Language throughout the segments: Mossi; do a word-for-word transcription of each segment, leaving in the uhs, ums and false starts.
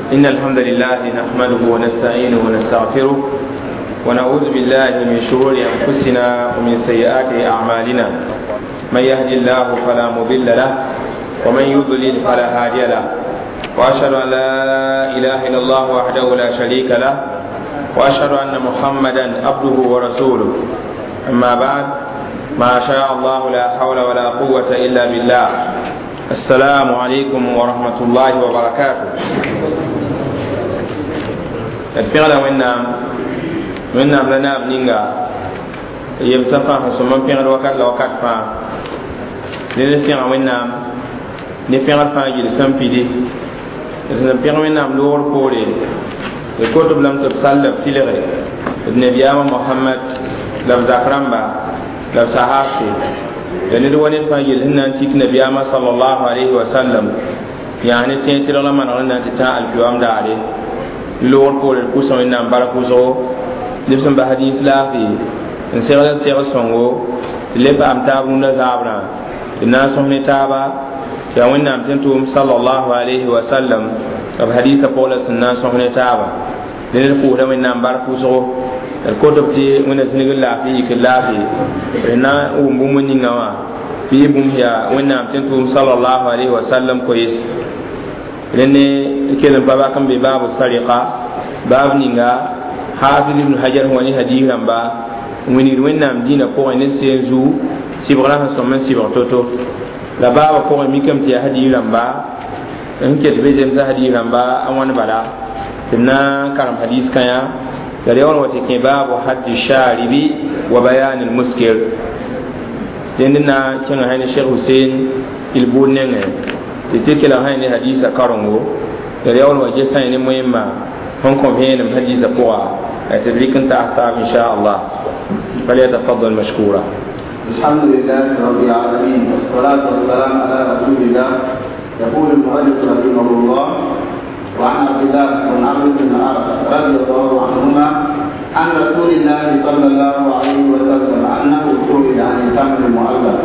إن الحمد لله نحمده ونستعينه ونستغفره ونعوذ بالله من شرور أنفسنا ومن سيئات أعمالنا من يهدي الله فلا مضل له ومن يضلل فلا هادي له وأشهد أن لا إله إلا الله وحده لا شريك له وأشهد أن محمدا عبده ورسوله أما بعد ما شاء الله لا حول ولا قوة إلا بالله السلام عليكم ورحمة الله وبركاته d pẽgda wẽnnaam wẽnnaam la naab ninga yemsã fãa sẽn sõm n pẽgd wakat la wakat fãa ned n pẽga wẽnnaam ne pẽgd fãa yel sẽn pidi d sẽn pẽg wẽnnaam loogr poore d kot b lame tɩ b sall b tɩlge d nabiyaamã mohamad la b zak rãmba la b sahabse la ned wa ned fãa yel sẽn na n tik nabiyaamã salallahu alayhi wa sallam yaa ne tẽeg tɩlg la manegr n na n tɩ tã alkiyoam daare loogr poore d pʋsã wẽnnaam bark wʋsgo neb sẽn bas dĩns laafɩ n segl n segl sõngo tɩ le paam taab rũndã zaabrã tɩ na n sõs ne taaba tɩ yaa wẽnnaam tɩ n tʋʋm salallahu alayhi wa sallam b hadiisã pʋg la sẽn na n sõs ne taaba ne ned pʋʋsda wẽnnaam bark wʋsgo d kot b tɩ wẽnna zĩnigr laafɩ yik laafɩ d na n wʋm bũmb ninga wã bɩ bũmb yaa wẽnnaam tɩ n tʋʋm salallahu alayhi wa sallam koees rẽnd kell n pa bak n be baabu sarɩka baab ninga hafiz ibn hajar sẽn wa ne hadiis rãmba n wilgd wẽnnaam dĩinã pʋgẽ ne seen zuu sɩbgrã sẽn sõm n sɩbg to-to la baabã pʋgẽ mikame tɩ yaa hadiis rãmba sẽn ket be zemsã hadiis rãmba a wãn bala tɩ b na n karem hadiis kãyã la reoor wa tɩ kẽ baabu haddi sharibi wa bayan almuskir dẽnd na n kẽngã sã ne sheikh husein ilbuud nengẽ tɩ tɩ kelg sã ne hadiisã karengo la reoor wa gesã ne moẽmma sẽn kõ vẽenem hadiisã pʋga tɩ d rɩk n taas taab insha allah فليتفضل مشكورا. الحمد لله رب العالمين والصلاة والسلام على رسول الله. يقول المؤلف رحمه الله: وعن عبد الله بن عمرو بن العاص رضي الله عنهما عن رسول الله صلى الله عليه وسلم أنه سئل عن التمر المعلب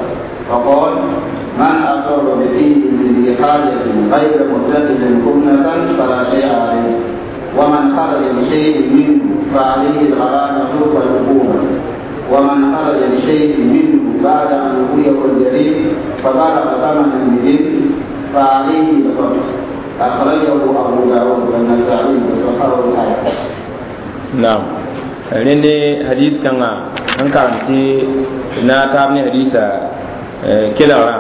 فقال: من أصاب بفيه من ذي حاجة غير متخذ خبنة فلا شيء عليه، ومن خرج بشيء منه فعليه الغرامة والعقوبة، ومن خرج بشيء منه بعد أن لقيه الجريم فبلغ ثمنا بذل فعليه القتل. أخرجه أبو داود والنسائي وصححه الحاكم. نعم rẽnd hadis kãngã n karem tɩ na taab ne hadiisa kelgrã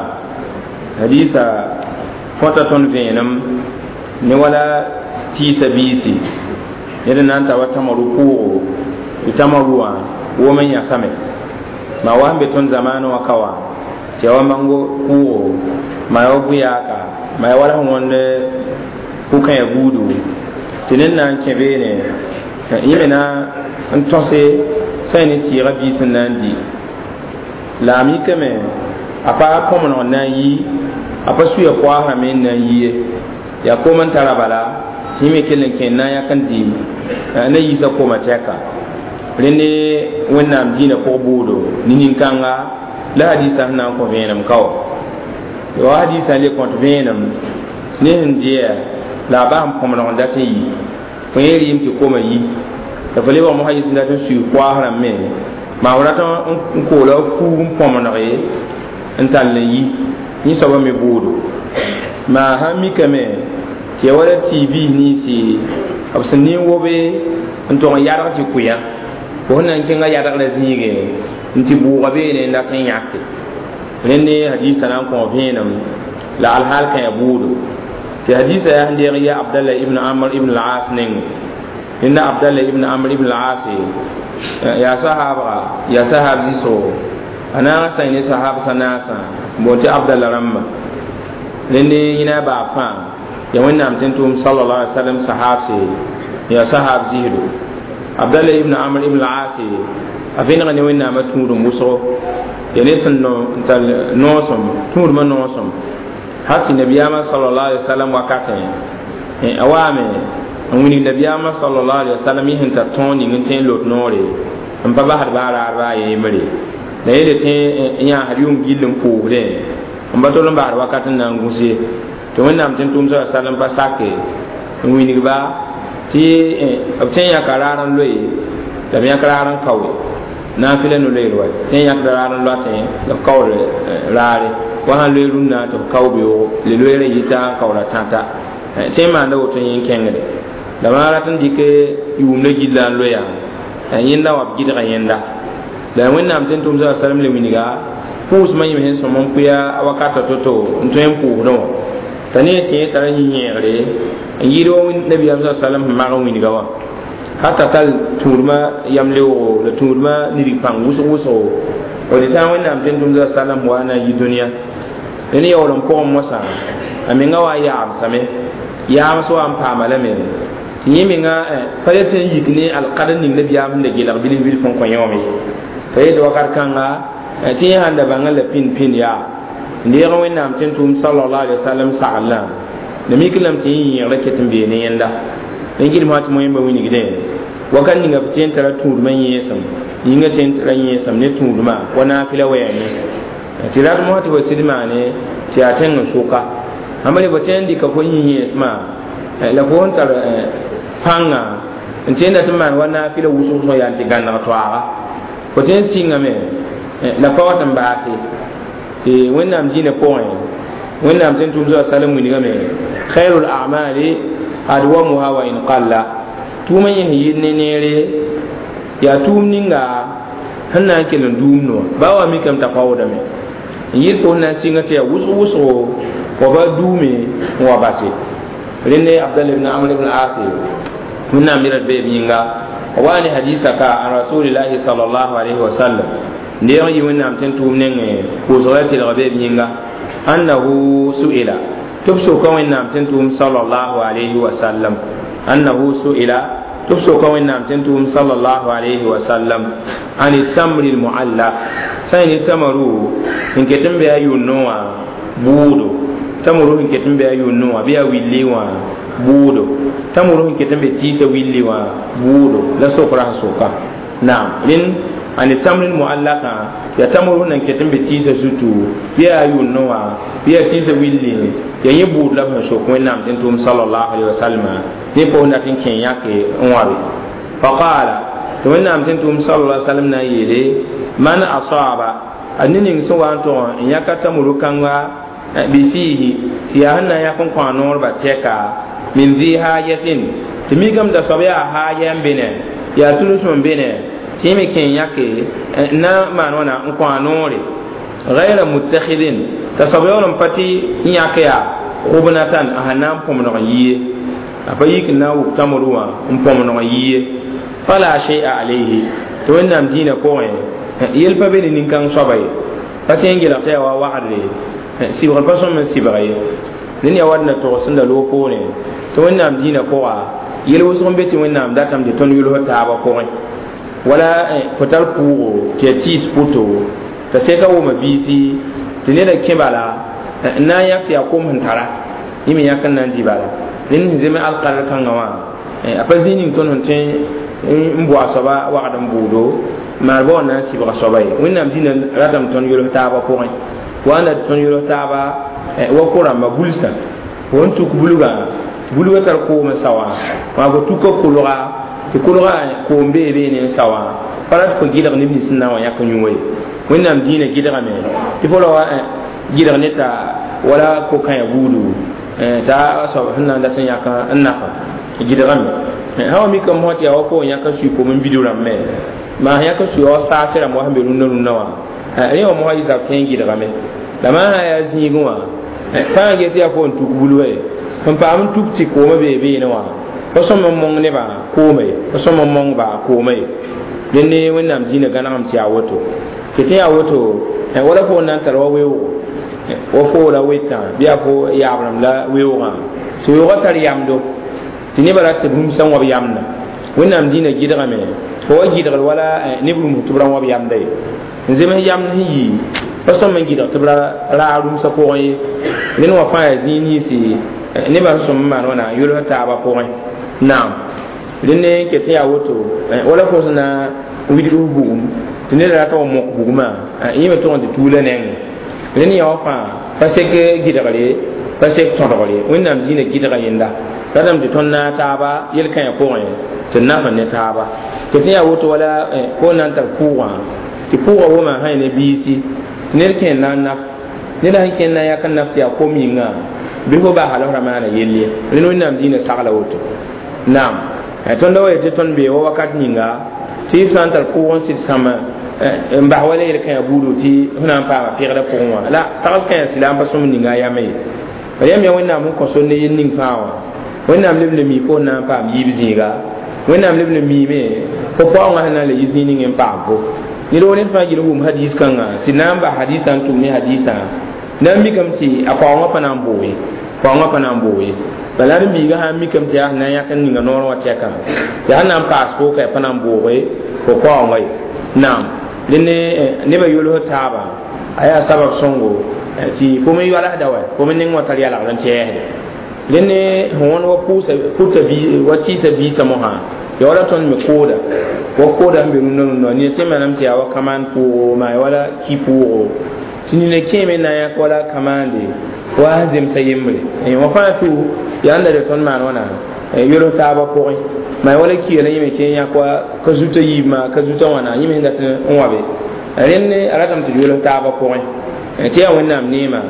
hadiisa kõta tõnd vẽenem ne wala tiisa biisi ned n na n ta wa tamaru pʋʋgo tɩ tamaru wã wom n yãsame maa wa sẽn be tõnd zamaanẽ wã ka wã tɩ ya wa mango pʋʋgo maa ya wa bʋ-yaaka maa ya wala sẽn wõnd pʋkãyã buudu tɩ ned na n kẽ beene yẽ me na n tõse sã ne tɩɩgã biis n na n di la a mikame a pa kõmeneg n na n yi a pa suya koaasrã me n na n yi ye yaa kom n tara bala tɩ yẽ me kell n kẽ n na n yãk n dɩ na yiisa koma tɛka rẽnd wẽnnaam dĩinã pʋg bʋʋdo ne nin-kãnga la hadiisã sẽn na n kõ vẽenem ka wa wa hadiisã le kõt vẽenem ne sẽn dɩɛ la a bas n põmdg n dat n yi fo yẽ rɩɩm tɩ koma yi la fo lebg mosã yɩs n dat n sui koaas rãmb me maa fo rat n koola fuug n põmdge n tall n yi yẽ soabã me bʋʋdo maa sãn mikame tɩ ya wala tɩ biis ninsi b sẽn nin wobe n tog n yadg tɩ kʋyã fo sẽn na n kẽnga yadgrã zĩige n tɩ bʋʋga beene n dat n yãke rẽnd hadiisã na n kõ vẽenem la alhaal kã ya bʋʋdo tɩ hadiisã yaa sẽn deeg ya abdallah ibn amr ibn al-as neng rẽnda abdallah ibn amr ibn al-as yaa sahaabga yaa sahaab zɩsgo a naag n sã ne sahab sã naasã n boond tɩ abdallah rãmba rẽnd yẽna a baab fãa ya wẽnnaam tɩ n tʋʋm sallallahu alaihi wasallam sahabse ya sahab zɩsdo abdallah ibn amr ibn al-as a vẽnega ne wẽnnaamã tũudum wʋsgo ya ne sẽn n tar noosem tũudmã noosem hal tɩ nabiyaamã sallallahu alaihi wasallam wakatẽ a waame n wilg nabiyaamã sallallahu alaihi wasallam yẽ sẽn tar tõog ning n tõe n lot noore n pa basd baa raar baa yembre la yele tɩ n yãasd yʋng gill n pʋʋsdẽ n pa tol n basd wakat n na n gũse tɩ wẽnnaam tɩ n tʋʋm sa sallam pa sake n wilgba tɩ b tõe n yãka raar n loe la b yãk raar n kaoe naafɩla no-loeer wa tõe n yãkda raar n loatẽ la b kaood raare wa sãn loe rũnnã tɩ b kao beoogo le loeerã yita n kaooda tãta tõe n maanda woto yẽ n kẽngde la maa rat n dɩk yʋʋmda gilla n loeya yẽnda wa b gɩdga yẽnda la wẽnnaam tɩ n tʋm sa salm le wilga pʋʋsmã yẽm sẽn sõm n pʋya wakata to-to n tõe n pʋʋsdẽ wã t'a ne tɩ tara yĩ-yẽegre n yɩɩd wa nabiyaam sa salm sẽn mag n wilga wã hata tal tũudmã yam leoogo la tũudmã nidg pãng wʋsg wʋsgo d tã wẽnnaam tɩ n tʋm sa salm wa na n yi dũniyã ne yaool n pʋgẽ mosã a menga wa yaamsame yaams wa n paama lame tɩ yẽ menga pa le tɩ n yik ne alkadr ning nabiyaam sẽn da gelg bilf bilf n kõ yẽ wã ye pa yet wakat kãnga tɩ yẽ sãn da bãngã la pĩnd pĩnd yaa n deeg wẽnnaam tɩ n tʋʋm sallallahu alaihi wasallam saglã la mik lame tɩ yẽ yẽegrã ket n bee ne yẽnda n gɩdem tɩ moẽmba wilgdẽ wakat ninga b tõe n tara tũudmã yẽesem yĩngã tõe n tara yẽesem ne tũudmã wa naafɩla wɛɛngẽ tɩ rat mosã tɩ fo sɩd maane tɩ yaa tẽng n sʋka ãmba ne fo tõe n dɩka fo yĩ yẽesmã la fo sẽn tar pãnga n tõe n dat n maan wa naafɩla wʋsg wʋsg yaa n tɩ gãneg toaaga fo tõe n sɩngame la pa wat n baase tɩ wẽnnaam dĩinã pʋgẽ wẽnnaam tɩ n tʋm sa salem wilgame khairul a'mali adwamuha wa in qalla tʋʋmã yẽ sẽn yɩɩd ne neere yaa tʋʋm ninga sẽn na n kell n duum noa baa wa mikame t'a paoodame n yɩɩd fo sẽn na n sɩnga tɩ yaa wʋsg wʋsgo wa ba duume n wa base rẽnde abdallah ibn amr ibn asi wẽnnaam ned d beeb yĩnga wa ne hadisa ka an rasulillahi sallallahu alaihi wasallam ndeeg n yi wẽnnaam tɩ n tʋʋm nengẽ pʋʋsg la tɩlg beeb yĩnga annahu su'ila tɩ b soka wẽnnaam tɩ n tʋʋm sallallahu alaihi wasallam annahu su'ila tɩ b soka wẽnnaam tɩ n tʋʋm sallallahu alaihi wasallam an tamri lmuallaq sã n ne tamaru n ket n be a yʋnnẽ wã bʋʋdo tamuru sẽn ket n be a yʋnnẽ wã bɩ yaa willi wã bʋʋdo tamuru sẽn ket n be tiisã willi wã bʋʋdo la sokra sẽn soka naam rẽnd ani tamrin muallaka ya tamuru nan ket n be tiisã zutu bɩ yaa yʋnnẽ wã bɩ yaa tiisã willi ya yẽ bʋʋd la b sẽn sok wẽnnaam tɩ n tʋʋm sallallahu alaihi wasallam ne pʋgẽ dat n kẽ yãke n wãbe faqaala tɩ wẽnnaam tɩ n tʋʋm sallallahu alaihi wasallam na n yeele man asaba a ne ning sẽn wa n tʋg n yãka tamuru kãnga bifihi tɩ yaa sẽn na n yãk n kõ a noorba tɛka min dhi hajatin tɩ mikame t'a soab yaa haaja n be ne yaa tulusm n be ne tɩ yẽ me kẽ n yãke n na n maan wãna n kõ a noore gayra muttakhidin t'a soab yaool n pa tɩ n yãk yaa khubnatan a sẽn na n põmdg n yie a pa yik n na n wʋk tamru wã n põmdg n yie fala shay'a alayhi tɩ wẽnnaam dĩinã pʋgẽ yel pa be ne nin-kãng soaba ye pa tẽ n gelg tɩ yaa wa wagdre sɩbgr pa sõm n sɩbg ye ned yaa wat na tog sẽn da loog poorẽ tɩ wẽnnaam dĩinã pʋga yel wʋsg n be tɩ wẽnnaam datame tɩ tõnd yʋls taabã pʋgẽ wala fo tar pʋʋgo tɩ yaa tiis pʋto t'a seka wʋma biisi tɩ neda kẽ bala n na n yãk tɩ yaa kom sẽn tara yẽ me yãk n na n dɩ bala rẽnd sẽn zems alkadr kãngã wã a pa zĩig ning tõnd sẽn tõe n bʋ a soaba wagd n bʋʋdo maarba wã na n sɩbga soaba ye wẽnnaam dĩinã ratame tõnd yʋls taabã pʋgẽ wa na tõnd yʋls taaba wa ko-rãmba bulsã fo n tuk bulgã bulgã tar koom n sa wã wã fo tuka kolga tɩ kolga koom bee beene n sa wã pa rat fo gɩdg neb nins sẽn na n wa yãk n yũ ye wẽnnaam dĩinã gɩdgame tɩ fo ra wa gɩdg ne t'a wala ko-kãyã buudu t'a soab sẽn na n dat n yãk n nafa gɩdgame sã wa mikame mosã tɩ yaa wa fo n yãk n sui kom n bid rãmbme maa sẽn yãk n sui wa saase rãmb wa sẽn be rũndã rũndã wã rẽ wã mosã yɩ tõe n gɩdgame la maa sã yaa zĩigẽ wã fãa get yaa fo n tuk bulga ye sẽn paam n tuk tɩ koomã bee beene wã pa sõm n mong nebã kooma ye pa sõm n mongba kooma ye dẽnd ne wẽnnaam dĩinã gãnegem tɩ yaa woto tɩ tɩ yaa woto wala fo n na n tar wa weoogo wa fo la wetã bɩ yaa fo yaab rãmb la weoogã tɩ weoogã tar yamdo tɩ nebã rat tɩ rũmsã n wab yamda wẽnnaam dĩinã gɩdgame fo wa gɩdgd wala neb rũms tɩ b ra wab yamda ye n zems yamd sẽn yi pa sõm n gɩdg tɩ b ra raag rũmsã pʋgẽ ye rẽnd wã fãa yaa zĩig ninsi nebã sẽn sõm n maan wãna yʋls taabã pʋgẽ naam rẽnd n ket n yaa woto wala fo sẽn na n widg f bugum tɩ ned rata wa mok bugmã yẽ me tʋg n tɩ tuula nengẽ rẽnd yã wã fãa pa sek gɩdgre pa sek tõdgre wẽnnaam dĩinã gɩdga yẽnda ratame tɩ tõnd naag taaba yel-kãyã pʋgẽ tɩ d naf n ne taaba tɩ tɩ yaa woto wala fo na n tar pʋʋgã tɩ pʋʋgã wʋma sã ne biisi tɩ ned kẽer na n naf ned sẽn kẽnd na n yak n naf tɩ yaa kom yĩnga bɩ fo bas halsrã maana yell ye rẽnd wẽnnaam dĩinã sagla woto naam tõnd wa yetɩ tõnd bee wa wakat ninga tɩ b sã n tar pʋʋg n sɩd sãma n bas wala yel-kãyã buudu tɩ f na n paama pɩgdã pʋgẽ wã la tags kãyã sɩla n pa sõm ninga a yama ye bala yãmb yaa wẽnnaam sẽn kõ sor ne yel ning fãa wã wẽnnaam leb le mi fo n na n paam yiib zĩiga wẽnnaam leb le miime fo paoongã sẽn na n le yi zĩig ning n paam fo ned wo ned fãa gil wʋm hadis kãngã sɩd na n bas hadisã n tʋm ne hadisã na n mikame tɩ a kaoongã pa na n boo ye kaoongã pa na n boo ye bala d biiga sã n mikame tɩ yaa sẽn na n yãk n ninga noorã wã tɛkã yaa sẽn na n paas fo ka pa na n booge fo kaoongã ye naam dẽnd nebã yols taaba a yaa sabab sõngo tɩ fo me yoalsda wa fo me neng wã tar yalgd n tɛɛsde dẽnd sẽn wõnd wa pʋʋsa pʋta wa tɩɩsa biisã mosã ya wala tõnd me kooda wa kooda sẽn be rũndã rũndã ned tɩ manam tɩ yaa wa kamaan pʋʋgo maa ya wala ki pʋʋgo tɩ nina kẽeme na n yãk wala kamaande wa zemsa yembre wã fãa tʋ yaa n da de tõnd maan wãna yols taabã pʋgẽ maa wala kiya la yẽme tɩ yãk wa ka zuta yiibmã ka zuta wãna yẽme sẽn dat n wã be rẽnd a ratame tɩ d yols taabã pʋgẽ tɩ yaa wẽnnaam neema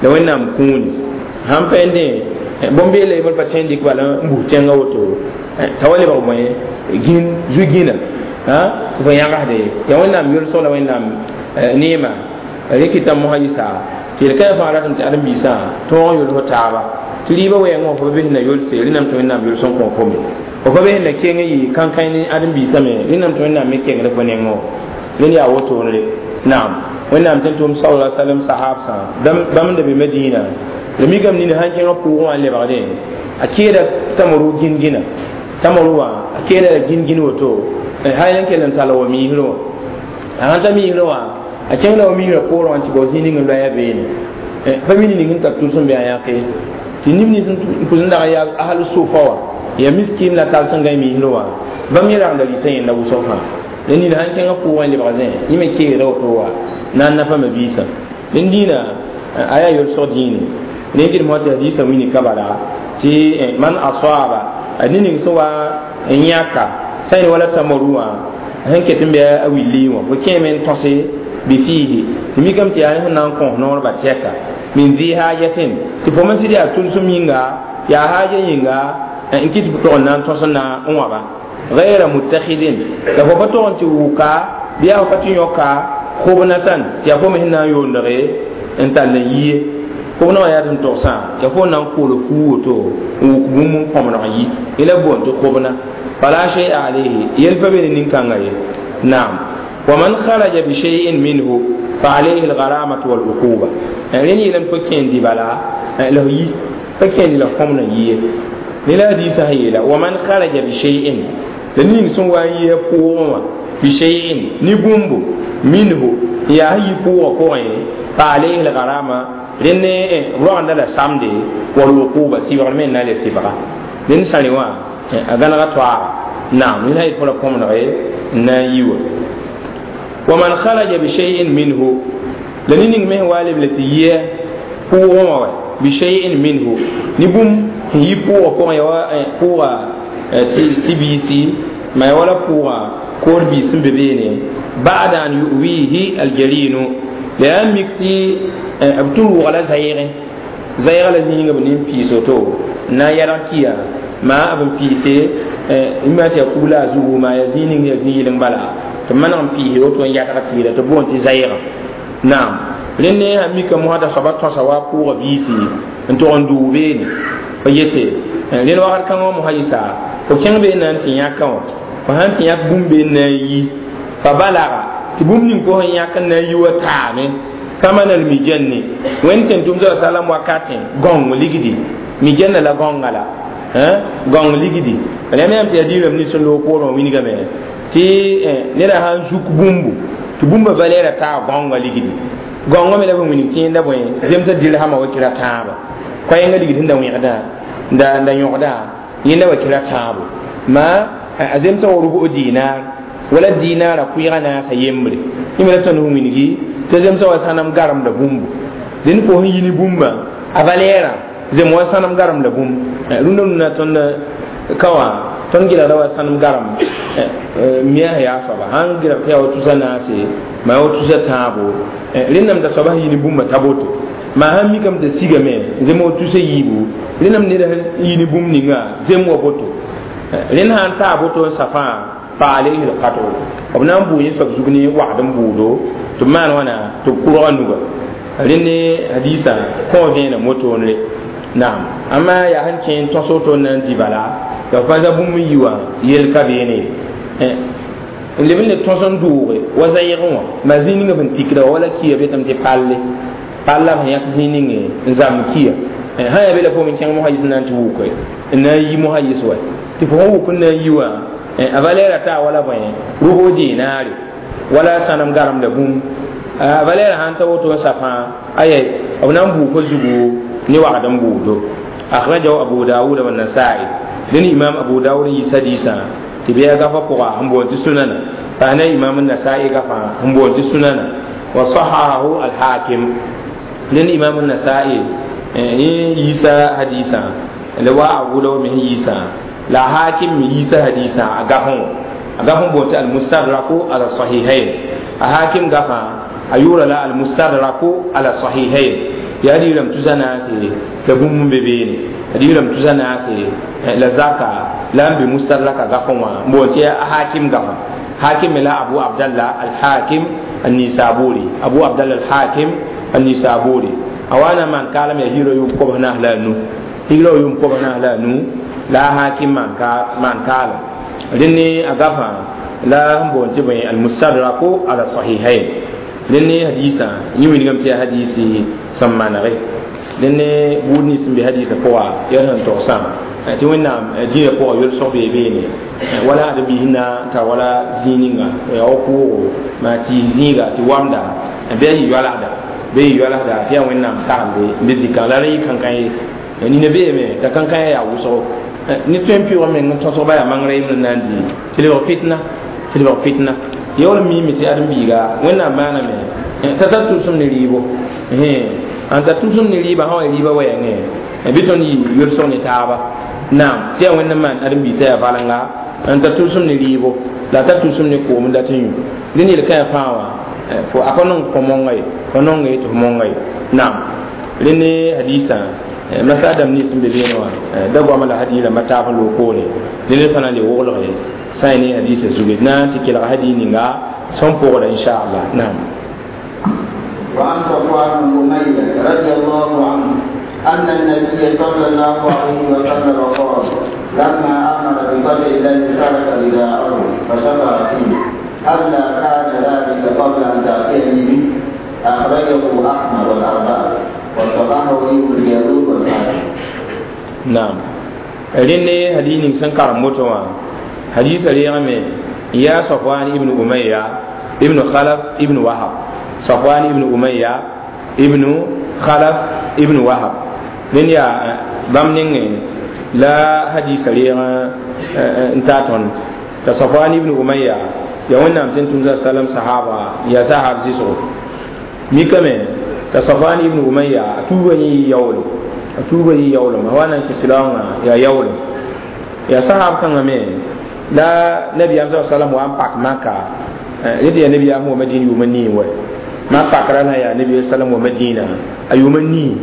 la wẽnnaam kũuni sãn pɛɛndẽ bõn-beela yembr pa tõe n dɩk bala n bus tẽngã woto t'a wa lebg bõe gĩn zu-gĩna tɩ fo yãgsde ye yaa wẽnnaam yolsg la wẽnnaam neema rɩkɩta mosã yɩsa tɩ yel-kãyã fãa ratame tɩ ãdem-biisã tõog yols taaba tɩ rɩɩbã wɛɛngã wã fo pa bes na yolse rẽnnam tɩ wẽnnaam yols n kõ fo me fo pa bes na keng n yɩ kãnkãe ne ãdem-biisã me rẽnnam tɩ wẽnnaam me kengd fo nengẽ wã rẽnd yaa wotone naam wẽnnaam tɩ n tʋm sala salam sahabsã bãmb n da be madina la mikame nina sãn kẽngã pʋʋgẽ wã n lebgdẽ a keeda tamaru gĩn-gĩna tamaru wã a keeda la gĩn-gĩn woto hal n kell n tall wa miisrẽ wã a sãn ta miisrẽ wã a kẽngda wa miisrã poorẽ wã tɩ bao zĩig ning n loɛɛ beene pa mi ning n tar tʋls n be a yãke tɩ neb nins n pʋs n dag n yaa ahal sofa wã yaa miskim la tals n gãe miisrẽ wã bãmb yẽ ragda rɩtã yẽnda wʋsg fãa la nina sãn kẽngã pʋʋgẽ n lebg zẽ yẽ me keegda woto wa na n nafa mabiisã dẽn dĩinã a yaa yolsg dĩine rẽnd gɩdem tɩ hadisã wini ka bala tɩ man asaba a ne ning sẽn wa n yãka sã n wala tamaru wã sẽn ket n bɩ a willi wã fo kẽeme n tõse bi fiihi tɩ mikame tɩ yaa sẽn na n kõs noor ba tɛka min dhi hajatin tɩ fo me sɩd yaa tʋlsem yĩnga yaa haaja yĩnga n kɩt tɩ fo tog n na n tõs n na n wãba غير متخذ la fo pa tog n tɩ wʋka bɩ yaa fo pa tɩ yõka khobnatan tɩ yaa fo me sẽn na n yoondge n tall n yie khobna wã yaa tɩ n togsã yaa fo na n kool fuu woto n wʋk bũmb n kõmneg n yi yẽ la boond tɩ khobna fala shay'a alayhi yel pa be ne nin-kãngã ye naam ومن خرج بشيء منه فعليه الغرامة والعقوبة rẽnd yeelame fo kẽen bala la yi fa kẽen la kõmna yie ne la hadiisã sẽn yeela ومن خرج بشيء la ning sẽn wa n yɩ pʋʋgẽ wã بشيء ne bũmbo منه n yaa sẽn yi pʋʋgã pʋgẽ فعليه الغرامة rẽnd rogenda la samde والعقوبة sɩbgr me n na n le sɩbga dẽnd sãrẽ wã a gãnega toaaga naam ned sã yet fo la kõmnege n na n yi wa ومن خرج بشيء منه la ne ning me sẽn wa lebl tɩ yɩ pʋʋgẽ wã wa بشيء منه ne bũmb sẽn yi pʋʋgã pʋgẽ ya wa pʋʋga tɩ biisi ma ya wala pʋʋgã koor biis sẽn be beene بعد أن يؤويه الجرين la yaa mik tɩ b tɩ rʋʋga la zaɩgẽ zaɩga la zĩigã b nin piis woto n na n yɛlg kiya maa b n piise n ma tɩ yaa kugla a zugu maa yaa zĩig ning yaa zĩ-yɩleng bala tɩ maneg n piise woto n yatg tɩɩra tɩ boond tɩ zaɩgã naam rẽnd ne sã mika mosã soaba tõsa wa pʋʋga biisi n tog n dʋʋ beene fa yete rẽnd wakat kãngã wã mosã yɩsa fo kẽng bee na n tɩ yãkã wã fo sãn tɩ yãk bũmb bee n na n yi fa balaga tɩ bũmb ning fo sẽn yãk n na n yi wa taame ثمن المجن wẽnd tẽn tʋm sa salam wakatẽ gõng ligdi mijanna la gõnga la gõng ligdi rẽm yãmb tɩ yaa diirame nins sẽn loog poorẽ wã wilgame tɩ neda sãn zuk bũmbu tɩ bũmba valɛɛra taa gõnga ligdi gõngã me la b wilg tɩ yẽnda bõe zemsã dirhama wa kɩra tãaba koɛɛngã ligd sẽn da wẽgdã da da yõgdã yẽnda wa kɩra tãabo ma a zemsã wa rub'u dinar wala dinara kʋɩɩgã naasa yembre yẽ me la tõnd sẽn wilgi tɩ zemsã wa sãnem garemda bũmbu dẽnd fo sẽn yi ne bũmba a valɛɛrã zem wa sãnem garemda bũmb Rũndã rũndã tõnd ka wã tõnd gɩlgda wa sãnem garem mia yaa soaba sãn gɩlg tɩ yaa wa tusa naase maa wa tusa tãabo rẽnnam t'a soaba sẽn yi ne bũmba t'a boto maa sãn mikame t'a sigame zem wa tusa yiibu rẽnnam ned sẽn yi ne bũmb ninga zem wa boto rẽnd sãn taa boto n sa fãa fa alayhi lqat'u b na n bʋʋ yẽ soab zug ne wagd n bʋʋdo tɩ b maan wãna tɩ b kʋrga nuga rẽnd ne hadiisã kõ vẽenem wotoonre naam amma yaa sẽn kẽ n tõs woto n na n dɩ bala la f pa za bũmb n yi wã yel ka beene n leb n le tõs n dooge wa zayɩgẽ wã ma zĩig ninga sẽn tikda wã wala kiya betame tɩ palle pall la b sẽn yãk zĩig ninge n zãmb kiya sã yaa be la foom n kẽng mosã yɩs n na n tɩ wʋke n na n yi mosã yɩs wa tɩ fo sẽn wʋk n na n yi wã a valɛɛra taa wala bõe rʋbg dinaare wala sãnem garem la bũmb a valɛɛra sãn ta woto n sa fãa aya b na n bʋʋ fo zugu ne wagd n bʋʋdo akhrajahu abu dawuda wa nasai dẽn imam abu dawud n yiis hadiisã tɩ bɩ a gafa pʋga sẽn boond tɩ sunana paana imam nasai gafa sẽn boond tɩ sunana wa sahahahu alhakim dẽn imam nasai yẽ yiisa hadiisã la wa abu dawud me sẽn yiisã la hakim me yiisa hadiisã a gafẽ wã a gafẽ boond tɩ almustadraku ala sahihain a hakim gafa a yʋʋra la almustadraku ala sahihain yaa digrame tusa naase la bũmb n be beene digrame tusa naase la zaka la n be mustadraka gafẽ wã n boond tɩ a hakim gafa hakim me la abu abdallah alhakim annisaburi abu abdallah alhakim annisaburi a wa na n maan kaalem yaa hiirã yʋʋm kobs naas la a nu higrã yʋʋm kobs naas la a nu la a hakim maan kaalem rẽnd ne a gafã la sẽn boond tɩ bõe almustadraku ala sahihain rẽnd ne hadiisã yẽ wilgame tɩ yaa hadiisi sẽn manege rẽnd ne buud nins sẽn be hadiisã pʋga yaa sẽn togsã tɩ wẽnnaam dĩinã pʋga yolsg bee beene wala ad biis na n tar wala zĩig ninga yaa wa pʋʋgo maa tɩɩs zĩiga tɩ wamda bɩ a yɩ yoalsda bɩ yɩ yoalsda tɩ yaa wẽnnaam saglde n be zikã la rẽ yɩ kãnkã ye nina beeme t'a kãnkã yaa wʋsgo ne tõe n pɩʋg meng n tõsg ba yaa mangrã yembre n na n dɩ tɩ lebg fitna tɩ lebg fitna yaool miime tɩ ãdem-biiga wẽnnaam maaname t'a tar tʋʋsem ne rɩɩbo n tar tʋʋsem ne rɩɩba sã wa rɩɩba wɛɛngẽ bɩ tõnd yɩ yolsg ne taaba naam tɩ yaa wẽnd n maan ãdem-biig t'a yaa valenga n tar tʋʋsem ne rɩɩbo la a tar tʋʋsem ne koom n dat n yũ dẽnd yel kãe fãa wã fo a pa nong fo monga ye fo nonga ye tɩ fo monga ye naam rẽnd ne hadiisã masa dãmb nins sẽn be beene wã da goama la hadiis rãmba taab n loog poore dẽnd pa na n le woglge sã n ne hadiisã zuge d na n tɩ kelg hadiis ninga sẽn pʋgda inchallah naam وعن صفوان بن أمية رضي الله عنه أن النبي صلى الله عليه وسلم قال لما أمر بقدر الذي ترك رداءه فشفع فيه ألا كان ذلك قبل أن تأتيني به أخرجه أحمد والأربعة وصححه ابن الجارود والحاكم. نعم rẽnd ne hadiis ning sẽn karem woto wã hadiisã reegame yaa safwan ibn umayya ibn khalaf ibn wahab safwan ibn umayya ibn khalaf ibn wahab rẽnd yaa bãmb nengẽ la hadiisã reeg n taa tõnd t'a safwan ibn umayya yaa wẽnnaam tɩ n tʋmd salam sahaba yaa sahab zɩsgo mikame t'a safwan ibn umayya a tuuba yẽ yɩ yaoolo a tuuba yɩ yaoolem a wa na n kɩ silaoongã yaa yaoolem yaa sahab kãngã me la nabiyaam sa salam wa n pak maka rẽ tɩ yaa nabiyaam wa madina yʋʋma nii wa ma pakra la yaa nabi sallam wa madina a yʋʋma nii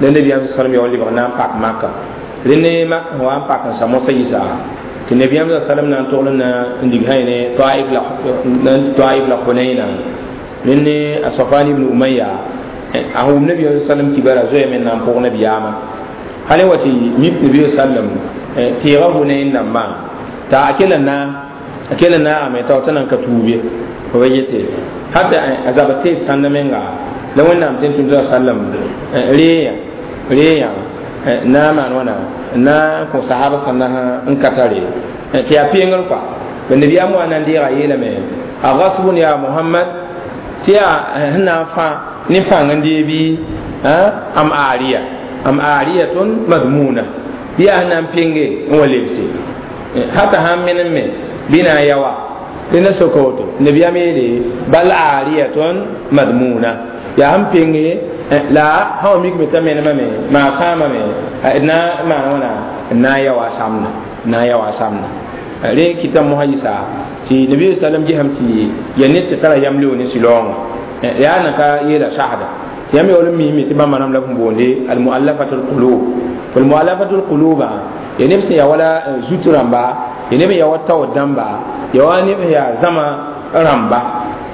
la nabiyaam sa salam yaa wa lebg na n pak maka rẽnd ne mak wa n pak n sa mosã yɩsa tɩ nabiyaam sa salam na n togl na n dig sã ne taif la taif la hunaina rẽnd ne a safan ibn umayya a wʋm nabiyaam sa sallam kibara zoya me na n pʋg nabiyaamã hal wa tɩ mik nabi sallam tɩɩga hunain dãmbã t'a a kela na a kela naagame t'a t'a nan ka tuub ye fo ba yete hata a zaba tees sãnda menga la wẽnnaam tɩ n tʋm tɩ sallam reeyã reeyã na n maan wãna na n kõ sahab sãnda n ka tare tɩ yaa pengr kɔa ba nabiyaam wa na n deega yeelame a gasbun ya muhammad tɩ yaa sẽn na n fã ne pãng n dee bɩ am aariya am aariyatun madmuna bɩ yaa sẽn na n penge n wa lebse hata sãn menem me bɩ na n yawa dẽnda soka woto nabiyaam yeele bal aariyatun madmuna yaa sẽn penge La sã wa mikme t'a menemame maa sãamame d na n maan wãna n na n ya wa a samda n na n ya wa a samda rẽ kɩta mosã yɩsa tɩ nabi sallam gesame tɩ ya ned tɩ tara yam leoog ne sɩlaoongã yaa na ka yeela sagda tɩ yãmb yaool n misme tɩ bãmba rãmb la b sẽn boonde almuallafatu lqulub almuallafatu lquluba ya neb sẽn ya wala zut rãmba ya neb n ya wa taood dãmba ya wa neb sẽn yaa zãma rãmba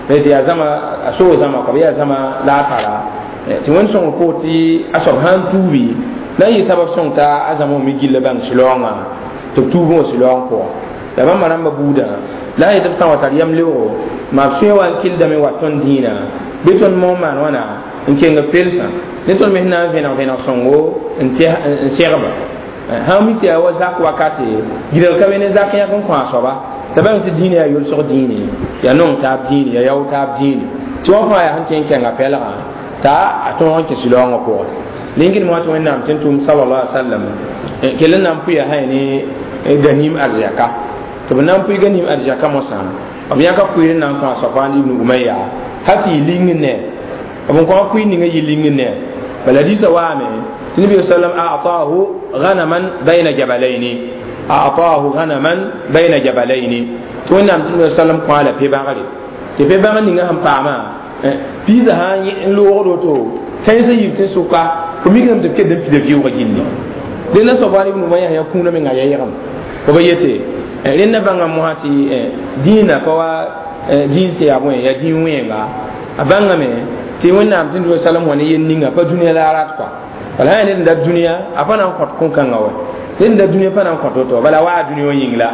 tɩ yaa zãma a soog zãma kɔ b yaa zãma la a tara tɩ wẽnd sõngr poor tɩ a soab sã n tuubi la n yɩ sabab sõng t'a a zãma wã me gilla bãng sɩlaoongã tɩ b tuub wã sɩlaoong pʋgã la bãmba rãmba buudã la a yetɩ b sã n wa tar yam leoogo maa b sũyã wa n kildame wa tõnd dĩinã bɩ tõnd moon maan wãna n keng pelsã ne tõnd me sẽn na n vẽneg vẽneg sõngo n segba sã n mi tɩ yaa wa zak wakate gɩdg ka be ne zak yãk n kõ a soaba t'a bãng tɩ dĩinã yaa yʋlsg dĩine yaa nong taab dĩine yaa yao taab dĩine tɩ wã fãa yaa sẽn tẽ n kẽnga pɛlgã t'a a tõog n kẽ sɩlaoongã pʋgẽ lengd moa tɩ wẽnnaam tɩ n tʋʋm sallallahu alaihi wasallam kell n na n pʋɩa sã ne ganim arzɛka tɩ b na n pʋɩ ganim arzɛka mosã b yãka kʋɩr n na n kõ a Safwan ibn Umayya hal tɩ yɩ ling ne b n kõ a kʋɩ ninga yɩ ling ne bala hadisa waame tɩ nabi sallam a'tahu ghanaman bayna jabalaini a'tahu ghanaman bayna jabalaini tɩ wẽnnaam tɩ nabi sallam kõ a la pe-bãgre tɩ pe-bãgr ninga sẽn paamã piisã sã n loogd woto tãensã yib tɩ sʋka fo mikdame tɩ b kell n pida vɩʋʋgã gilli rẽnda Safwan ibn Umayya yaa kũunã menga yɛɛgem fo ba yete rẽnda bãnga mosã tɩ dĩinã pa wa dĩin sẽn yaa bõe yaa dĩin wẽenga a bãngame tɩ wẽnnaam tɩ nabi sallam wã ne yel ninga pa dũniyã la a rat kɔa bala sã yaa ned n dat dũniyã a pa na n kõt kõ-kãngã wa ned n dat dũniyã pa na n kõt woto bala waa dũniyã wã yĩng la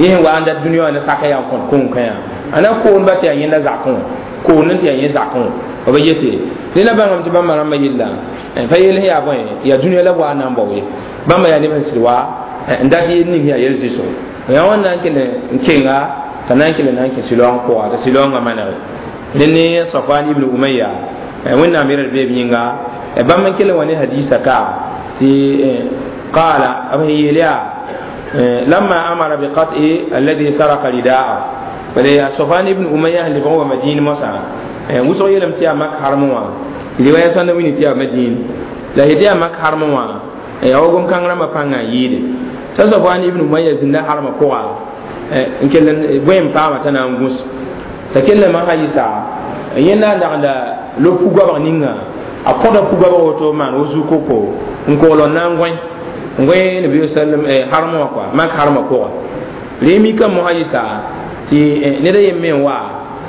yẽ sẽn wa n dat dũniyã wã ne saka yaa n kõt kõ-kãyã a na koonba tɩ yaa yẽnda zakẽ wã koond n tɩ yaa yẽ zakẽ wã b yete rẽnda bãngame tɩ bãmba rãmbã yella pa yel sẽn yaa bõe yaa dũniyã la b wa n na n bao ye bãmba yaa neb sẽn sɩd wa n dat yel ning yaa yel zɩsgo yaa wãn na n kell n kenga t'a na n kell na n kẽ sɩlaoong pʋga t'a sɩlaoongã manege rẽ ne Safwan ibn Umayya wẽnnaam yɛl d beeb yĩnga bãmb n kell n wa ne hadisa ka tɩ qala b sẽn yeel yaa lamma amara biqat'i alladhi saraka ridaa bala yaa Safwan ibn Umayya sẽn lebg n wa Madin mosã wʋsg yeelame tɩ yaa mak harmẽ wã riwaya sãn na wilg tɩ yaa Madin la yetɩ yaa mak harmẽ wã yaa wa gom-kãng rãmbã pãngã n yɩɩde t'a Safwan ibn Umayya zĩnda harmã pʋga n kell bõe n paama t'a na n gũs t'a kell n masã yɩsa yẽ na n dagda lob fu-goabg ninga a kõda fu-goabg woto n maan wo zu-koko n kogl n na n gõe n gõe nabi sallam harmẽ wã kɔa mak harmã pʋga rẽ mikame mosã yɩsa tɩ ned a yem me n wa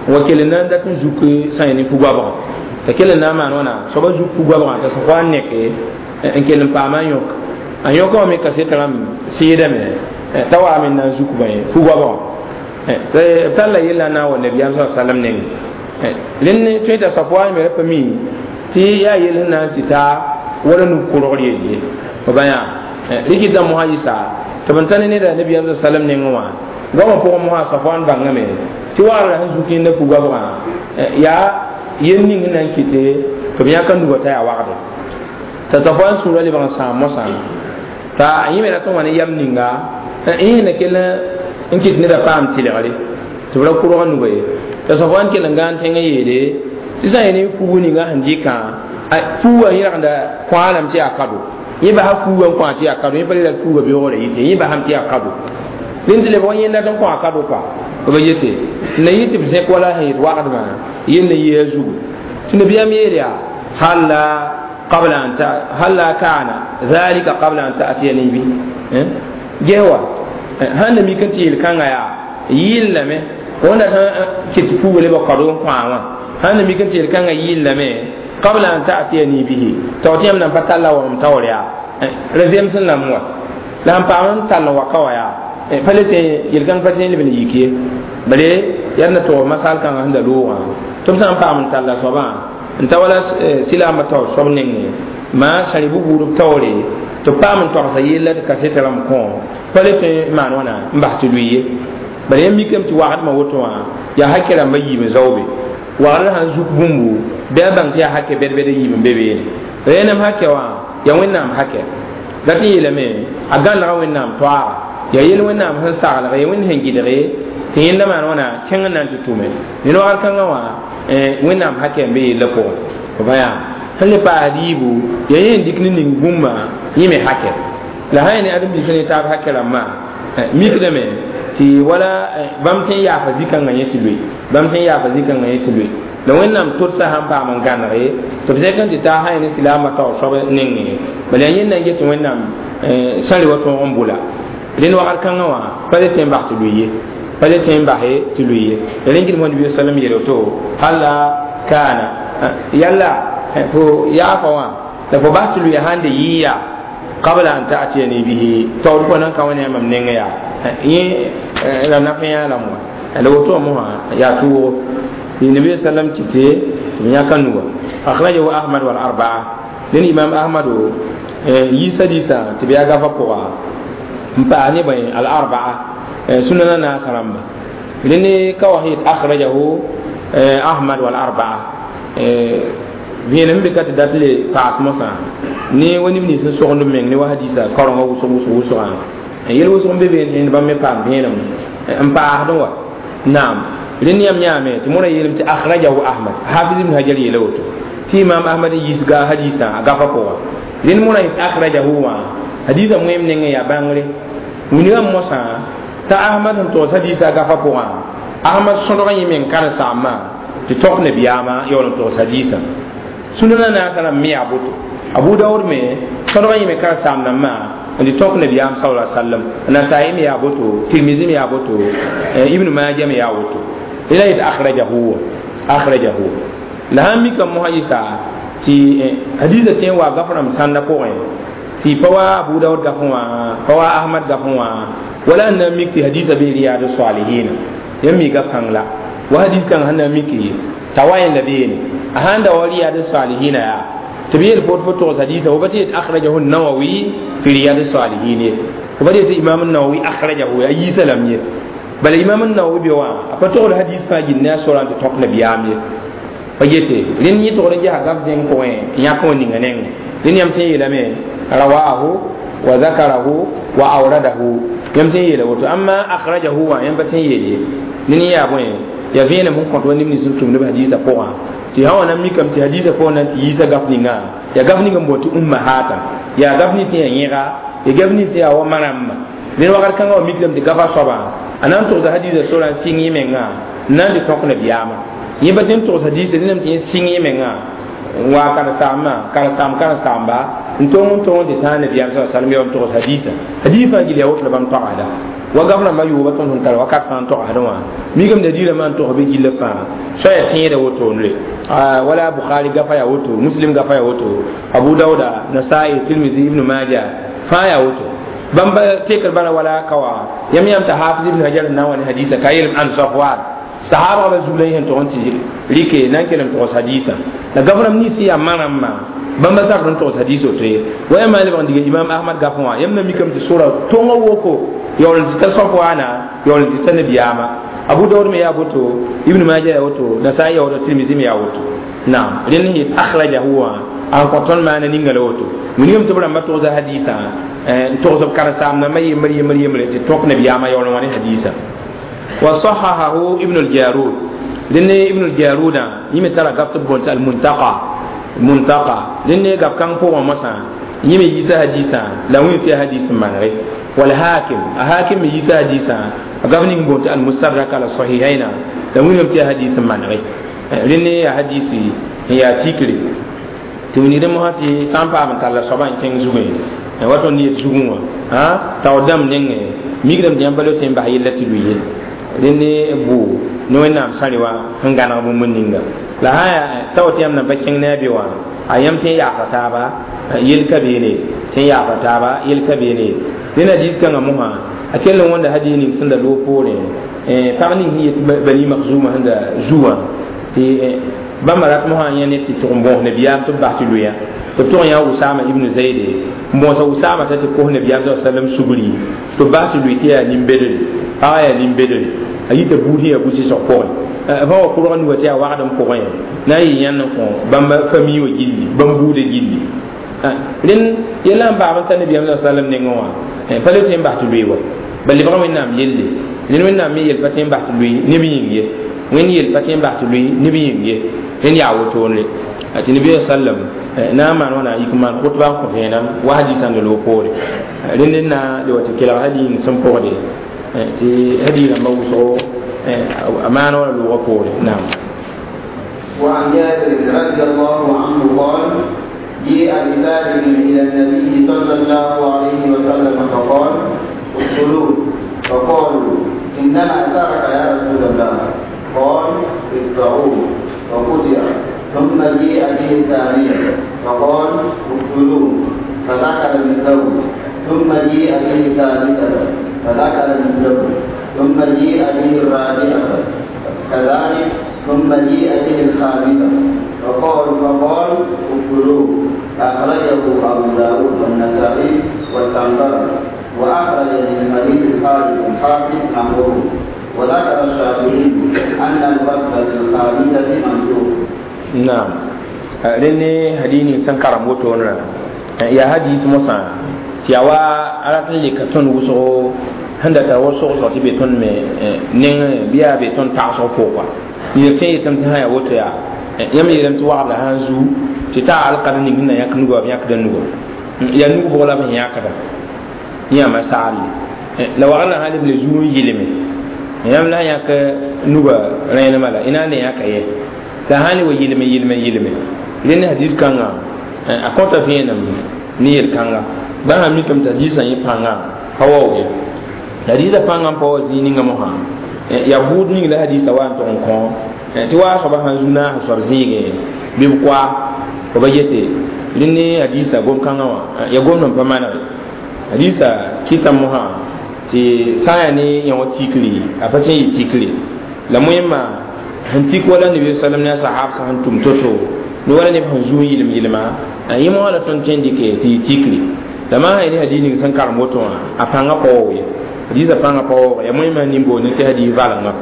n wa kell n na n dat n zuk sã ne fu-goabgã t'a kell n na n maan wãna soaba zuk fu-goabgã t'a Safwan neke n kell n paama a yõk a yõkã wã me kaset rãmb sɩɩdame t'a waame n na n zuk bõe fu-goabgã b talla yella n na n wa nabiyaam sa sallam nengẽ rẽnd tõe t'a Safwan me ra pa mi tɩ yaa yel sẽn na n tɩ ta wala nug-korgr yel ye b bã yaa rɩkɩta mosã yɩsa tɩ b n ta ne neda nabiyaam sa sallam nengẽ wã goamã pʋgẽ mosã Safwan bãngame tɩ wagrã sẽn zuk yẽnda fu-goabgã yaa yel ning sẽn na n kɩte tɩ b yãka nugã t'a yaa wagde t'a Safwan sũurã lebg n sãam mosã t'a yẽ me rat n wa ne yam ninga yẽ na kell n kɩt neda paam tɩlgre tɩ b ra kʋrg nuga ye t'a Safwan kell n gãan tẽngã yeele tɩ sã n ne fugu ninga sẽn dɩkã fuugã yẽrgda kõa lame tɩ yaa kado yẽ basa fuugã n kõa tɩ yaa kado yẽ pa le la fuugã beoogrã yɩte yẽ basame tɩ yaa kado rẽnd tɩ lebg n yẽnda tɩ n kõa kado kɔa b yete n na yɩ tɩ b zẽk wala sẽn yet wagdmã yell n yɩ a zugu tɩ nabiyaam yeel yaa halla qabla an ta halla kana dhalika qabla an ta'tiyani bi ges wa sãn na mik n tɩ yel-kãngã yaa yɩllame wẽnda sẽn kɩt fuuga lebg kado n kõa wã sãn na mik n tɩ yel-kãngã yɩllame qabla an ta'tiyani bihi t'a tɩ yãmb na n pa talla wa m taoor yaa ra zems n lam wa la sẽn paam n tall n wa ka wa yaa pa le tẽ yel-kãng pa tẽ n leb n yik ye bale yaa na tog masal kãngã sẽn da loogã tɩ b sã n paam n talla soabã n ta wala silaambã taoor soab nengẽ maa sã rɩ buud b taoore tɩ b paam n togsa yella tɩ kaseta rãmb kõ pa le tõe n maan wãna n bas tɩ lʋɩ ye bala yãmb mikame tɩ wagdmã woto wã yaa hakɛ rãmbã yiib n zaoobe wagdr sãn zuk bũmbu bɩ a bãng tɩ yaa hakɛ bɛd-bɛd yiib n be beene rẽnem hakɛ wã yaa wẽnnaam hakɛ dat n yeelame a gãnega wẽnnaam toaaga yaa yel wẽnnaam sẽn saglg ye wẽnd sẽn gɩdge tɩ yẽnda maan wãna kẽng n na n tɩ tʋme ned wagr kãngã wã wẽnnaam hakɛ n be yella pʋgẽ b yaa sẽn le paas yiibu yaa yẽ n dɩk ne ning bũmba yẽ me hakɛ la sã yaa ne ãdem-biisã ne taab hakɛ rãmbã mikdame tɩ wala bãmb tõe n yaafa zĩ-kãngã yẽ tɩ loe bãmb tõe n yaafa zĩ-kãngã yẽ tɩ loe la wẽnnaam todsa sãn paam n gãnege tɩ b zẽk n tɩ taa sã yaa ne silaamã taoor soab nengẽ bala yaa yẽnda n get tɩ wẽnnaam sã re wa tõog n bʋla rẽnd wakat kãngã wã pa le tõe n bas tɩ loe ye pa le tõe n base tɩ loe ye rẽnd gɩdm nabi sallam yeel woto halla kana yalla fo yaafa wã la fo bas tɩ loe sãn de yɩ yaa qabla an ta'tiyani bihi taoor fo nan ka wã ne a mam nengẽ yaa yẽ la naf yã lame wã la woto mosã yaa tʋʋgo النبي صلى الله عليه وسلم تتي يا أخرجه أحمد والأربعة لأن إمام أحمد يسا ديسا تبيا غفا بوغا مباني بين الأربعة سننا ناس رمبا لأن كوهيد أخرجه أحمد والأربعة vẽenem be ka tɩ dat le paas mosã ne wa neb nins n sogend b meng ne wa hadisa kaorengã wʋsg wʋsg wʋsgã yel wʋsg n be be rẽnd bãmb me paam vẽenem n paasdẽ wa naam rẽnd yãmb yãame tɩ mõra yeelame tɩ akhrajahu ahmad hafiz ibn hajar yeela woto tɩ imam ahmad n yisga hadisã a gafa pʋga rẽnd mõra yet akhrajahu wã hadisã wẽem nengẽ yaa bãngre wilgame mosã t'a ahmad sẽn togs hadisã a gafa pʋgã ahmad sõdg yẽ meng karen-saambã tɩ tõk nabiyaamã yaool n togs hadisã sũnã naasã rãmb me yaa boto abu daood me sõdg yẽ me karen-saam rãmbã n tɩ tõk nabiyaam sala sallam nasai me yaa boto tirmizi me yaa boto ibnu maja me yaa woto ila yet akhrajahu akhrajahu la sãn mikame mosã yɩsa tɩ hadisa tõe n wa gaf rãmb sãnda pʋgẽ tɩ pa wa abu daood gafẽ wã pa wa ahmad gafẽ wã wala n na n mik tɩ hadisa bee riyaad salihina yãmb mi gaf kãng la wa hadis kãng sẽn na n miki t'a wa yẽnda beene a sãn da wa riyaad salihina yaa tɩ b yeel fo fo togs hadisa fo pa tɩ yet akhrajahu nawawi fi riyaad salihin ye fo pa tɩ yet imam nawawi akhrajahu a yiisa lame ye bala imam nawawi be wã a pa togd hadis fãa gil ne a sora n tɩ tõk nabiyaam ye pa yete rẽnd yẽ togd n gesa gaf zẽng pʋgẽ yãk wã ninga nengẽ rẽnd yãmb tõe n yeelame rawahu wa zakarahu wa awradahu yãmb tõe n yeela woto amma akhrajahu wã yãmb pa tõe n yeel ye ned yaa bõe yaa vẽenem sẽn kõt wa neb nins n tʋmd b hadisa pʋgã tɩ sã wã na n mikame tɩ hadisa pʋgã na n tɩ yiisa gaf ninga yaa gaf ning n boond tɩ ummahata yaa gaf nins yaa yẽga yaa gaf nins yaa wa ma-rãmba rẽnd wakat kãngã wa mikdame tɩ gafa soabã a na n togsa hadisa sora n sɩng yẽ menga n na n tɩ tõk nabiyaamã yẽ pa tõe n togs hadisa rẽndame tɩ yẽ sɩng yẽ menga n wa karen-saambã karen-saam karen-saamba n tong n tong n tɩ tãag nabiyaam sa sallam ya n togs hadisa hadis fãa gil yaa woto la bãmb toagsda wa gaf rãmbã yʋʋba tõnd sẽn tar wakat fãa n togsdẽ wã mikame nadiirãmbã n togs bɩ gilla fãa soa yaa tẽeda wotone wala bukhari gafa yaa woto muslim gafa yaa woto abu dauda nasai tirmizi ibnu maja fãa yaa woto bãmb tekr bala wala kawa yãmb yãmb t'a hafiz ibn hajar n na n wa ne hadisa ka yeelem an safwan sahaba ba zugla yẽn tʋg n tɩ rɩke na n kelem togs hadisã la gaf rãmb nins yaa ma-rãmbã bãmba sakd n togs hadis woto ye wa yãmb maa lebg n diga imam ahmad gafẽ wã yãmb na mikame tɩ sora tõngã woko yaool n tɩ ta safwana yaool n tɩ ta nabiyaamã abu daud me yaa woto ibn maja yaa woto nasai yaa woto tirmizi me yaa woto naam rẽnd n yet akhrajahu wã n kõ tõnd maana ninga la woto wilgame tɩ b rãmbã togsa hadisã n togs b karen-saam nambã yembr yembr yembre tɩ tõk nabiyaamã yaool n wa ne hadisã wa sahahahu ibn al-jarud rẽnd ibn al-jaruda yẽ me tara gaf tɩ b boond tɩ al-muntaqa muntaqa rẽnd ne gaf kãng pʋgẽ mosã yẽ me yiisa hadisã la wẽ tɩ yaa hadis n manege والحاكم الحاكم يسا حديثا gaf ning boond tɩ al-mustadrak ala sahihaina la wẽnnaam tɩ yaa hadis n manege rẽnd yaa hadisi n yaa tikre tɩ wilgdẽ mosã tɩ sã n paam n talla soabã n kẽng zugẽ wa tõnd yet zugẽ wã taoor dãmb nengẽ mikdame tɩ yãmb pa le tõe n bas yella tɩ lʋɩ ye rẽnd bʋ ne wẽnnaam sãre wã sẽn gãneg bũmb ninga la sã yaa tao tɩ yãmb nan pa kẽng ne a be wã a yãmb tõe n yaasa taaba yel ka beene tõe n yaasa taaba yel ka beene rẽnd hadis kãngã mosã a kell n wõnda hadis ning sẽn da loog poorẽ pag ning sẽn yet bani makzuma sẽn da zu wã tɩ bãmba rat mosã yẽ ne tɩ tʋg n bõos nabiyaam tɩ b bas tɩ loeya tɩ b tʋg n yã usama ibnu zaide n bõosa usama t'a tɩ kos nabiyaam sa sallam sugri tɩ b bas tɩ loe tɩ yaa nin-bedre pagã yaa nin-bedre a yita buud sẽn yaa bu-sɩsg pʋgẽ fã wa kʋrg nuga tɩ yaa wagdem pʋgẽ na n yɩ yãnd n kõ bãmba fami wã gilli bãmb buudã gilli rẽnd yella n paam n ta nabiyaam sa sallam nengẽ wã pa le tõe n bas tɩ loe wa bal lebga wẽnnaam yelle rẽnd wẽnnaam me yel pa tõe n bas tɩ loe neb yĩng ye wẽnd yel pa tõe n bas tɩ loe neb yĩng ye rẽnd yaa wotone tɩ nabiya sallam Na n maan wã na n yik n maan khutba n kõ vẽenem wa hadisã n loog poore rẽnd n na le wa tɩ kelg hadiis sẽn pʋgde tɩ hadiis rãmbã wʋsgo a maan wã loogã poore naam. وعن جابر رضي الله عنه قال جيء بفاجر إلى النبي صلى الله عليه وسلم فقال اقتلوه فقالوا إنما ترك يا رسول الله قال ادفعوه فقطع ثم جيء به الثانية فقال اقتلوه فذكر مثله ثم جيء به الثالثة فذكر مثله ثم جيء به الرابعة كذلك ثم جيء به الخامسة فقال فقال اقتلوه. أخرجه أبو داود والنسائي واستنكره وأخرج من حديث خالد الحافظ نحوه. وذكر الشافعي أن الرد بالخامسة منسوخ. نعم rẽnd hadis sẽn karem wotone yaa hadis mosã tɩ yaa wa a rat n leka tõnd wʋsgo sẽn da tar wa sogsg tɩ be tõnd me nengẽ bɩ yaa be tõnd tagsg pʋgã ned tõe n yetame tɩ sã yaa woto yaa yãmb yeelame tɩ wagda sã n zu tɩ taa alkad ning sẽn na yãk nugã b yãkda nugã yaa nug bʋg la b sẽn yãkda yãma sagle la wagrã sã leb le zuu n yɩlme yãmb la sã yãk nugã rẽenemã la y na n le yãka ye la sã n le wa yɩlme yɩlme yɩlme rẽnd hadis kãngã a kõta vẽenem ne yel-kãnga bã sã mikame tɩ hadisã yẽ pãngã pa waoog ye hadisã pãngã n pa wa zĩig ninga mosã yaa buud ning la hadisã wa n tʋg n kõ tɩ waa soaba sãn zu naas soab zĩigẽ bɩ b koa b yete rẽnd ne hadisã gom-kãngã wã yaa gomd n pa manege hadisã kɩta mosã tɩ sã n yaa ne yã wã tikri a pa tõe n yɩ tikri la moẽmã sẽn tik wala nabi sallam ne a sahab sã n tʋm to-to ne wala neb sẽn zu n yɩlem yɩlma yẽ mosã la tõnd tõe n dɩke tɩ yɩ tikri la maa sã ne hadis ning sẽn karem woto wã a pãngã pa waoog ye hadisã pãngã pa waoog yaa moẽmã nin-boond tɩ hadis valenga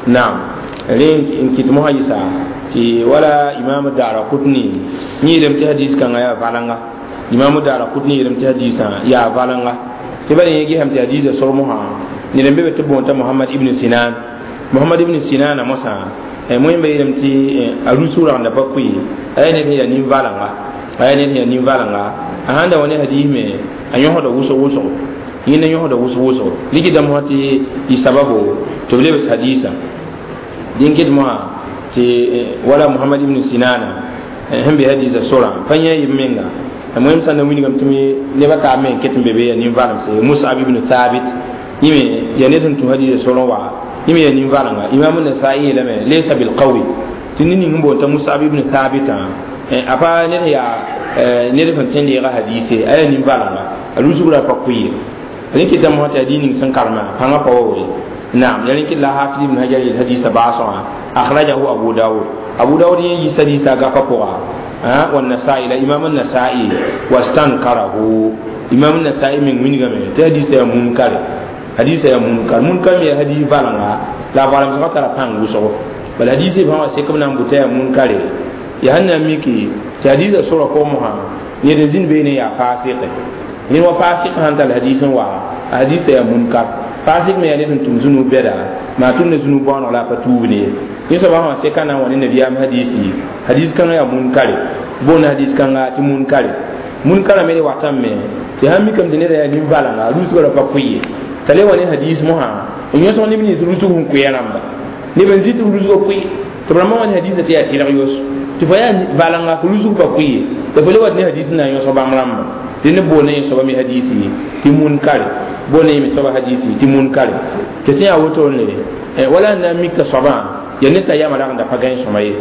naam rẽ n kɩt mosã yɩsa tɩ wala imam dara kutni yẽelame tɩ hadis kãngã yaa valenga imam dara kutni yeelame tɩ hadisã yaa valenga tɩ bala yẽ gesame tɩ hadisã sor mosã ned n be be tɩ boonta Muhammad ibn Sinan Muhammad ibn Sinana mosã moẽmba yeelame tɩ a rus ragenda pa koe a yaa ned sẽn yaa nin-valenga a yaa ned sẽn yaa nin-valenga a sãn da wa ne hadis me a yõsda wʋsg wʋsgo yẽnda yõsda wʋsg wʋsgo ligdã mosã tɩ yɩ sababo tɩ b lebs hadisã dẽn ket mosã tɩ wala Muhammad ibn Sinana sẽn be hadisã sorã pa yẽ yɩ menga moẽm sã n na wilgame tɩ nebã taab me n ket n be be yaa nin-valemse Musab ibn Thabit yẽ me yaa ned sẽn tũ hadisã sorẽ wa yẽ me yaa nin-valenga Imam Nasai yeelame laysa bilqawi tɩ ned ning n boond t'a Musab ibn Thabitã a pa ned yaa ned sẽn tõe n deega hadise a yaa nin-valenga a rusugrã pa koe rẽ kɩtame mosã tɩ hadis ning sẽn karema pãngã pa waoore naam ya rẽ kɩt la Hafiz ibn Hajar yel hadisã baasgã akhrajahu Abu Dawud Abu Dawud yẽ yis hadisã gapa pʋga والنسائي لا إمام النسائي واستنكره إمام النسائي من وينغame tɩ hadisã yaa munkar hadisã yaa munkar munkar me yaa hadis valenga la a valemsgã tara pãng wʋsgo bala hadisã fãa wã sekm na n bʋ t'a yaa munkare yaa sẽn na n miki tɩ hadisã sorã pʋgẽ mosã ned n zĩnd beene yaa fasɩke ned wa fasɩk sãn tall hadis n wa a hadisã yaa munkar fasɩk me yaa ned sẽn tʋm zũnug bɛda maa tʋmda zũnug baooneg la a pa tuubd ye yẽ soaba sã seka na n wa ne nabiyaam hadisi hadis kãngã yaa munkare boond hadis kãnga tɩ munkare munkara me watame me tɩ sãn mikame tɩ neda yaa nin-valenga rusgã ra pa koe ye t'a le wa ne hadis mosã n yõsg neb nins rusg sẽn koe rãmba neb n zĩ tɩ b rusgã koe tɩ b rãmbã wa ne hadisã tɩ yaa tɩrg yos tɩ fa yaa valenga tɩ rusg pa koe ye la fo le wat ne hadis n na n yõsg bãmb rãmba tɩ neb boond yẽ soaba me hadisi tɩ munkare boond yẽ me soaba hadisi tɩ munkare tɩ sẽn yaa wotone wala n na n mik t'a soabã ya ned t'a yama ragenda pa gãe sõma ye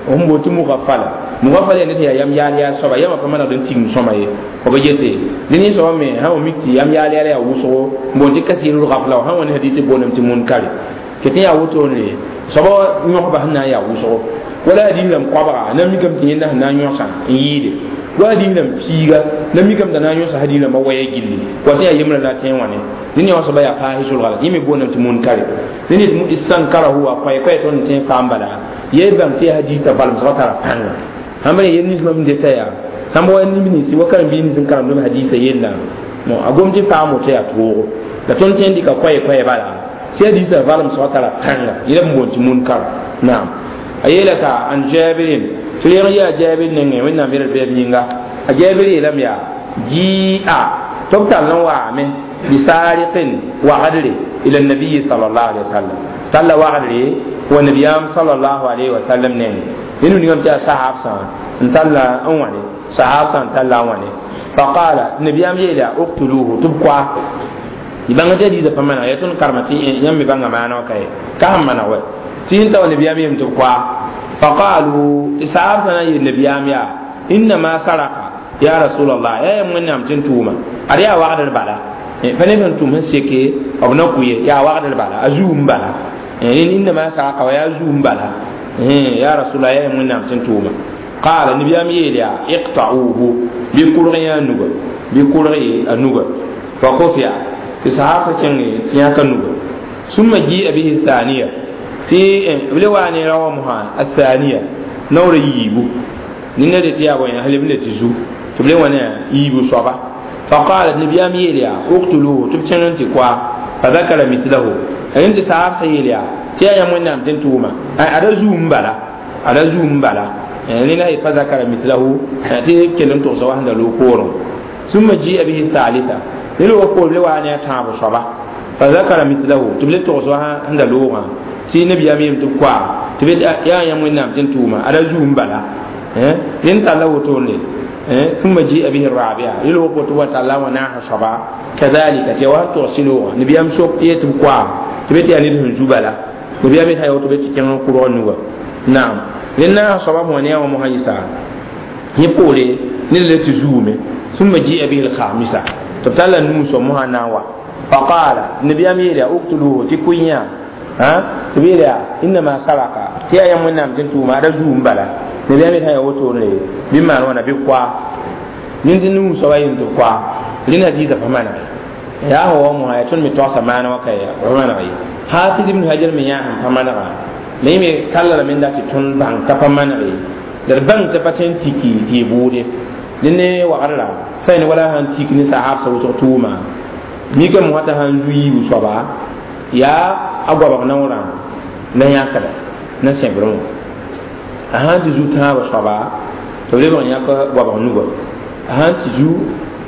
sẽn boond tɩ mugafala mugafala yaa ned sẽn yaa yam yaal yaal soaba yama pa manegd n tigim sõma ye b yete dẽ ne soaba me sã wa mik tɩ yam yaal yaal yaa wʋsgo n boond tɩ kasirul gafla wa sã wa ne hadisi boondame tɩ munkare tɩ tɩ yaa wotone soaba yõsba sẽn na n yaa wʋsgo wala hadis rãmb koabga na mikame tɩ yẽnda sẽn na n yõsa n yɩɩde wa hadis rãmb piiga na mikame t'a na n yõsa hadis rãmbã waya gilli wa sẽn yaa yembrã la a tẽe wã ne dẽn yã wã soaba yaa paasɩ solga la yẽ me boondame tɩ munkare dẽ ned istankarahu wa koɛ-koɛ tõnd tẽ faam bala ye bãng tɩ yaa hadis t'a valemsgã tara pãnga sãn pa yel nins mam deta yaa sãn pa wa neb ninsi wa karen-biis nins n karemdame hadisã yella a gom tɩ faam woto yaa toogo la tõnd tõe n dɩka koɛ-koɛ bala tɩ hadisã valemsgã tara pãnga yẽla b boond tɩ munkar naam a yeela t'a an Jabirin tɩ reg yaa jaabir nengẽ wẽnnaam yɛl bɛɛb yĩnga a jaabir yeelame yaa ji'a tɩ b tall n waame bisariqin wagdre ila nabiyi sal llahu alehi wasallam talla wagdre wa nabiyam sallallahu alaihi wasallam nengẽ ned wingame tɩ yaa sahaab sã n talla n wãne sahaab sã n talla n wãne faqala nabiyam yeela uqtuluhu tɩ b koa y bãnga tɩ hadiisã pa maneg yaa tõnd karema tɩ yãmb me bãnga maana wã ka ye ka sẽn maneg wɛ tɩ yẽn ta wa nabiyam yeem tɩ b koa faqalu tɩ sahaab sã na n yeel nabiyam yaa innama saraka ya rasulallah yaa yam wẽnnaam tɩ n tʋʋma ad yaa wagdr bala pa neb sẽn tʋm sẽn seke b na kʋ ye yaa wagdr bala a zuum bala innama saraka wa yaa zuum bala ya rasulallah yaa yam wẽnnaam tɩ n tʋʋma qala nabiyam yeel yaa iqta'uhu bɩ kurg yã a nuga bɩ kurg a nuga fa kufia tɩ sahaab kẽnge tɩ yãka nuga summa ji'a bihi thaniya tɩ b le waa ne rawa mosã a thaniya naoora yiibu nina de tɩ yaa bõe halb le tɩ zu tɩ b le wã ne yiibu soaba faqala nabiyam yeel yaa uqtuluhu tɩ b kẽng n tɩ koa fa dakara mithlahu rẽnd tɩ sahaab sã yeel yaa tɩ yaa yãmb wẽnnaam tɩ n tʋʋma ada zuum bala ada zuum bala rẽna fa dakara mithlahu tɩ kell n togsa wa sẽn da loog poorẽ summa ji'a bihi thalitha ned wa poor le waa ne a tãab soaba fa zakara mithlahu tɩ b le togs wa sẽn da loogã tɩ nabiyaam yeem tɩ b koa tɩ b yaa yãmb wẽnnaam tɩ n tʋʋma ada zuum bala rẽnd talla wotone ثم جيء به الرابعة يلو قلت وتعالى وناح صبا كذلك تيوان توصلوا نبيام سوق يتم كوا تبيت يعني دهن زبالة نبيام يتايو تبيت كان قرآن نوغا نعم لأن صبا مونيا ومهيسا يقولي نلت زومي ثم جيء به الخامسة تبتلا نوسو مهناوا فقال نبيام يلي اقتلوه تكويا ها تبيلا إنما سرق تيا يمنا متنتو ما رزوم بلا نبيام يتايو وتوري بما وانا بكوا ننتي نوسو وين تكوا لنا ديزا فمانا يا هو مو هاي تون متوسا مانا وكايا فمانا حافظ ابن حجر من يا فمانا ليمي كلا من داتي تون بان كفمانا la bãng tɩ pa tõe n tiki tɩ y bʋʋde dẽne wagr la sã ne wala sãn tik ne sahaab sa wʋsg tʋʋma mikame wã t'a sãn zu yiibu soaba yaa a goabg naoorã na yãkda na sẽbrẽ wã a sãn tɩ zu tãabã soaba tɩ b lebg n yãk goabg nuga a sãn tɩ zu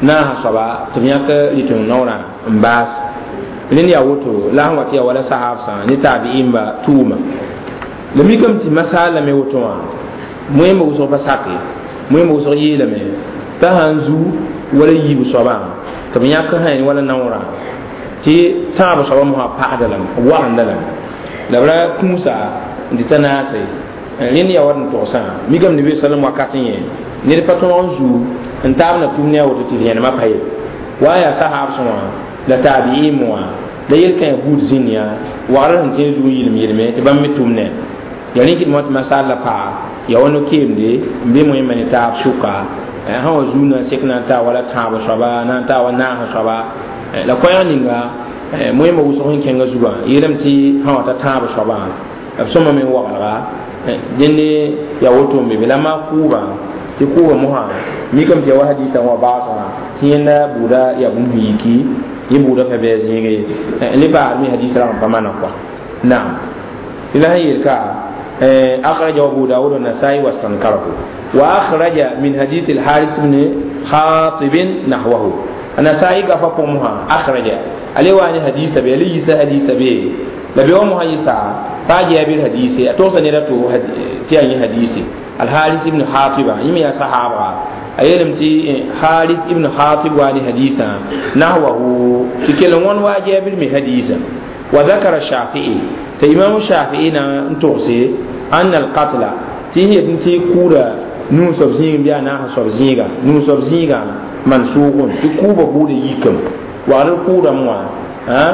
naasã soaba tɩ b yãk rɩteng naoorã n baas rẽnd yaa woto la sẽn wa tɩ yaa wala sahaab sã ne taabi'imba tʋʋma la mikame tɩ masaal lame woto wã moẽmba wʋsg pa sake moẽmba wʋsg yeelame t'a sãn zu wala yiib soabã tɩ b yãk sã wala naoorã tɩ tãab soabã mosã pagda lame b wagenda lame la b ra kũusa n tɩ ta naase rẽnd yaa wa n togsã mikame nabi salam wakat n yẽ ned pa tõog n zu n taab na tʋm ne a woto tɩ rẽnemã pa ye wa yaa sahaab sã wã la taabiim wã la yel-kã yaa buud zĩnd yã wagr sẽn tõe n zu n yɩlem yelme tɩ bãmb me tʋm ne yaa rẽk d tɩ masaal la paa ya wa no-keemde n be moẽmba ne taab sʋka sã wa zuu na n sek na n taa wala tãab soaba na n taa wa naas soaba la koɛɛg ninga moẽmba wʋsg sẽn kẽngã zugã yeelame tɩ sã wa ta tãab soabã b sõma me n waglga dẽnde yaa woto n be be la maa kʋʋbã tɩ kʋʋbã mosã mikame tɩ ya wa hadiisã wã baasgã tɩ yẽnda buuda yaa bũmb sẽn yiki yẽ buuda pa bɩ a zẽege le paasd me hadiis rag n pa mana kɔa naam tɩ la sẽn yeel ka أخرج أبو داود والنسائي واستنكره وأخرج من حديث الحارث بن حاطب نحوه النسائي قفقمها أخرج عليه وأن حديث به ليس حديث به لبي ومها يسا فاجي أبي الحديث أتوصى نرتو تياني حديث الحارث بن حاطب يمي صحابة أيلم تي حارث ابن حاطب واني حديثا نحوه تكلم وان واجي أبي الحديث وذكر الشافعي تإمام الشافعي نتوصي أن القتل تيه تنتي كورا نون سبزين بيا ناها سبزينغا نون سبزينغا منسوخ تكوبا بودي يكم وعلى الكورا موا ها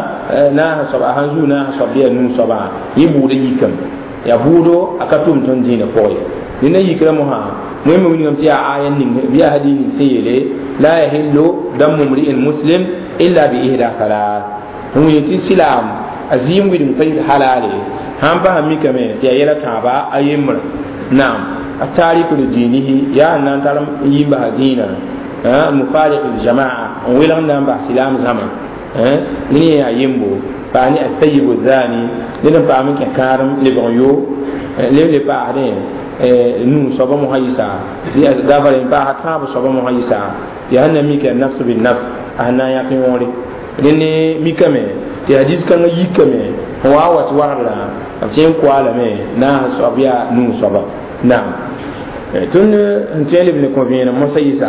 ناها سب أهنزو ناها سب بيا نون سبا يبودي يكم يا بودو أكتوم تنجين فوي لأن يكرمها مهم من يوم تيا آية بيا هدين سيلي لا يحل دم امرئ مسلم إلا بإحدى ثلاث هم يتي سلام azim widim pa yɩ halale sãn pa mikame tɩ yaa yɛla tãaba a yembrã naam a tariku li dinihi yaa n na n tar n yi n basa dĩinã mufariq ljamaa n welg n na n bas silaam zãma ned yẽ yaa yembo paa ne atayibu dhani ned n paam n kẽ kãadem lebg n yo leb le paasdẽ nu soaba mosã yɩsa gafara n paasa tãab soaba mosã yɩsa yaa sẽn na mika nafs bin nafs a sẽn na n yãk yõore rẽnd mikame tɩ hadis kãngã yikame n wa wa tɩ wagdrã b tẽ n koa lame na n soab yaa nuu soaba naam tõnd sẽn tõe n leb ne kõ vẽenem mosã yɩsa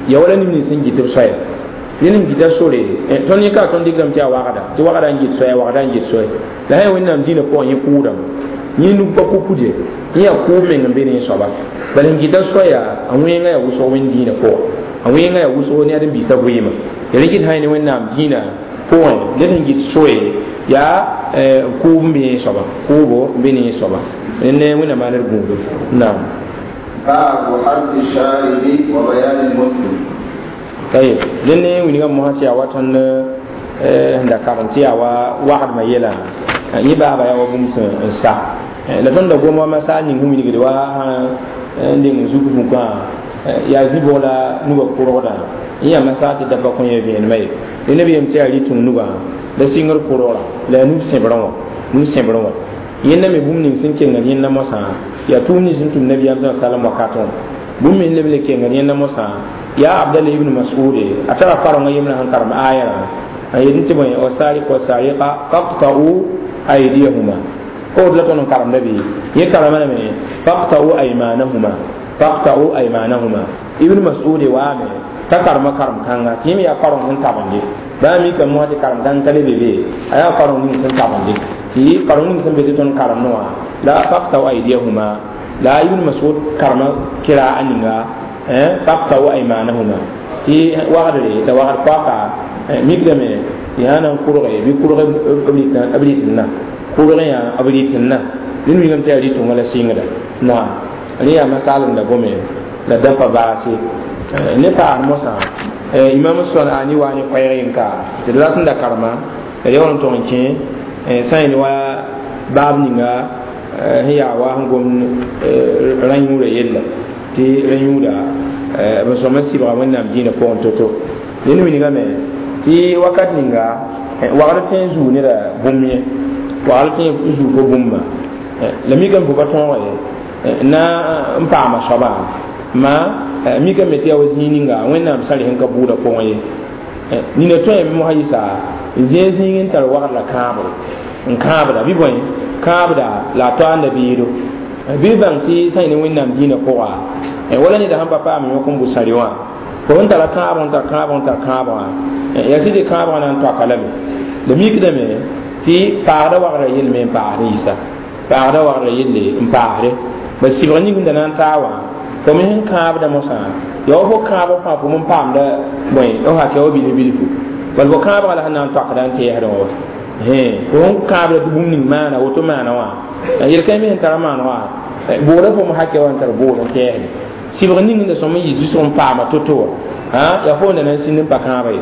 ya wala neb nins sẽn gɩt b soaya ned n gita sore tõnd yẽ ka tõnd dɩkdame tɩ yaa wagda tɩ wagda n gɩt soaya wagda n gɩt soe la sã yaa wẽnnaam dĩinã pʋgẽ yẽ kʋʋdame yẽ nug pa kukud ye yẽ yaa kʋʋb meng n be ne soaba bala n gɩta soaya a wẽngã yaa wʋsg wẽnd dĩinã pʋgã a wẽngã yaa wʋsg ne ad n biisã vɩɩmã ya rẽ gɩt sã ne wẽnnaam dĩinã pʋgẽ ned sẽn gɩt soe yaa kʋʋb n be yẽ soaba kʋʋbo n be ne yẽ soaba ne wẽnnaam maa ned gũudo naam باب حد الشارب وبيان المسلم طيب لأن وين ما هاتي أواتن da karanti awa wagdmã yɛla yẽ baaba yaa wa bũmb sẽn sa la tõnd da gom wa masaal ning sẽn wilgd wa n deng zuk vũkã yaa zĩ-bʋg la nugã kʋrgdã yẽ yaa masaal tɩ da pa kõ yẽ vẽenemã ye rẽnd b yem tɩ yaa rɩtũng nugã la sɩngr kʋrgra la yaa nug sẽbrẽ wã nug sẽbrẽ wã yẽnda me bũmb ning sẽn kengd yẽnda mosã yaa tʋʋm nins sẽn tʋm nabiyaam sa salam wakatẽ wã bũmb me leb le kengd yẽnda mosã yaa abdallah ibn mas'ud a tara karengã yembrã sẽn karem aayarã a yetɩ tɩ bõe wasariq wasariqa faqta'u aydiyahuma ko la tõnd n karemda bɩ yẽ karema lame faqta'u aymanahuma faqta'u aymanahuma ibn mas'ud waame t'a karema karem kãnga tɩ yẽ me yaa kareng sẽn tabende baa mikame mosã tɩ karem kãng ka le be be a yaa kareng ning sẽn tabende tɩ kareng ning sẽn be tɩ tõnd karemdẽ wã la faqta'u aydiyahuma la ibn mas'ud karema kira a ninga faqta'u aymanahuma tɩ wagdre la wagd poaka mikdame tɩ sã na n kʋrge bɩ kʋrg b rɩtẽnna kʋrg yã b rɩtẽnna rẽnd wilgame tɩ yaa rɩtʋngã la sɩngda naam rẽ yaa masaal n da gome la da pa baase ne paas mosã imam sɔnaani waa ne koɛɛg yẽnka tɩ d rat n da karema la yaool n tog n kẽ sã yẽl wa baab ninga sẽn yaa wa sẽn gom rã-yũurã yella tɩ rã-yũuda b sõma sɩbga wẽnnaam dĩinã pʋgẽ to-to rẽnd wilgame tɩ wakat ninga wagr tõe n zuu neda bũmb ye wagr tõe n zuu fo bũmba la mikame fo pa tõog ye na n paama soaba ma mikame tɩ yaa wa zĩig ninga wẽnnaam sã sẽn ka buudã pʋgẽ ye nina tõe me mosã yɩsa n zẽeg zĩig n tar wagr la kãabre n kãabda bɩ bõe kãabda la a toaanda beedo bɩ bãng tɩ sã yẽ ne wẽnnaam dĩinã pʋga wala neda sẽn pa paam yõk n bʋ sãre wã fo sẽn tara kãabg n tar kãabg n tar kãabgã yaa sɩd kãabgã na n toaka lame la mikdame tɩ paagda wagrã yell me n paasd n yisa paagda wagrã yelle n paasde ba sɩbg ning da na n taa wã fo me sẽn kãabda mosã yaa wa fo kãabg fãa fo n paamda bõe f hakɛ wa bilf bilfu bal fo kãabgã la sẽn na n toakda n tɛɛsdẽ wã fo sẽn kãabda tɩ bũmb ning maana woto maana wã yel-kãe me sẽn tara maan wã booda fo me hakɛ wa n tar boor n tɛɛsde sɩbg ning da sõm n yɩ zũsg n paama to-to wã yaa fo da na n sĩnd n pa kãaba ye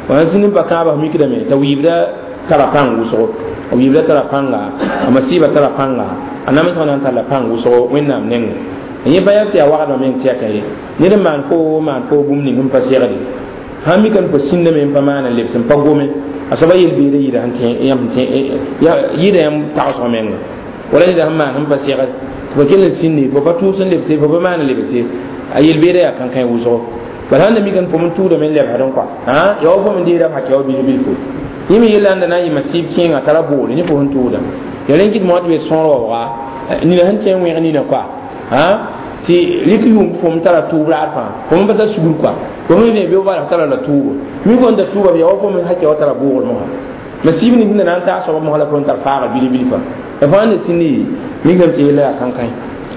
wa n sĩnd n pa kãaba f mikdame t'a wiibda tara pãng wʋsgo a wiibda tara pãnga a masiiba tara pãnga a namsgã na n talla pãng wʋsgo wẽnnaam nengẽ yẽ pa yaa tɩ yaa wagdmã meng tɛka ye ned n maan fo maan fo bũmb ning sẽn pa segde sãn mika n pa sĩndame n pa maana lebs n pa gome a soaba yel-beeda yɩɩda yɩɩda yãmb tagsg menga wala neda sẽn maan sẽn pa segd tɩ pa kell n sĩnde fo pa tʋʋs n lebse fo pa maana lebse a yel-beeda yaa kãnkãe wʋsgo bala sãn da mika n fo n tʋʋdame n lebsdẽ kɔa yaa wa fo n deeda f hakɛ wa bilf bilfo yẽ me yella n da na n yɩ masiib kẽengã tara boore yẽ fo sẽn tʋʋda ya rẽn kɩt mosã tɩ be sõor waooga nina sẽn tẽ n wẽg nina kɔa tɩ rɩk yʋʋm fo m tara tʋʋb raad fãa fo m pa tar sugr kɔa fo me vẽ bɩ f tara la tʋʋbo mi fo n da tʋʋba b yaa wa fo me hakɛ wa tara boogr mosã masiib ning sẽn da na n taa soaba mosã la fo n tar faaga bilf bilfã la fãa n da sĩndi mikame tɩ yella yaa kãnkãe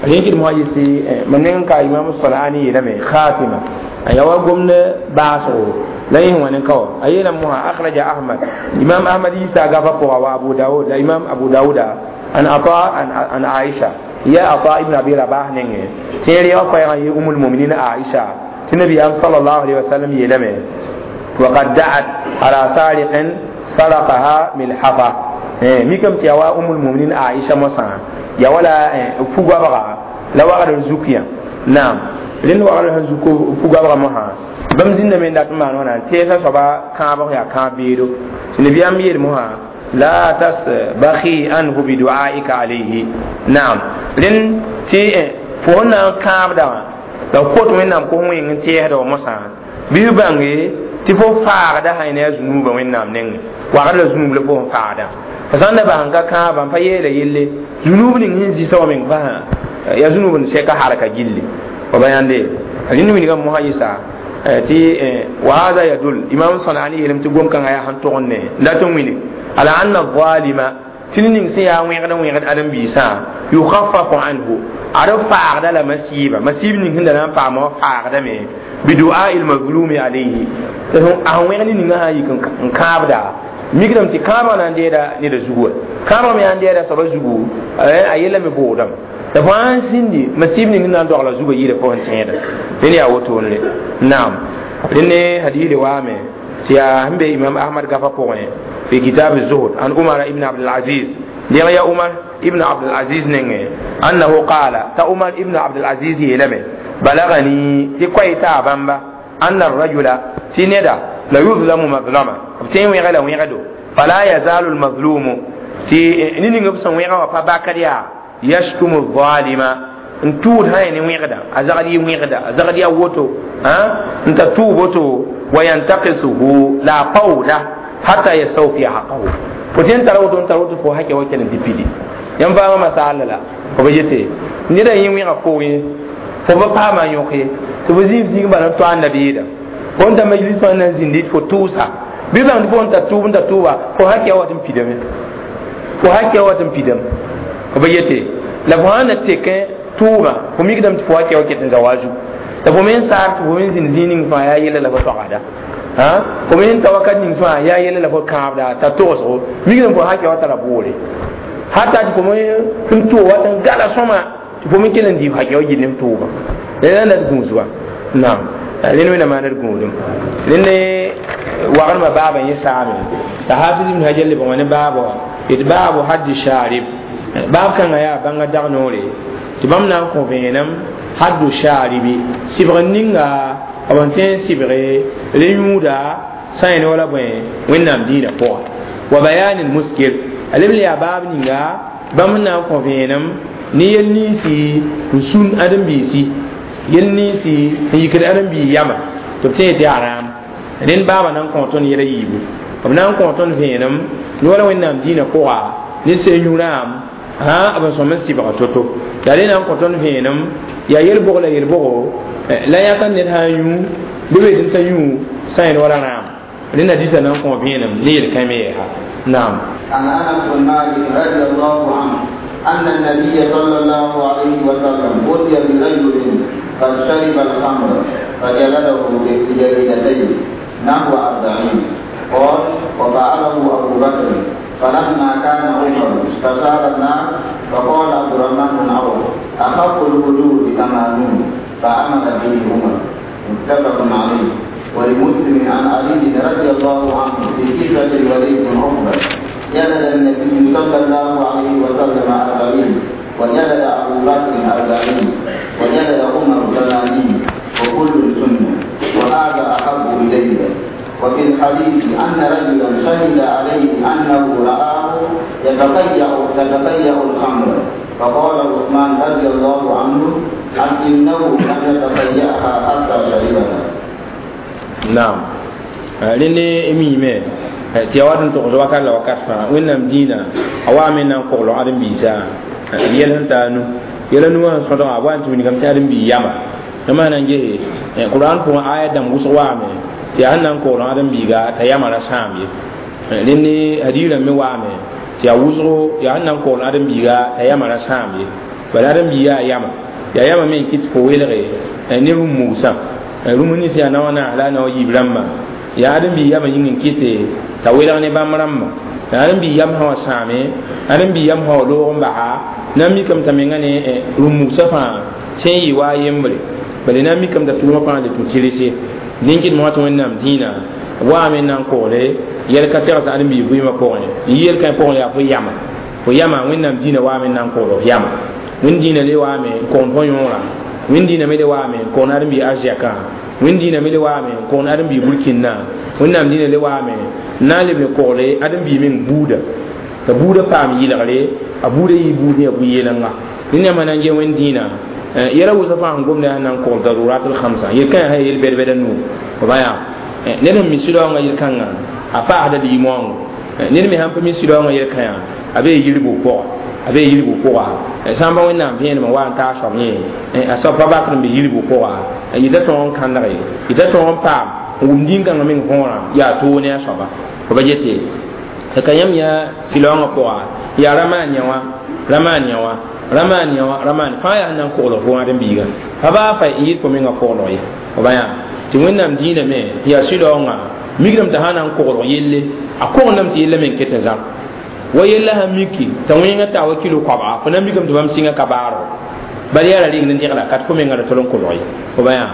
rẽn kɩt mosã yɩsɩ mam neng n ka imam sɔlaani yeelame khatima a yaa wa gomd baasgo la yẽ wã ne ka wa a yeelame mosã akhraja ahmad imam ahmad yiisa gafa pʋga wa abu daud la imam abu dauda an ata an aisha ya ata ibn abi rabah nenge tẽer ya koɛɛgã yɩ umul muminin aisha tɩ nabiyaam sallallahu alaihi wasallam yeelame وقد دعت على سارق سرقها ملحفة mikame tɩ yaa wa umul muminin aisha mosã yaa wala fugabga la wagdr zuk yã naam rẽnd wagdr sẽn zuk fugabga mosã bãmb zĩndame n dat n maan wãna tɛɛsã soaba kãabg yaa kãab beedo tɩ nabiyaam yeel mosã لا تسبخي عنه بدعائك عليه نعم لن تي fo sẽn na n kãabda wã la f kot wẽnnaam kos wẽng n tɛɛsda wa mosã bɩ f bãnge tɩ fo faagda sã ne a zũnuubã wẽnnaam nengẽ wagd la zũnub la fo sẽn faagda fo sã n da bas n ka kãabã n pa yeela yelle zũnub ning sẽn zisa wa meng fasã yaa zũnub n sɛka halka gilli fo ba yãnde rẽnd wilgã mosã yɩsa tɩ wa hada yadul imam sanani yeelame tɩ gom-kãngã yaa sẽn tog n ne n dat n wilg ala anna zalima tɩ ned ning sẽn yaa wẽgd n wẽgd ãdem-biisã yukhaffafu anhu ad faagda la masiiba masiib ning sẽn da na n paama wã faagdame bidu'a lmazlumi alayhi tɩ a sẽn wẽgd ningã sã n yik n kãabda mikdame tɩ kãabã na n deeda neda zugu wa kãabã me yaa n deeda soaba zugu a yella me boodame la fo sãn sĩndi masiib ning na n dogla zugã yɩɩda fo sẽn tẽeda rẽnd yaa wotone naam rẽnd ne hadiide waame tɩ yaa sẽn be imam ahmad gafa pʋgẽ fi kitab الزهد عن عمر ابن عبد العزيز ديغ يا عمر ابن عبد العزيز نينغ أنه قال تا عمر ابن عبد العزيز يلمه بلغني تي كويتا بامبا أن الرجل تي ندا لا يظلم مظلمة تي ويغلا ويغدو فلا يزال المظلوم تي نينغ بسن ويغا وفا باكريا يشتم الظالم n tuud sã ne wẽgda a zagd yɩ wẽgda a zagd yaa woto n ta tuub woto wa yantaqisuhu la a paooda hatta yastawfiya haqahu fo tẽn tara woto n tar woto fo hakɛ wa kell n tɩ pidi yãmb faamã masaala la fo ba yete neda yẽ wẽga fo ye fo pa paama yõk ye tɩ fo zĩig zĩig bala n to a nabiida fo n ta majlis fãa na n zĩndi fo tʋʋsa bɩ bãng tɩ fo n ta tʋʋb n ta tʋʋba fo hakɛ wa tɩ n pidame fo hakɛ wa tɩ n pidame fo ba yete la fo sã na tekẽ tʋʋbã fo mikdame tɩ fo hakɛ wa ket n za wa zugu la fo me n saar tɩ fo me n zĩnd zĩig ning fãa yaa yella la fo toagda fo me n ta wakat ning fãa yaa yella la fo kãabda t'a togsgo mikdame fo hakɛ wa tara boore hata tɩ fo me n tʋʋg wat n gala sõma tɩ fo me kell n dɩɩb hakɛ wa gill ne f tʋʋbã la la d gũusba naam rẽnd wẽnnaam maa d gũudum rẽnd ne wagremã baabã yẽ saame la hafiz ibn hajar lebg wã ne baabã d baabu haddi sharib baab kãngã yaa bãnga dag noore tɩ bãmb na n kõ vẽenem haddu sharibi sɩbg ninga b n tõe n sɩbge re yũuda sã yẽ ne wala bõe wẽnnaam dĩinã pʋga wa bayani lmuskir a leb n yaa baab ninga bãmb n na n kõ vẽenem ne yel ninsi n sũn ãdem-biisi yel ninsi n yikd ãdem-bii yama tɩ b tẽ tɩ yaa rãam rẽnd baabã na n kõ tõnd yɛla yiibu b na n kõ tõnd vẽenem ne wala wẽnnaam dĩinã pʋga ne sel yũ-rãam b n sõm n sɩbga to-to la rẽ na n kõ tõnd vẽenem yaa yel-bʋg la yel-bʋgo la yãka ned sã n yũ bɩ be tɩ t'a yũ sã yẽl wala rãam rẽnd hadisa na n kõ vẽenem ne yel-kãe me yɛɛsa naam عن انس بن مالك رضي الله عنه ان النبي صلى الله عليه وسلم اتي برجل قد شرب الخمر فجلده بجريدتين نحو أربعين قال وفعله أبو بكر فلما كان عمر استشار الناس فقال عبد الرحمن بن عوف أخف الحدود ثمانون فأمر به عمر متفق عليه ولمسلم عن علي رضي الله عنه في قصة الوليد بن عقبة جلد النبي صلى الله عليه وسلم أربعين وجلد أبو بكر أربعين وجلد عمر ثمانين وكل سنة وهذا أحب إلي وفي الحديث أن رجلا شهد عليه أنه رآه يتقيأ يتقيأ الخمر فقال عثمان رضي الله عنه إنه لم يتقيأها حتى شربها. نعم rẽnd miime tɩ ya wat n togs wakat la wakat fãa wẽnnaam dĩinã a wa me na n kogl ãdem-biisã b yɛl sẽn taa nu yɛla nu wã sẽn sõdgã a wa n tɩ wilgame tɩ ãdem-bii yama yãmb na n gese qur'an pʋgẽ aya dãmb wʋsg waame tɩ yaa sẽn na n kogl ãdem-biiga t'a yama ra sãam ye rẽnd hadiis rãmb me waame tɩ yaa wʋsgo yaa sẽn na n kogl ãdem-biiga t'a yama ra sãam ye bala ãdem-bii yaa yama yaa yama me n kɩt fo welge ne rũm-mugsã rũm nins yaa naoã naas la a naoã yiib rãmbã yaa ãdem-bii yama yĩng n kɩte t'a welg ne bãmb rãmbã la ãdem-bii yam sã wa sãame ãdem-bii yam sã wa loog n basa na n mikame t'a menga ne rũm-mugsã fãa tẽ n yɩ wa a yembre bala na n mikame t'a tʋʋmã fãa le tũ tɩrse dẽn kɩt mosã tɩ wẽnnaam dĩinã waame n na n kogle yɛl ka tegs ãdem-bii vɩɩmã pʋgẽ n yɩ yel-kãe pʋgẽ yaa fo yama fo yama wẽnnaam dĩinã waame n na n kogl f yama wẽnd dĩinã le waame n kogn fo yõorã wẽnd dĩinã me le waame n kogn ãdem-bii arzɛkã wẽnd dĩinã me le waame n kogn ãdem-bii burkĩnnã wẽnnaam dĩinã le waame n na n leb ne kogle ãdem-bii meng buuda t'a buudã paam yɩlgre a buudã yɩ buud yaa bu-yeelengã rẽnd yãmb na n ges wẽnd dĩinã yɛla wʋsg fãa sẽn gomda yaa na n kogl darurat l-khamsa yel-kãyã sã yel bɛd-bɛda nuu b yaa ned sẽn mi sɩdaoongã yel-kãngã a paasda liimoango ned me sãn pa mi sɩdaoongã yel-kãyã a bee yirgu pʋga a bee yirgu pʋga sã n pa wẽnnaam vẽenemã wa n taa soab yẽ a soab pa bakd n be yirgu pʋga yɩta tõog n kãndge yɩta tõog n paam n wʋm dĩn-kãngã meng võorã yaa toog ne a soaba b yete ka yãmb yaa sɩlaoongã pʋga yaa ramaan yã wã ramaan yã wã ramaan yã wã ramaan fãa yaa sẽn na n koglg fo wãad n biiga pa baa fa n yɩl fo mengã koglg ye b yaa tɩ wẽnnaam dĩinã me yaa sɩlaoongã mikdame t'a sã na n koglg yelle a kogndame tɩ yella meng ket n zãm wa yella sã miki t'a wẽngã taa wa kilo koabga fo na mikame tɩ bãmb sɩngã ka baargo bala yaa ra reng ne degla ka tɩ fo mengã ra tol n kolg ye b yaa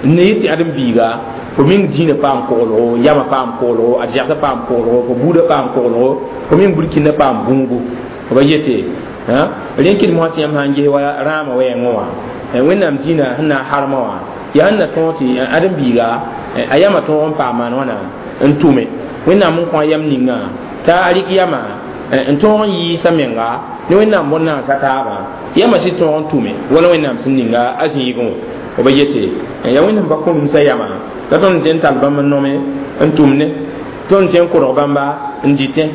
n ne yet tɩ ãdem-biiga fo meng dĩinã paam koglgo yamã paam koglgo ad zɛgsã paam koglgo fo buudã paam koglgo fo meng burkĩndã paam gũubu b yete rẽn kɩd mosã tɩ yãmb sã n ges wa rãamã wɛɛngẽ wã wẽnnaam dĩinã sẽn na n harmã wã yaa sẽn na tõog tɩ ãdem-biiga a yamã tõog n paam maan wãna n tʋme wẽnnaam n kõ a yam ninga t'a a rɩk yamã n tõog n yiisa menga ne wẽnnaam bõn-naansa taabã yamã sɩd tõog n tʋme wala wẽnnaam sẽn ninga a zĩigẽ wã b yete yaa wẽnnaam pa kõ-rũmsã yamã la tõnd tɩ n tall bãmb n nome n tʋmne tõnd tɩ n korg bãmba n dɩtẽ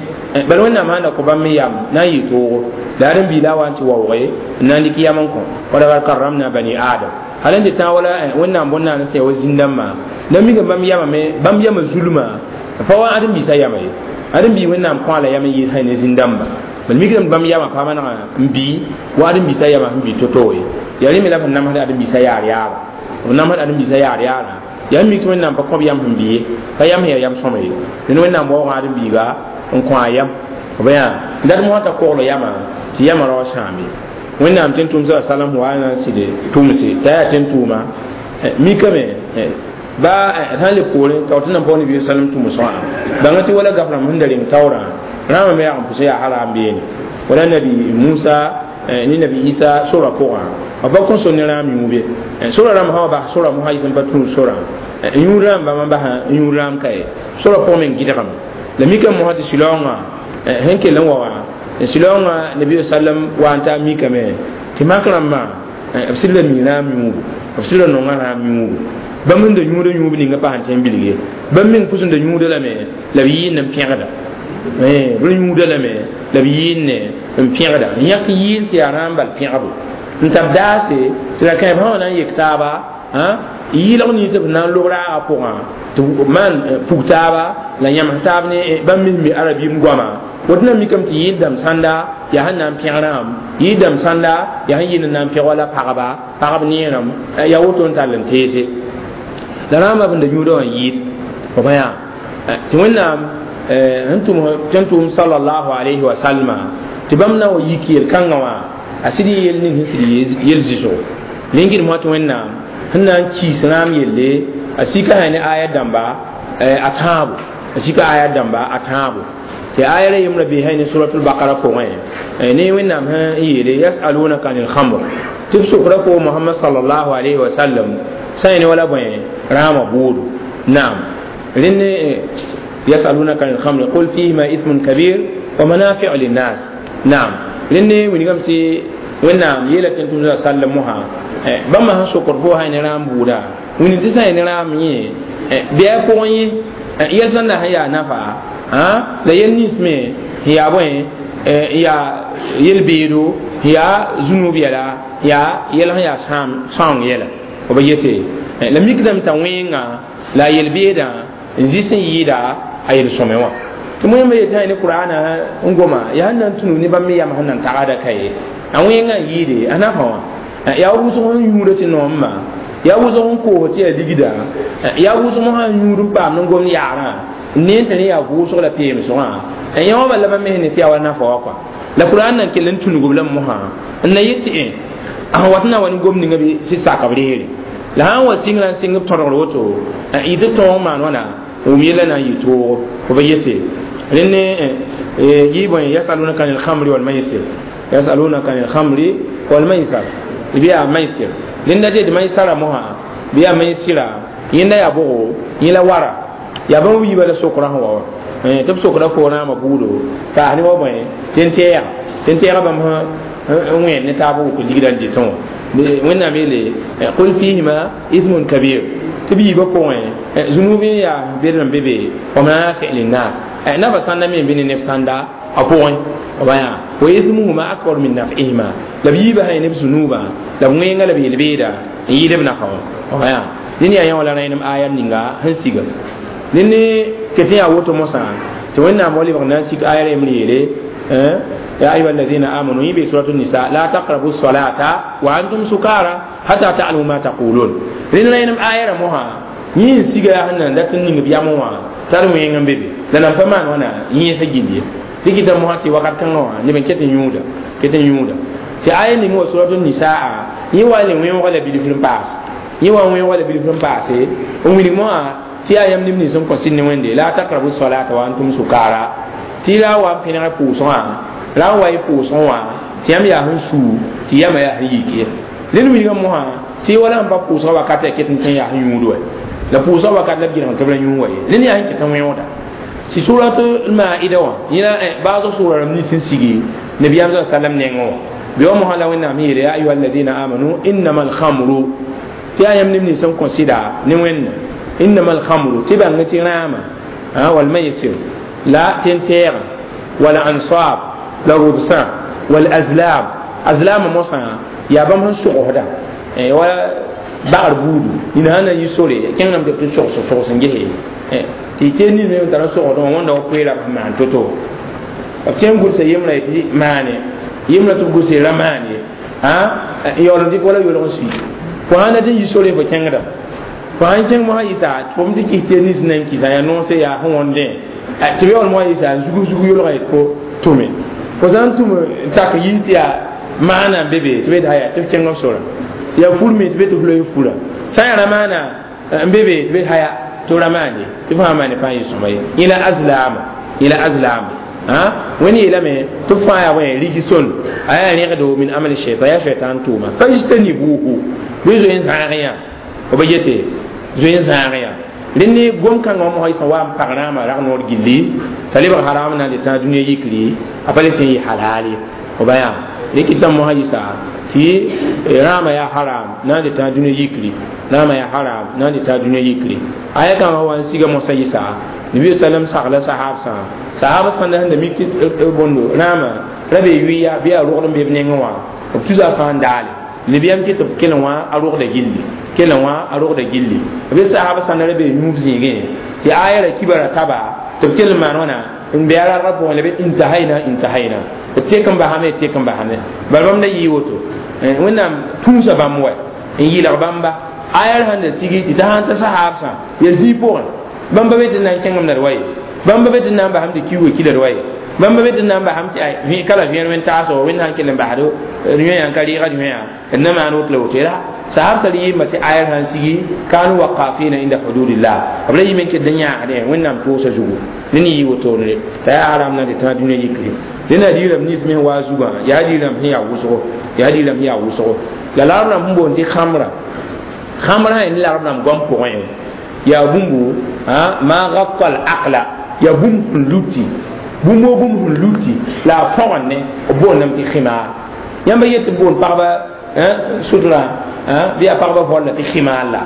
bala wẽnnaam sãn da kõ bãmb me yam na n yɩ toogo la ãdem-biig la a wa n tɩ waoogẽ n na n dɩk yam n kõ walakad karramna bani adam hal n tɩ tã wala wẽnnaam bõn-naan sẽn ya wa zĩn-dãmbã la mikame bãmb yamame bãmb yamã zulmã pa wa ãdem-biisã yama ye ãdem-biig wẽnnaam kõ a la yam n yɩɩs sã ne zĩn-dãmba bal mikdame bãmb yamã pa manega n bii wa ãdem-biisã yamã sẽn bii to-to ye yaa rẽ me la b namsd ãdem-biisã yaar yaara b namsd ãdem-biisã yaar yaara yaa mik tɩ wẽnnaam pa kõb yam sẽn bɩ ye pa yam sẽn yaa yam sõma ye dẽn wẽnnaam waoogã ãdem-biiga n kõ a yam b yaa dat mosã t'a kogl yamã tɩ yamã rao sãambe wẽnnaam tɩ n tʋm sa salam wa na n sɩd tʋmse t'a yaa tɩ n tʋʋma mikame ba sãn le poorẽ t'a tɩ nan pa nabi salam tʋmsgã bãnga tɩ wala gaf rãmb sẽn da reng taoorã rãamã me yag n pʋsẽ yaa hara n beene wala nabi Musa ne nabi Isa sora pʋgã b pa kõn so ne rãam yũube sora rãmb sã wa bas sora mosã yɩs n pa tũud sorã yũud rãmb bãmb n bas yũud rãam ka ye sora pʋgẽ meng gɩdgame la mikame mosã tɩ sɩlaoongã sẽn kell n wa wã sɩlaoongã nabi sallam wa n taa mikame tɩ mak rãmbã b sɩd la mi rãam yũubu b sɩd la nonga rãam yũubu bãmb sẽn da yũuda yũub ninga pa sẽn tẽ n bilge bãmb meng pʋs n da yũuda lame la b yɩɩnd n pẽgda b yũuda lame la b yɩɩnd n pẽgda n yãk yɩɩl tɩ yaa rãam bal pẽgbo n tab daase tɩ la kãe b sã wa na n yek taaba yɩɩlg nins b na n lob raagã pʋgã tɩ maan pug taaba la yãms taab ne bãmb mis mi arabim goama woto na mikame tɩ yɩɩl dãmb sãnda yaa sẽn na n pẽg rãmb yɩɩl dãmb sãnda yaa sẽn yɩɩl n na n pẽg wala pagba pagb neerem yaa woto n tall n teese la rãambã b da yũuda wã yɩɩd b yaa tɩ wẽnnaam sẽn tʋm tɩ n tʋʋm salallahu alayhi wa sallma tɩ bãmb na wa yik yel-kãngã wã a sɩd yel ning sẽn sɩd yel zɩsgo rẽngd mosã tɩ wẽnnaam sẽn na n kiis rãam yelle a sika sã ne aya dãmba a tãabo a sika aya dãmba a tãabo tɩ aya ra yembra bee sã ne suratul bakara pʋgẽ ne wẽnnaam sẽn yeele yasalunaka anil khamr tɩ b sokra fo mohamad salallahu alayhi wa sallam sã ne wala bõe rãamã bʋʋdo naam rẽnd yasalunaka anil khamr qul fihima ithmun kabir wa manafiu linnas naam rẽnd wilgame tɩ wẽnnaam yeela tɩ n tʋm sallam mosã bãmba sẽn sokd fo sã ne rãam buuda wĩnd tɩ sã ne rãam yẽ bɩ a pʋgẽ yẽ yɛl sẽn na sẽn yaa nafa la yɛl nins me sẽn yaa bõe yaa yel-beedo sẽn yaa zunub yɛla yaa yɛl sẽn yaa sãoong yɛla b yete la mikdame t'a wẽnga la a yel-beedã n zɩs n yɩɩda a yel-sõme wã tɩ moyãmba yetɩ ne qur'ana n goma yaa sẽn na n tũnu ne bãmb me yam sẽn na n tagada ka ye a wẽngã n yɩɩde a nafa wã yaa wʋsg sẽn yũuda tɩ noomã yaa wʋsg sẽn koos tɩ yaa ligda yaa wʋsg mosã n yũud n paam n gom yaarã n neen tɩ rẽ yaa vʋʋsg la peemsgã n yã wã bala bãmb me ne tɩ yaa wa nafa wã kɔa la qur'an nan kell n tũnugb lame mosã n na yet tɩ a sẽn wat n na wa ne gom ninga bɩ sɩd sak b reere la sã n wa sɩngrã n sɩng b tõdgr woto yɩ tɩ tõog maan wãna wʋm yella na n yɩ toogo b yete rẽnd yɩ bõe yasalunaka anil khamri wal maisir yasalunaka anil khamri wal maisar bɩ yaa maisir rẽnda tɩ d maisara mosã bɩ yaa maisira yẽnda yaa bʋgo yẽ la wara yaa bãmb wiiba la sokra sẽn wa wã tɩ b sokra fo rãamã buudo paas ne wa bõe tɩ n tɛɛga tɩ n tɛɛga bãmb n wẽed ne taab wʋk ligda n dɩtẽ wã Wẽnnaam yeele qul fihima ithmun kabir tɩ b yiibã pʋgẽ zunub n yaa bed n be be wa manafi linnas nafa sãnda me n be ne neb sãnda a pʋgẽ b yaa wa ithmuhuma akbar min naf'ihima la b yiibã sã neb zunubã la b wẽnga la b yel-beeda n yɩɩd b nafa wã b yaa ned yaa yã la rẽnem aya ninga sẽn siga ned ne ket n yaa woto mosã tɩ wẽnnaam wa lebg na n sik aya rem yeele يا أيها الذين آمنوا يبي سورة النساء لا تقربوا الصلاة وأنتم سكارى حتى تعلموا ما تقولون لأن لا آية موها يين سيغا هنا لا تنين بياموا ترمو ينغم بيبي لأن فمان وانا يين سجيدي لكي موها تي وقت كان وا نبن كتن يودا كتن يودا تي آية نمو سورة النساء يوا لي وين ولا بيلي فيلم باس يوا وين ولا بيلي فيلم باس ومن موها تي آية نمني سن كوسين ويندي لا تقربوا الصلاة وأنتم سكارى تي لا وان بينا بوسوا la n wa y pʋʋsgẽ wã tɩ yãmb yaa sẽn suu tɩ yãmba yaa sẽn yik ye rẽnd wilgã mosã tɩ wala sẽn pa pʋʋsgã wakat ya ket n kẽ yaa sẽn yũud wa la pʋʋsgã wakat la b gɩrg tɩ b ra yũu wa ye rẽnd yaa sẽn ket n wẽoda tɩ surat maida wã yẽla baasg sʋʋra rãmb nins n sigi nabiyaam sa sallam nengẽ wã bɩ wa mosã la wẽnnaam yeele ya ayuha alladina amanu innama alhamru tɩ yaa yãmb neb nins n kõ sɩda ne wẽnna innama alhamru tɩ bãng tɩ rãama walmaisir la tẽn-tɛɛgã wala ansab la rubsã wal azlam azlam mosã yaa bãmb sẽn sogsda wa bagr buudu nina sãn na n yi sore kẽngame tɩ b tɩ sogs sogs n gese tɩ tɩ nin me tara sogsdẽ wã wãnda wa koeera b sẽn maan to-to b tẽ n gʋlsa yembrã tɩ maane yembrã tɩ b gʋlsa ra maan ye n yaool n dɩk wala yolg n sui fo sãn dat n yi sore fo kẽngda fo sãn kẽng mosã yɩsa tɩ fo tɩ kis tɩ nins na n kɩsa yaa noose yaa sẽn wõndẽ tɩ b yaool mosã yɩsa n zug zug yolga yet fo tʋme fo sã n tʋm n tak yiis tɩ yaa maana n be be tɩ be tɩ haya tɩ b kẽng b sora yaa fur me tɩ be tɩ f loe fura sã n yaa ramaana n be be tɩ be haya tɩ b ra maan ye tɩ f sã n maane pãa yɩ sõma ye yẽ la azlaama yẽ la azlaama wẽnd yeelame tɩ b fãa yaa bõe rigson a yaa rẽgdo min amali shaitan yaa shaitan tʋʋma fajtanibuhu bɩ zoe n zãag yã b yete zoe n zãag yã rẽnd ne gom-kãngã wã mosã sẽn wa n pag rãamã rag noor gilli t'a lebg haram na n tɩ tãag dũniyã yikri a pa le tɩ n yɩ halal ye b yaa rɩkɩ mosã yɩsa tɩ rãamã yaa haram na n tɩ tãag dũniyã yikri rãamã yaa haram na n tɩ tãag dũniyã yikri aya kãngã wa n siga mosã yɩsa nabi sallam sagla sahab sã sahab sãnda sẽn da mik tɩ bõndo rãamã ra be yʋɩya bɩ yaa rogd n be b nengẽ wã b tusa fãa n daale nabiyam kɩ tɩ b kell wã a rogda gilli kell wã a rogda gilli b sahab sãnda ra be yũub zĩigẽ tɩ aya ra kibara taba tɩ b kell n maan wãna n be a rargã pʋgẽ la b intahaina intahaina b tek n basame tek n basame bala bãmb da yɩɩ woto wẽnnaam tũusa bãmb wa n yɩlg bãmba aya ra sẽn da sigi tɩ t'a sãn ta sahabsã ya zĩig pʋgẽ bãmba be tɩ na n kẽngem la d wa ye bãmba be tɩ na n basam tɩ kiuugã kila d wa ye bãmba be tɩ na n basam tɩ kala vẽer wẽn taasgo wẽnd sãn kell n basd yõyã n ka rɩɩgd yõyã d na maan woto la woto la sahab sal yɩɩmba tɩ aya sãn sigi kanu waqafina inda hududillah b ra yɩme n ket n yãagdẽ wẽnnaam toosa zugu ne ne yɩ wotone t'a yaa haram na tɩ tãag dũniyã yikri dẽn yaa diirame nins me sẽn waa zugã yaa diirame sẽn yaa wʋsgo yaa diirame sẽn yaa wʋsgo la larb rãmb sẽn boond tɩ khamra khamra sã ne larb rãmb goam pʋgẽ yaa bũmbu ma gatta al aqla yaa bũmb sẽn luti bũmb o bũmb sẽn luti la a fõgen ne b boondame tɩ khimar yãmba yet tɩ boond pagba sutra bɩ yaa pagba volla tɩ khimar la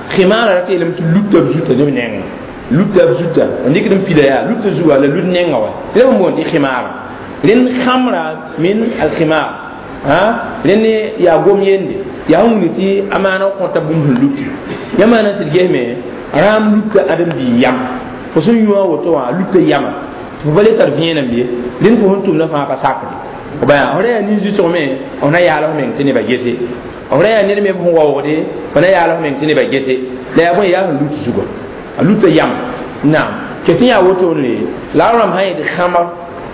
khimara ra tɩ yeelame tɩ luta b zuta neb nengẽ luta b zuta n dɩkd n pida yaa luta zuga la lut nengã wa tɩ la b boond tɩ khimara rẽnd khamra min alkhimar rẽnd yaa gom yende yaa sẽn wuni tɩ a maana kõta bũmb sẽn luti yãmb na n sɩd gesme rãam luta ãdem-biig yam fo sẽn yũ a woto wã a luta yama tɩ fo pa le tar vẽenem ye rẽnd fo sẽn tʋmdã fãa pa sakde b yaa f ra yaa nin-zuɩsg me f na yaal f meng tɩ nebã gese f ra yaa ned me sẽn waoogde f na yaal f meng tɩ nebã gese la yaa bõe yaa sẽn lut zugã a luta yam naam ke tɩ yaa wotone la rãmb sã yetɩ khamr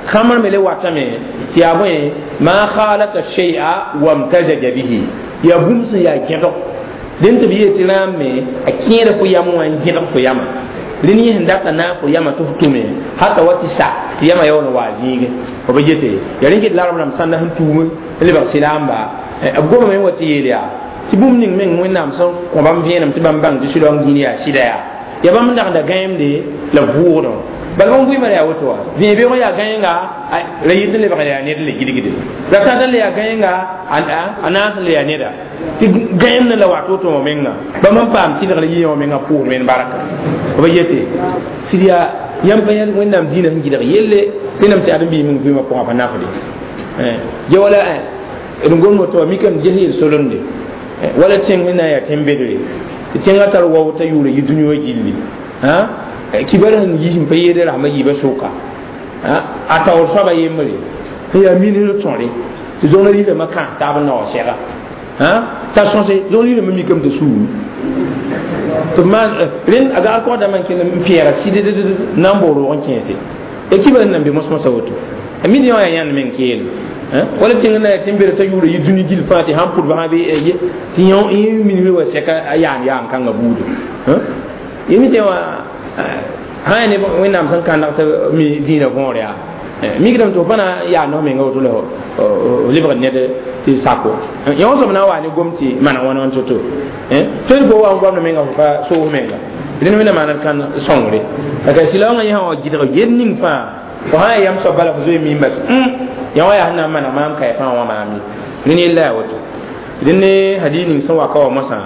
khamr me le watame tɩ yaa bõe ma khalata shay'a wamtajaja bihi yaa bũmb sẽn yaa gẽdg dẽn tɩ b yeel tɩ rãam me a kẽeda fo yam wã n gẽdg fo yama rẽnd yẽ sẽn data naag fo yama tɩ f tʋme hata wa tɩ sa tɩ yama yaool n wa zĩige f ba yete yaa rẽn ket larb rãmb sãnda sẽn tuum n lebg sɩlaamba b gomame n wa tɩ yeel yaa tɩ bũmb ning meng wẽnnaam sẽn kõ bãmb vẽenem tɩ bãmb bãng tɩ sɩdong dĩin yaa sɩda yaa yaa bãmb n dagda gãeemde la vʋʋgdẽ Bal bõmb vɩɩmã yaa woto wa vẽe-beoog yaa gãenga la yɩt n lebg yaa ned n le gilgde la tãta le yaa gãenga a naas n le yaa neda tɩ gãeemdã la wat woto wã menga bãmb n paam tɩlgr yɩ wã menga pʋʋs men barka b yete sɩd yaa yãmb pa yãl wẽnnaam dĩinã sẽn gɩdg yelle wẽnnaam tɩ ãdem-biis meng vɩɩmã pʋgã pa nafde ge wala d gom woto wa mikame ges yel-solemde wala tẽng sẽn na n yaa tẽn-bedre tɩ tẽngã tar wao t'a yʋʋra yɩ dũni wã gilli kibar sẽn yis n pa yeede rasmã yiibã sʋka a taoor soaba yembre sẽn yaa minis tõre tɩ zõng riirãmã kãas taab n naoor sɛga t'a sõse zõng riirãmã mikame t'a suumi tɩ b maan rẽnd a gagd kɔg dãmbã n kell n pẽega sɩd na n bao roog n kẽese ya kibar sẽn nan be mos-mosã woto a mid yã wã yaa yãnd meng keelem wala tẽng na yaa tẽn-bedr t'a yʋʋra yɩ dũni gill fãa tɩ sãn pʋdba sã bɩ tɩ yẽ minisr wa sɛka a yaan yaan kãngã buudo yẽ mi tẽ wã sã yaa ne wẽnnaam sẽn kãndg tɩ mi dĩinã võor yaa mikdame tɩ f pa na yaa nos menga woto la f lebgd ned tɩ sako yẽ wã soab na n wa ne gom tɩ mana wãn wãn to-to tõe fo wa n goamd menga fo pa soos menga rẽnd wẽnnaam maand kãn sõngre la ka sɩla wãngã yẽ sã wa gɩdg yel ning fãa fo sã yaa yam soab bala fo zoe mimba tɩ yã wã yaa sẽn na n maneg maam ka fãa wã maam ye rẽnd yella yaa woto rẽnd ne hadis ning sẽn wa ka wa mosã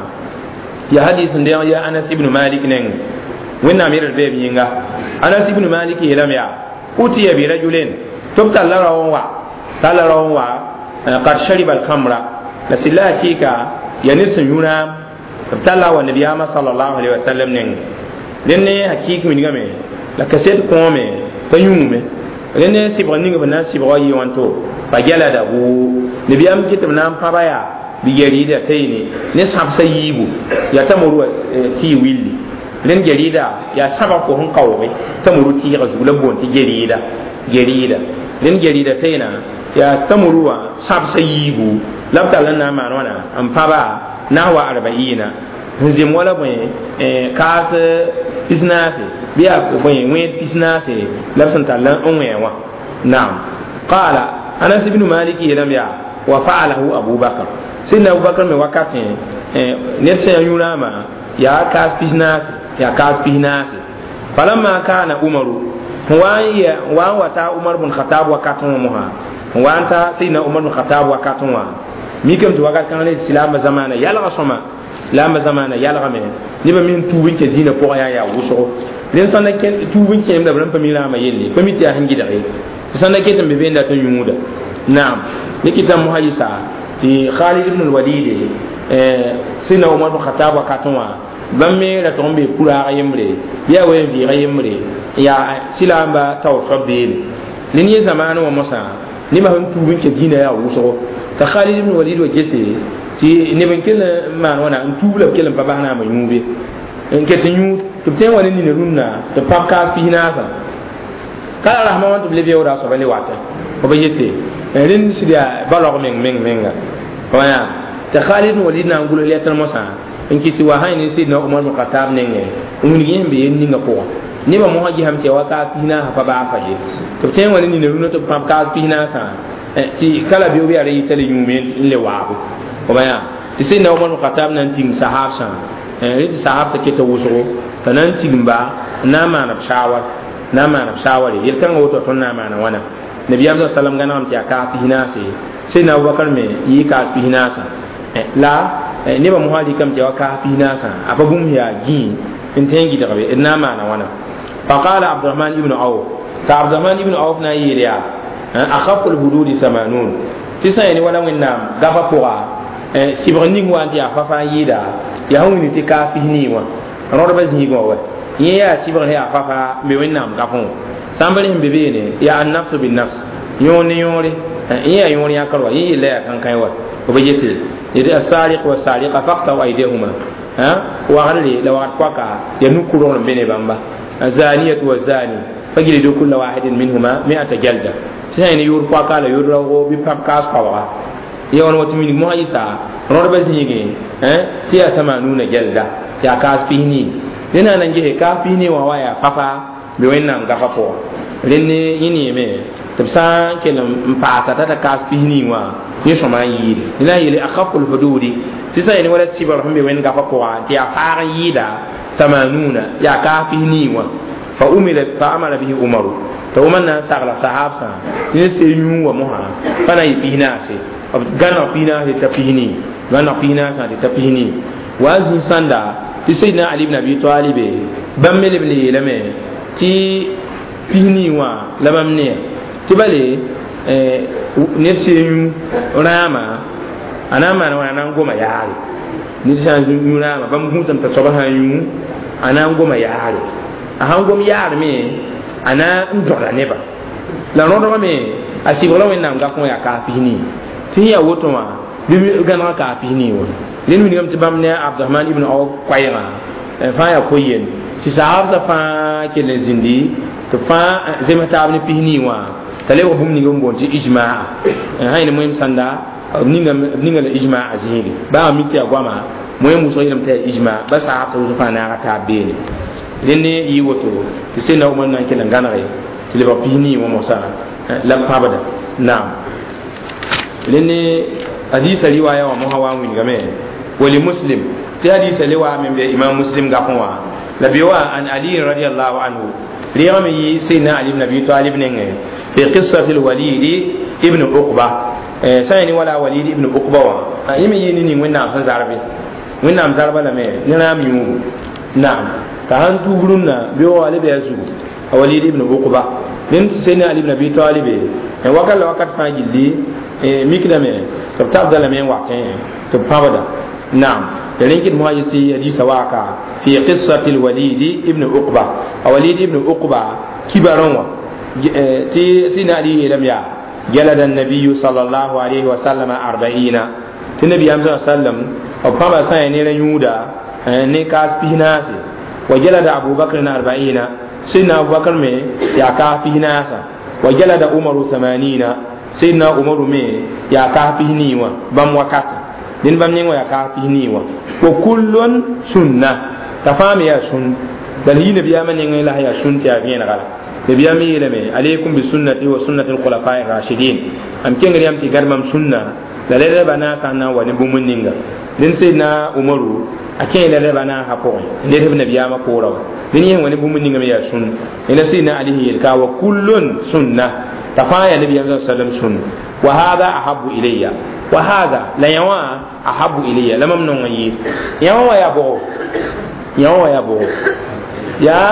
yaa hadis sẽn deeg yaa Anas ibn Malik neng wẽnnaam yɛl d beeb yĩnga Anas ibn Malik yeelame yaa utiya bi rajulin tɩ b talla rao n wa talla rao n wa qad shariba alkhamra la sɩlla hakɩɩka yaa ned sẽn yũ rãam b talla wa nabiyaamã salallahu alaihi wasallam neng rẽnd ne hakɩɩk wilgame la kaset kõome pa yũume rẽnd ne sɩbg ning b na n sɩbg wa yɩ wãnto fa jaladahu nabiyaam kɩ tɩ b na n pãba yaa bi jaridataini ne sãbsa yiibu yaa tamor wa tɩ willi rẽnd gerida yaa sãbg fo sẽn kaooge tamuru tɩɩgã zug la b boond tɩ gerida gerida rẽnd gerida tẽena yaa tamuru wã sãbsa yiibu la b tall n na n maan wãna n pãba nahwa arbaina sẽn zem wala bõe kaas pis-naase bɩ yaa bõe wẽed pis-naase la b sẽn tall n wẽ wã naam qaala Anas ibn Malik yeelame yaa wa faalahu Abubakar sidna Abubakar me wakatẽ ned sẽn yaa yũ-rãamã yaa kaas pis-naase yaa kaas pis-naase falamma kana Umaru wa n wa n wa ta Umar bn Khatab wakatẽ wã mosã n wa n ta sidna Umar bn Khatab wakatẽ wã mikame tɩ wakat kãng ne silaambã zamaana yalga sõma silaambã zamaana yalgame nebã me n tuub n kẽ dĩinã pʋgã yaa yaa wʋsgo rẽnd sã na tuub n kẽemda b rãmb pa mi rãamã yelle pa mi tɩ yaa sẽn gɩdg ye tɩ sã na ket n be be n dat n yũuda naam ne kɩtame mosã yɩsa tɩ Khalid ibn al-Walid sidna Umar bn Khatab wakatẽ wã bãmb me ra tʋg n bee puraag yembre bɩ yaa wen vɩɩga yembre yaa silaamba taoor soab beene rẽnd yẽ zamaanẽ wã mosã nebã sẽn tuub n kẽ dĩinã yaa wʋsgo t'a Khalid ibn Walid wa gese tɩ neb n kell n maan wãna n tuub la b kell n pa bas naamã yũube n ket n yũud tɩ b tõe n wa ne nina rũnnã tɩ b pãb kaas pis-naasã ka la rasmã wã tɩ b le beooda a soaba le watẽ b yete rẽnd sɩd yaa balg meng meng menga wã tɩ Khalid ibn Walid na n gʋls letr mosã n kɩs tɩ wa sã ne sidna Umar bn Khatab nengẽ n wilg yẽ sẽn be yel ninga pʋgã nebã mosã gesame tɩ yaa wa kaas pis-naasã pa baa fa ye tɩ b tõe n wa ne nina rũnã tɩ b pãb kaas pis-naasã tɩ kala beoog yaa ra yɩta le yũume n le waabo b yaa tɩ sidna Umar bn Khatab na n tigim sahabsã rẽ tɩ sahabsã keta wʋsgo t'a na n tigimba n na n maan b shawar na n maan b shaware yel-kãngã woto tõnd na n maana wãna nabiyaam sa salam gãnegame tɩ yaa kaas pis-naase sidna Abubakar me yɩ kaas pis-naasã la nebã mosã rɩkame tɩ yaa wa kaas pis-naasã a pa bũmb yaa gĩi n tõe n gɩdgbe d na n maana wãna faqala Abdurahman ibn Auf t'a Abdurahman ibn Auf na n yeel yaa akhafu lhududi thamanun tɩ sã yaa ne wala wẽnnaam gafa pʋga sɩbg ning wa n tɩ yaa fa-fãa n yɩɩda yaa sẽn wilg tɩ kaas pis-nii wã rõdbã zĩigẽ wã wa yẽ yaa sɩbg sẽn yaa fa-faa n be wẽnnaam gafẽ wã sã n pa rẽ sẽn be beene yaa annafsu binnafs yõor ne yõore yẽ yaa yõor yãkr wa yẽ yella yaa kãnkãe wa b yete yetɩ asariq wasariqa faqtau aydihuma wagre la wagd poaka yaa nu-kʋrgr n be ne bãmba azaniyatu wazani fajlidu kulla wahidin minhuma mi'ata jalda tɩ sã ne yʋʋr poaka la yʋʋr raoogo bɩ pãb kaas koabga ya wãn wa tɩ minig mosã yɩsa rõdbã zĩigẽ tɩ yaa tamanuna jalda yaa kaas pis-nii rẽ na n gese kaas pis-nii wã wa yaa fa-faa be wẽnnaam gafa pʋgã rẽnd yẽ neeme tɩ b sã n kell n paasa t'a ta kaas pis-nii wã yẽ sõma n yɩɩde la n yeele akhafu lhududi tɩ sã yaa ne wala sɩbgr sẽn be wẽnd gafa pʋgã tɩ yaa faag n yɩɩda tamanuna yaa kaas pis-nii wã fa umira fa amara bihi umaru t'a umar na n sagla sahab sã tɩ ne see yũu wa mosã pa na n yɩ pis-naase b gãneg pis-naase t'a pis-nii gãneg pis-naasã tɩ ta pis-nii wa a zĩ sãnda tɩ sayyidina ali ibn abi talibe bãmb me leb n yeelame tɩ pis-nii wã la bãmb ne tɩ bale ned see yũ rãama a na n maan wãna a na n goma yaare ned sã n yũ rãama bãmb gũusame t'a soaba sã n yũ a na n goma yaare a sãn gom yaar me a na n dõda neba la rõdgã me a sɩbgra wẽnnaam gakẽ wã yaa kaas pis-nii tɩ sẽn yaa woto wã bɩ gãnegã kaas pis-nii wã rẽnd wilgame tɩ bãmb ne abdurahman ibn auf koɛɛgã fãa yaa ko-yen tɩ sahabsã fãa kell n zĩndi tɩ fãa zems taab ne pis-nii wã t'a lebg bũmb ning n boond tɩ ijmaa sã yẽne moem sãnda b ninga la ijmaa zĩige baa mi tɩ yaa goama moem wʋsg yeelame tɩ yaa ijmaa ba sahabsã wʋsg fãa naaga taab beene rẽnd yɩ woto tɩ sẽn na Umar na n kell n gãnege tɩ lebg pis-nii wã mosã la b pãbda naam rẽnd hadisa riwaya wã mosã wa n wilgame wali muslim tɩ hadisa le wa me be imam muslim gapẽ wã la be wa an ali radiallahu anhu reegame yɩ sayyidina ali ibn abi talib nengẽ fi qissati alwalid ibn uqba sã yẽ ne wala walid ibn uqba wã yẽ me yɩ ne ning wẽnnaam sẽn zarbe wẽnnaam zarba lame ne rãam yũugu naam t'a sãn tuub rũnnã beoogã le bɩ a zugu a walid ibn uqba rẽnd sayyidina ali ibn abi talib wakat la wakat fãa gilli mikdame tɩ b tabda lame n watẽ tɩ b pãbda naam rẽn kɩt mosã yetɩ hadisa waaka fi qissati alwalid ibn uqba a walid ibn uqba kibarẽ wã tɩ sẽna ali yeelame yaa jalada النبي صلى الله عليه وسلم أربعين tɩ nabiyaam sa sallam b pãba sã n ne rã yũuda ne kaas pis-naase wa jalada abu bakr أربعين سيدنا أبو بكر me yaa kaas pis-naasã wa jalada umaru ثمانين سيدنا umaru me yaa kaas pis-nii wã bãmb wakata dẽnd bãmb neng wã yaa kaas pis-nii wã wa kullun sunna t'a fãa me yaa sũn bal yɩ nabiyaamã nengẽ la yaa sũn tɩ yaa vẽenega la nabiyaam yeelame alaykum bi sunnati wa sunnati alkhulafai rashidin am kengr yam tɩ gad mam sunna la rɛrɛba naasã n na n wa ne bũmb ninga dẽnd sayyidina umaru a kẽ la rɛba naasã pʋgẽ n led b nabiyaamã poorã wa dẽnd yẽ wa ne bũmb ninga me yaa sũn la sayyidina ali sẽn yeel ka wa kullun sunna t'a fãa yaa nabiyaam sallam sũn wa hada ahabu ilayya wa hada la yã wã ahabu ilayya la mam nong n yɩ yã wã yaa bʋgo yã wã yaa bʋgo yaa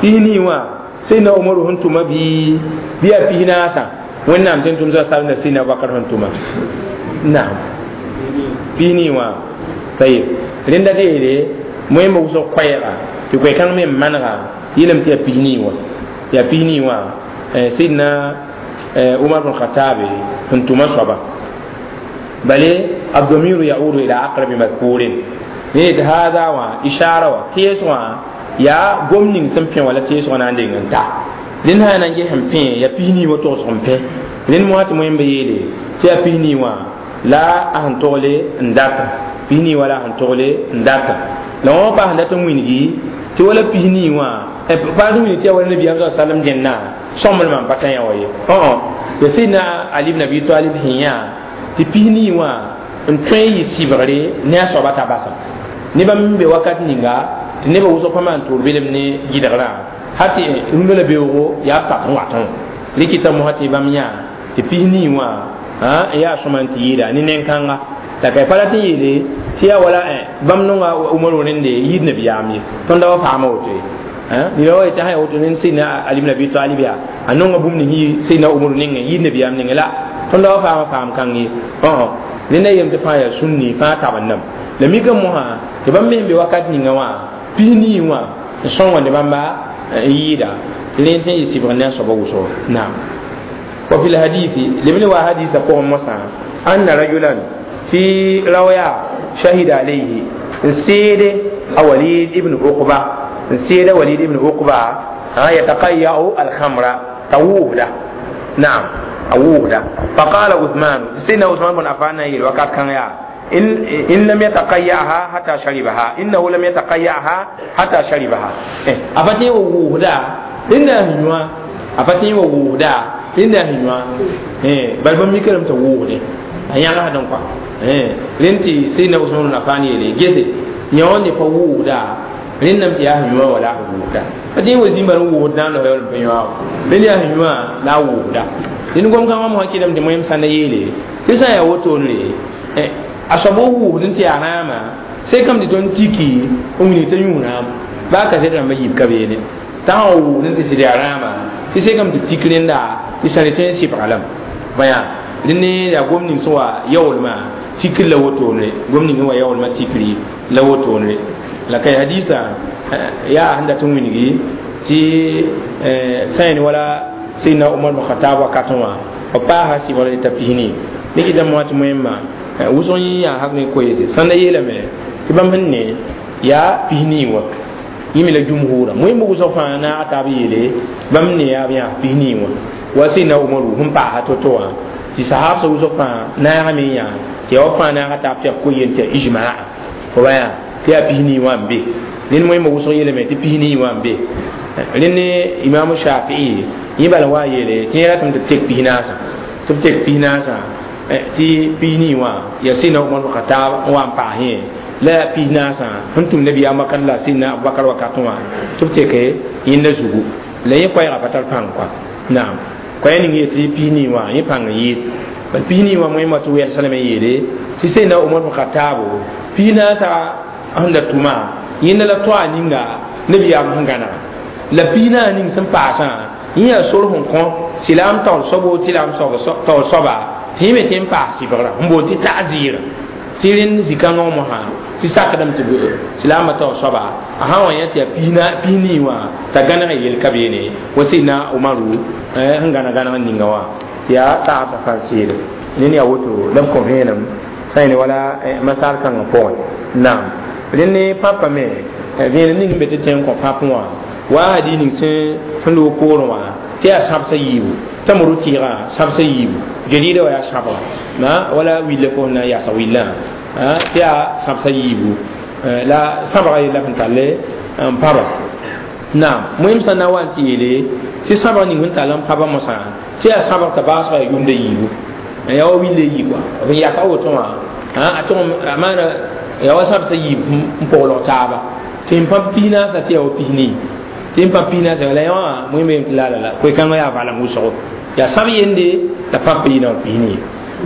pis-nii wã sayyidina umaru sẽn tʋma bɩ bɩ yaa pis-naasã wẽnnaam tɩ n tʋm sa sal na sayyidina abubakar sẽn tʋma naam pis-nii wã tayib rẽnda tɩ yeele moẽmba wʋsg koɛɛga tɩ koɛ-kãng me n manega yeelame tɩ yaa pis-nii wã yaa pis-nii wã sayyidina umar bn khatabe sẽn tʋma soaba bale الضمير يعود إلى أقرب مذكور ne hada wã ishara wã tees wã yaa gom ning sẽn pẽ wala teesg na n deng n ta rẽnd sã na n ges n pẽ yaa pis-nii wã togsg n pẽ rẽnd mosã tɩ moẽmba yeele tɩ yaa pis-nii wã la a sẽn togle n data pis-nii wã la a sẽn togle n data la wã pa sẽn dat n wilgi tɩ wala pis-nii wã pa sẽn wilg tɩ yaa wala nabiyaam sa sallam dẽnna sõmblmã n pa tã yã wa ye yaa sayyidina ali ibn abi talib sẽn yã tɩ pis-nii wã n tõe n yɩ sɩbgre ne a soaba t'a basa ne bãmb n be wakat ninga tɩ nebã wʋsg pa maan toor belem ne gɩdgrã ha tɩ rũndã la beoogo yaa pak n watẽ rɩkɩta mosã tɩ bãmb yã tɩ pis-nii wã n yaa sõma n tɩ yɩɩda ne nen-kãnga la ka pa rat n yeele tɩ yaa wala bãmb nonga umaru rẽnde yid nabiyaam ye tõnd da wa faama woto ye nira wa yetɩ sã yaa woto ned sayyidina ali ibn abi talib yaa a nonga bũmb ning yɩ sayyidina umaru nengẽ yid nabiyaam nengẽ la tõnd da wa faama faam kãng ye rẽnda yem tɩ fãa yaa sũnni fãa tab n nam la mikã mosã tɩ bãmb me sẽn be wakat ninga wã pis-nii wã n sõngende bãmba n yɩɩda tɩ rẽnd tɩ n yɩ sɩbg ne a soaba wʋsgo naam wa fi lhadithi lebne wa hadisa pʋgẽ mosã anna rajulan tɩ raoya shahida alayhi n seede a walid ibn uqba n seeda walid ibn uqba yataqayya'u alkhamra t'a wʋʋsda naam a wʋʋsda faqala uthman sayyidina usman bn affan na yeel wakat kãng yaa إن, إن لم يتقيأها حتى شربها إنه لم يتقيأها حتى شربها أفتي ووهدا إن هنوا أفتي ووهدا إن هنوا بل بمي كلام توهده أيانا هذا نقطة رنتي سيدنا عثمان بن عفان يلي جسي يوم يفوهدا رنم يا هنوا ولا ووهدا A dẽ wa zĩm bala wʋʋd na n los yaool n pa yõago bel yaa sẽn yũã la a wʋʋda dẽnd gom-kãngã mosã kɩdame tɩ moẽm sãnda yeele tɩ sã n yaa wotone a soab wʋʋsd n tɩ yaa rãama sekame tɩ tõnd tiki n wilg t'a yũ rãam baa kasɛt rãmbã yiib ka beene t'a sã n wʋʋsd n tɩ sɩd yaa rãama tɩ sekame tɩ b tik rẽnda tɩ sã re tõe n sɩbga lame bãya dẽnd yaa gom ning sẽn wa yaoolmã tikr la wotone gom ning sẽn wa yaoolmã tikri la wotone la ka hadisa yaa sẽn dat n wilgi tɩ sã n wala Sayyidina Umar bin Khattab wakatẽ wã b paasa sɩbgr t'a pisni ne kɩtame wã tɩ moẽmã wʋsg yẽ yaa hak ne koeese sãnda yeelame tɩ bãmb sẽn ne yaa pisnii wã yẽ me la jumhurã moẽmb wʋsg fãa naag taab yeele bãmb ne yaa b yãas pisnii wã wa Sayyidina Umaru sẽn paasa to-to wã tɩ sahabsã wʋsg fãa naagame n yã tɩ yaa wa fãa naaga taab tɩ yaa ko-yel tɩ yaa ijmaa fo ba yaa tɩ yaa pisnii wã n be rẽnd moẽmb wʋsg yeelame tɩ pisnii wã n be rẽnd imam Shafii yẽ bala wa yeele tɩ yẽ ratame tɩ b tek pisnaasã tɩ b tek pisnaasã tɩ pisnii wã yaa Sayyidina Umar bin Khattab n wa n paas yẽ la yaa pisnaasã sẽn tʋm nabiyaam wakat la Sayyidina Abubakar wakatẽ wã tɩ b teke yẽnda zugu la yẽ koɛɛgã pa tar pãng kɔa naam koɛɛ ning yetɩ pisnii wã yẽ pãng n yɩɩd bal pisnii wã moẽmã tɩ wɛɛl salame yeele tɩ Sayyidina Umar bin Khattab pisnaasã sẽn da tʋma yẽnda la toa ninga nabiyaam sẽn gãnega la pisnaas ning sẽn paasã yẽ yaa sor sẽn kõ silaam taoor soabo tɩ laam taoor soaba tɩ yẽ me tɩ n paas sɩbgrã n boond tɩ ta'zɩɩra tɩ rẽnd zĩ-kãngã wã mosã tɩ sakdame tɩ silaamã taoor soaba a sã n wa yã tɩ yaa pisnii wã t'a gãneg yel ka beene wa Sayyidina Umaru sẽn gãneg gãneg ninga wã tɩ yaa saasã fãa seede ned yaa woto la b kõ vẽenem sã n wala masal kãngã pʋgẽ naam rẽnd ne pãpã me vẽenem ning n be tɩ tẽ n kõ pãp wã wa hadi ning sẽn sẽn loog poorẽ wã tɩ yaa sãbsã yiibu t'a moru tɩɩgã sãbsã yiibu geriida wa yaa sãbga wala willa fo sẽn na n yaasg willã tɩ yaa sãbsã yiibu la sãbga yella sẽn tall n pãba naam moẽm sã na n wa n tɩ yeele tɩ sãbg ning sẽn tall n pãba mosã tɩ yaa sãbg t'a baasga yaa yʋmda yiibu yaa wa willa yi kɔa b n yasg woto wã a tʋg a maana yaa wa sãbsã yiib n pʋglg taaba tɩ n pãb pisnaasã tɩ yaa wa pisnii tɩ n pãb pisnaasã la yã wã moẽm tɩ la la la koe-kãngã yaa valem wʋsgo yaa sãb yende la pãp yɩ na pisnii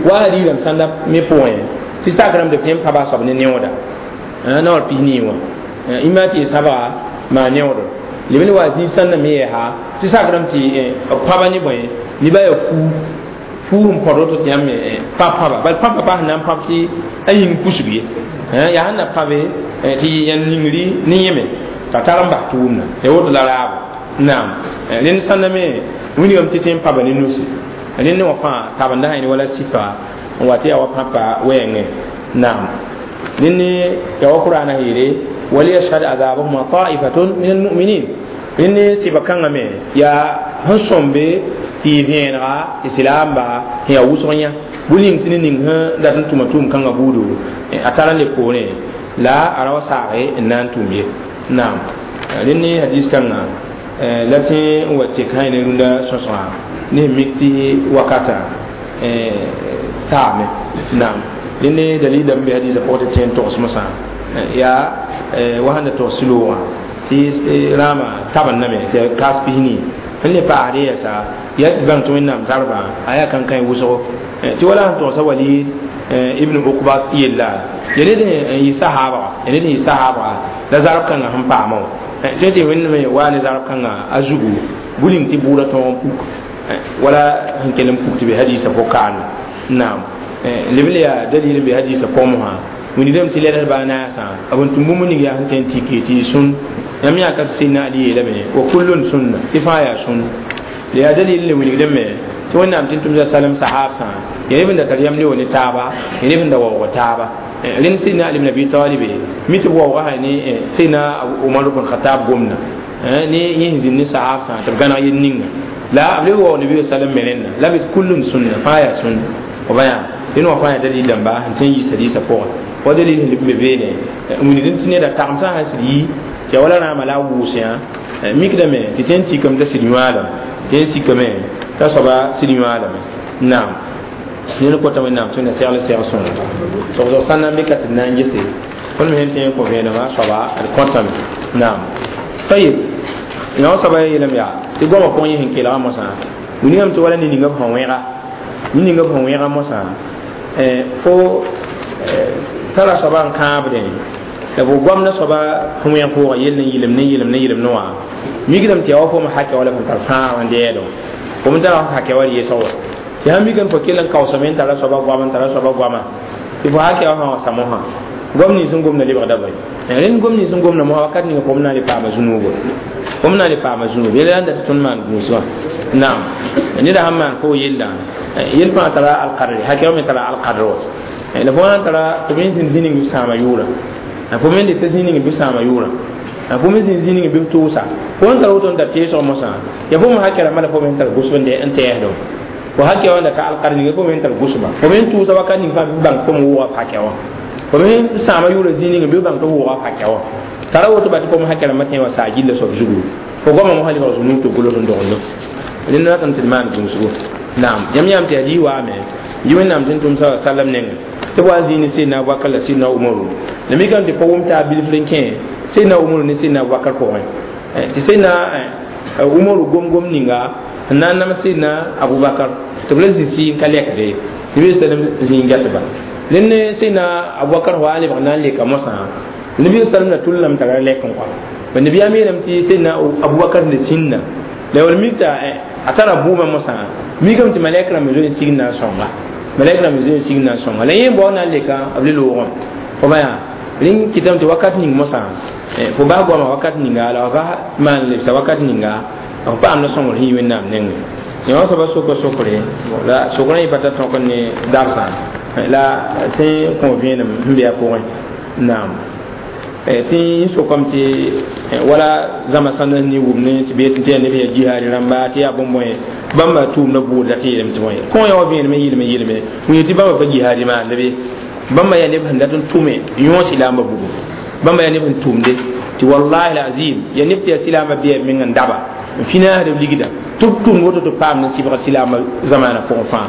wa hadiidame sãnda me pʋgẽ tɩ sakrame tɩ b tõe n pãba a soab ne neooda na wall pisnii wã ima tɩ y sãbga maa neoodr leb ne wa zĩig sãnda me yɛɛsa tɩ sakrame tɩ b pãba ne bõe nebã yaa fuu fuu n põd woto tɩ yãmb pãb pãba bal pãpa pa sẽn na n pãb tɩ a yĩng pusg ye yaa sẽn na pãbe tɩ yãn ningri ne yẽme t'a tar n bas tʋʋmda ya woto la raabo naam rẽnd sãnda me wilgame tɩ tõe n pãba ne nusi rẽnd wã fãa tabenda sã wala sifa n wa tɩ yaa wa pãpa wɛɛngẽ naam rẽnd yaa wa qur'ana yeele waliyashhad azabahuma ta'ifatun min almu'minin rẽnd sɩba kãngã me yaa sẽn sõmbe tɩ y vẽenega tɩ silaamba sẽn yaa wʋsg yã bʋ ning tɩ ne ning sẽn dat n tʋma tʋʋm kãngã buudu a tar n le poorẽ la a ra wa saage n na n tʋʋm ye naam rẽnd ne hadis kãngã la tẽ n wa tek sã ne rũndã sõsgã ne sẽn mik tɩ wakata taame naam rẽnd ne dalil n be hadisã pʋgẽ tɩ tẽ n togs mosã yaa wa sẽn da togs loogã tɩ rãamã tabendame tɩ kaas pisnii sẽn le paasd yɛɛsa yaa tɩ bãng tɩ wẽnnaam zarbã a yaa kãnkãe wʋsgo tɩ wala sẽn togsa Walid ibn Uqba yella ya ned n yɩ sahaabga ya ned n yɩ sahaabga la zarb kãngã sẽn paama wã tɩ tɩ wẽnnaam waa ne zarb kãngã a zugu buling tɩ bʋʋda tõog n puk wala sẽn kell n puk tɩ be hadisa pʋg-kaane naam leb le yaa dalil n be hadisa pʋgẽ mosã wĩndame tɩ lɛdsba a naasã b n tʋm bũmb ning yaa sẽn tõe n tike tɩ y sũn yãmb yãka tɩ Sayyidina Ali yeelame wa kullun sunna tɩ fãa yaa sũn la yaa dalil le wilgdame tɩ wẽnnaam tɩ n tʋmsa salem sahaabsã yaa neb n da tar yam leo ne taaba yaa neb n da waoog taaba rẽnd Sayyidina Ali ibn Abi Talib mi tɩ b waooga sã ne Sayyidina Umar ibn Khattab gomda ne yẽ sẽn zĩnd ne sahaabsã tɩ b gãneg yel ninga la b leb waoog nabi sallam me rẽnda la b kullun sunna fãa yaa sũnna f ba yaa rẽnd wã fãa yaa dalil dãmba sẽn tõe n yiis hadiisã pʋgẽ wa dalil sẽn leb n be beene n wilgd tɩ neda tagmsã sã sɩd yi tɩ ya wala rãamã la a wʋʋs yã mikdame tɩ tõe n tikame t'a sɩd yõalame tɩ n sikame t'a soaba sɩd yõalame naam ned kota wẽnnaam tɩ wẽnna segl seg sõng togsg sã n na n be ka tɩ d na n gese tõnd me sẽn tõe n kõ vẽenemã soaba d kõtame naam tayib. yã soaba yeelame yaa tɩ goamã pʋgẽ yẽ sẽn kelga mosã wilgame tɩ wala ne ninga b sẽn wẽga ne ninga b sẽn wẽga mosã fo tara soaba n kãabdẽ la fo goamda soaba sẽn wẽg pʋʋga yell n yɩlem ne yɩlem ne yɩlem ne wã mikdame tɩ yaa wa fo me hakɛ wala fõn tar fãag n dɛɛdõ fo me tara hakɛ wa yɩsg wa tɩ sãn mikame fo kell n kaoosame n tara soaba goam n tara soaba goama tɩ fo hakɛ wa sã wa sa mosã gom nins n gomda lebgda bõe rẽnd gom nins n gomda mosã wakat ninga fo m na n le paama zũnuugo fo m na n le paama zũnub yella la n dat tɩ tõnd maan gũus wã naam neda sãn maan fo yella yel fãa tara alkadre hakɛ wa me tara alkadr wa la fo na n tara tɩ me zĩnd zĩ ning bɩ sãama yʋʋra fo me n deta zĩ ning bɩ sãama yʋʋra fo me zĩnd zĩ ning bɩ tʋʋsa fo n tara woto n da teesg mosã ya fo me hakɛ rãmbã la fo me n tar gʋsb n tɛɛsdo fo hakɛ wa n da ka alkadr ninga fo me n tar gʋsba fo me n tʋʋsa wakat ning fãa bɩ bãng fo me wʋʋga f hakɛ wã fo me sãama yʋʋra zĩ ning bɩ bãng tɩ wʋʋga f hakɛ wã tara woto ba tɩ fo me hakɛ rãmbã tẽ wa saa gilla soab zugu fo goamã mosã lebg zũnuug tɩ gʋls n dogendo rẽnd ratame tɩ d maan gũusgo naam yãmb yãam tɩ hadiis waame yi wẽnnaam tɩ n tʋm sa sallam nengẽ tɩ b wa n zĩig ne sidna abubakar la sidna umaru la mikame tɩ pa wʋm taa bilfr n kẽ sidna umaru ne sidna abubakar pʋgẽ tɩ sidna umaru gom-gom ninga n na n nam sidna abubakar tɩ b la zĩ sɩ n ka lɛkde tɩ bi sallam zĩig gɛtba rẽnd ne sidna abubakar wa n lebg na n leka mosã nabi sallam la tʋl lame t'a ra lɛk n kɔa ba nabiyaam yeelame tɩ sidna abubakar ne sĩnda la wall mik t'a a tara bʋʋmã mosã mikame tɩ malɛk rãmb zoe n sig na n sõnga malɛk rãmb zoe n sig na n sõnga la yẽ bao na n leka b le loogẽ fo ba yaa rẽn kɩtame tɩ wakat ning mosã fo bas goamã wakat ninga la f bas maan lebsa wakat ninga f paamda sõngr sẽn yi wẽnnaam nengẽ yã wã soaba soka sokre la sokrã yẽ pa tar tõk ne darsã la sẽn kõ vẽenem sẽn be a pʋgẽ naam tɩ n sokame tɩ wala zãma sãnda ne wʋm ne tɩ bee tɩ yaa neb yaa jihaad rãmba tɩ yaa bõn-bõe bãmba tʋʋmda bʋʋd la tɩ yeelame tɩ bõe kõ yã wa vẽenem n yɩlme yɩlme wẽ tɩ bãmba pa jihaad maanda be bãmba yaa neb sẽn dat n tʋme yõos silaambã bugu bãmba yaa neb sẽn tʋmde tɩ wallahi alazim yaa neb tɩ yaa silaambã bɩa meng n daba n finaasd b ligda tɩ b tʋmd woto tɩ paam ne sɩbga silaambã zamaana pʋgẽ fãa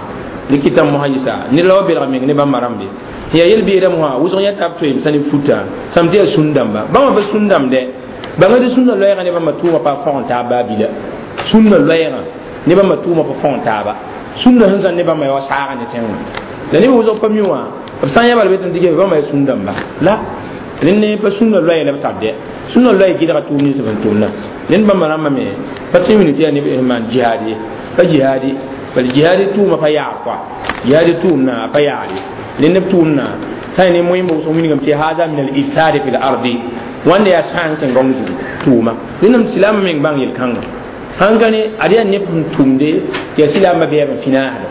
rɩkɩtã mosã yɩsa ned la wa belg meng ne bãmba rãmbe yaa yel-beedã mosã wʋsg yã tab toeem sã ne futa sãm tɩ yaa sũn-dãmba bãmba pa sũn-dãmb dɛ bãnga tɩ sũnna loɛɛgã ne bãmba tʋʋmã pa fõgen taab baa bila sũnna loɛɛgã ne bãmba tʋʋmã pa fõgen taaba sũnna sẽn zãn ne bãmba yaa wa saaga ne tẽngã la neb wʋsg pa mi wã b sã n yã bala be tɩ tɩ bãmba yaa sũn-dãmba la rẽnd ne pa sũnna loɛɛ la b tar dɛ sũnna loɛɛ gɩdga tʋʋm nins b sẽn tʋmna rẽnd bãmba rãmbã me pa tɩ wilg tɩ yaa neb sẽn maan jihaad ye pa jihaadi bal jihaadi tʋʋmã pa yaar kɔa jihaadi tʋʋmna a pa yaar ye rẽnd b tʋʋmna sã ne moẽmba wʋsg wilgame tɩ hada min al-ifsad fi l-ardi wãnda yaa sãang tẽn-gãong zugu tʋʋma rẽndame silaamã meng bãng yel-kãnga sãn ka ne ad yaa neb sẽn tʋmde tɩ yaa silaambã bɛɛb n finaasda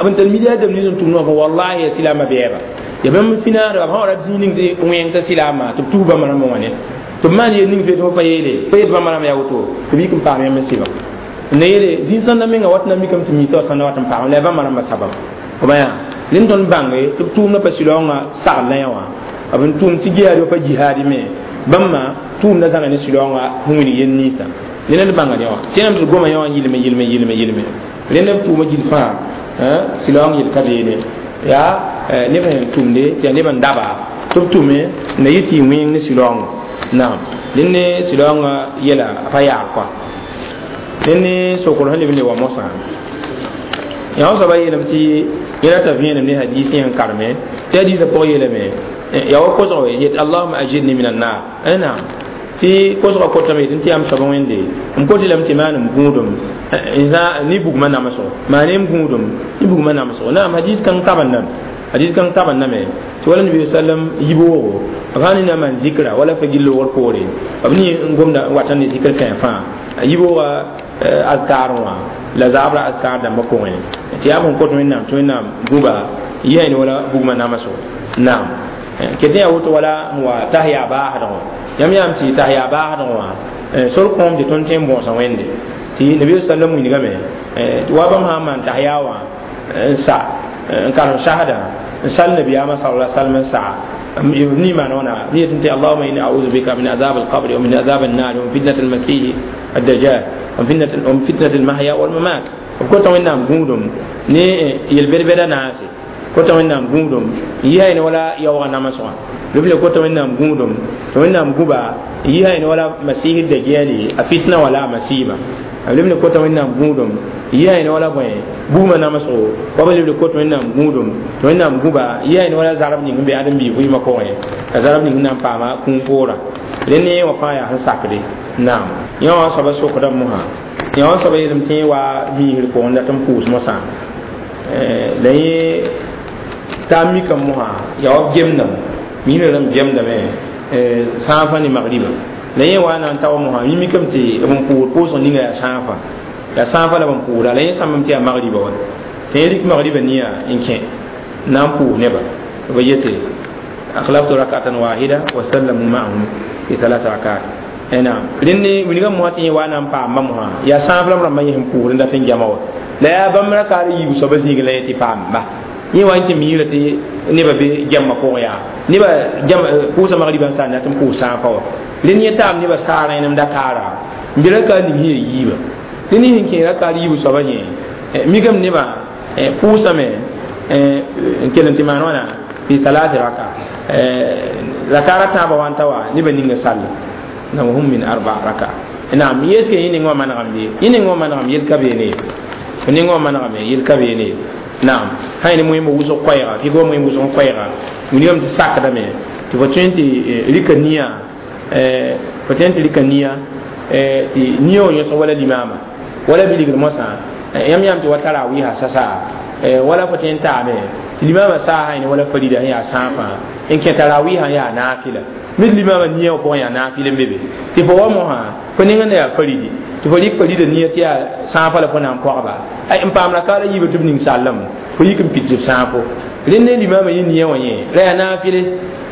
b n tar milliard nins n tʋmd wã fo wallahi yaa silaambã bɛɛba ya bãmb finaasda b sã wa rat zĩig ning tɩ wẽng t'a silaamã tɩ b tus bãmba rãmbã wã ne tɩ b maan yel ning tɩ pa yeele pa yet bãmba rãmba yaa woto tɩ b yik n paam yãmb n sɩba n na yeele zĩ-sãndã menga wat na mikame tɩ misa wa sãnda wat n paam la yaa bãmba rãmbã sabab b yaa rẽnd tõnd bãnge tɩ b tʋʋmdã pa silaoongã sagl la yã wã b n tʋʋm tɩ jihaad wa pa jihaadi me bãmba tʋʋmdã zãna ne silaoongã sẽn wilg yel ninsã rẽnd d bãnga yã wã tẽnam tɩ d goma yã wã n yɩlme yɩlme yɩlme yɩlme rẽnd b tʋʋmã gill fãa silaoong yel ka beene yaa neb sẽn tʋmde tɩ yaa neb n daba tɩ b tʋme na yɩ tɩ y wẽng ne silaoongã naam rẽnd ne silaoongã yɛla a pa yaar kɔa rẽnd ne sokr sẽn leb n le wa mosã yã wã soaba yeelame tɩ yẽla t'a vẽenem ne hadiis yã n karme tɩ hadiisã pʋg yeelame yaa wa kosg yet allahuma ajirni min annar naam tɩ kosgã kotame yetɩ tɩ yaa m soaba wẽnde m kotɩ lame tɩ maan m gũudum ne bugmã namsgo maan m gũudum ne bugmã namsgo naam hadiis kãng tabendame hadiis kãng tabendame tɩ wala nabi sallam yiboogo b sã ne na n maan zikra wala fa gill loogr poore b ne n gomda n wata ne zikr kãe fãa yiboogã azkar wã la zaabra azkar dãmbã pʋgẽ tɩ yaa bõn kot wẽnnaam tɩ wẽnnaam gũba yɩ ne wala bugmã namsgo naam ket yaa woto wala n wa tas yaa baasdgõ yãmb yaam tɩ tas yaa baasdgõ wã sor kõom tɩ tõnd tõe n bõosa wẽnde tɩ nabi sallam wilgame wa bãmb sã n maan tas yaa wã n sa n karem sasda n sal nabiyaamã sala sallam n saa ni maana wãna yetɩ tɩ allahuma inni audu bika min azab alqabri wa min azab annar wa min fitnat almasih الدجال ومن فتنة ومن فتنة المحيا والممات b kota wẽnnaam gũudum ne yel-bɛd-bɛda naase kota wẽnnaam gũudum yɩ ne wala yaoogã namsgã b le kota wẽnnaam gũudum tɩ wẽnnaam gũba n yi ne wala masihi dajjali a fitna wala a masiba b leb ne kota wẽnnaam gũudum n yi ne wala bõe bugmã namsgo wa b leb le kot wẽnnaam gũudum tɩ wẽnnaam gũba n yi ne wala zarb ning n be ãdem-biig vɩɩmã pʋgẽ la zarb ning n na n paama kũum poorã rẽ ne wã fãa yaa sẽn sakde naam yã wã soaba sokda mosã yã wã soaba yeelame tɩ yẽ wa miisr pʋgẽ dat n pʋʋs mosã la yẽ t'a mikame mosã yaa wa b gemdame miisrã rãmb gemdame sãafã ne magriba la yẽ wa na n ta wa mosã yẽ mikame tɩ b n pʋʋd pʋʋsg ninga yaa sãafã yaa sãafã la b n pʋʋda la yẽ sãmbame tɩ yaa magriba wa tɩ yẽ rɩk magriba nia n kẽ na n pʋʋs neba b yete akhlaftu rakatan wahida wa sallamu ma'ahum fi thalatha rakat naam rẽnd wilgã mosã tɩ yẽ wa na n paamba mosã yaa sãaf la b rãmbã yẽ sẽn pʋʋsd n dat n gema wa la yaa bãmb rakaar yiib soaba zĩig la yẽ tɩ paamba yẽ wa n tɩ miirã tɩ nebã be gɛmma pʋgẽ yaa nebã pʋʋsa magriba n sa n dat n pʋʋs sãafã wa rẽnd yẽ taam nebã saar rẽnem dakaara n be rakaar ning sẽn yaa yiiba rẽnd sẽn kẽ rakaar yiib soaba yẽ mikame nebã pʋʋsame n kell n tɩ maan wãna fi talati raka rakaara tãabã wa n ta wa nebã ninga sall na hum min arba raka naam yeske yẽ ning wã manegame bɩ yẽ ning wã manegame yel ka beene fo ning wã manegame yel ka beene naam sã ne moẽmb wʋsg koɛɛga fɩ wa moẽmb wʋsg koɛɛga wilgame tɩ sakdame tɩ fo tõe n tɩ rɩka nia fo tõe n tɩ rɩka nia tɩ nia wã yõsg wala limaama wala bilgr mosã yãmb yãmb tɩ wa tarawɩɩsa sasa wala fo tõe n taame tɩ limaamã saasã ne wala farida sẽn yaa sãafã n kẽ tarawɩɩsã yaa naafɩla mid limaamã nia wã pʋgẽ yaa naafɩl n be be tɩ fo wa mosã fo nengã na yaa faridi tɩ fo rɩk farida nia tɩ yaa sãafã la fo na n pɔgba n paam rakaara yiibã tɩ b ning sallem fo yik n pid b sãafo rẽnd ne limaamã yẽ nia wã yẽ la yaa naafɩle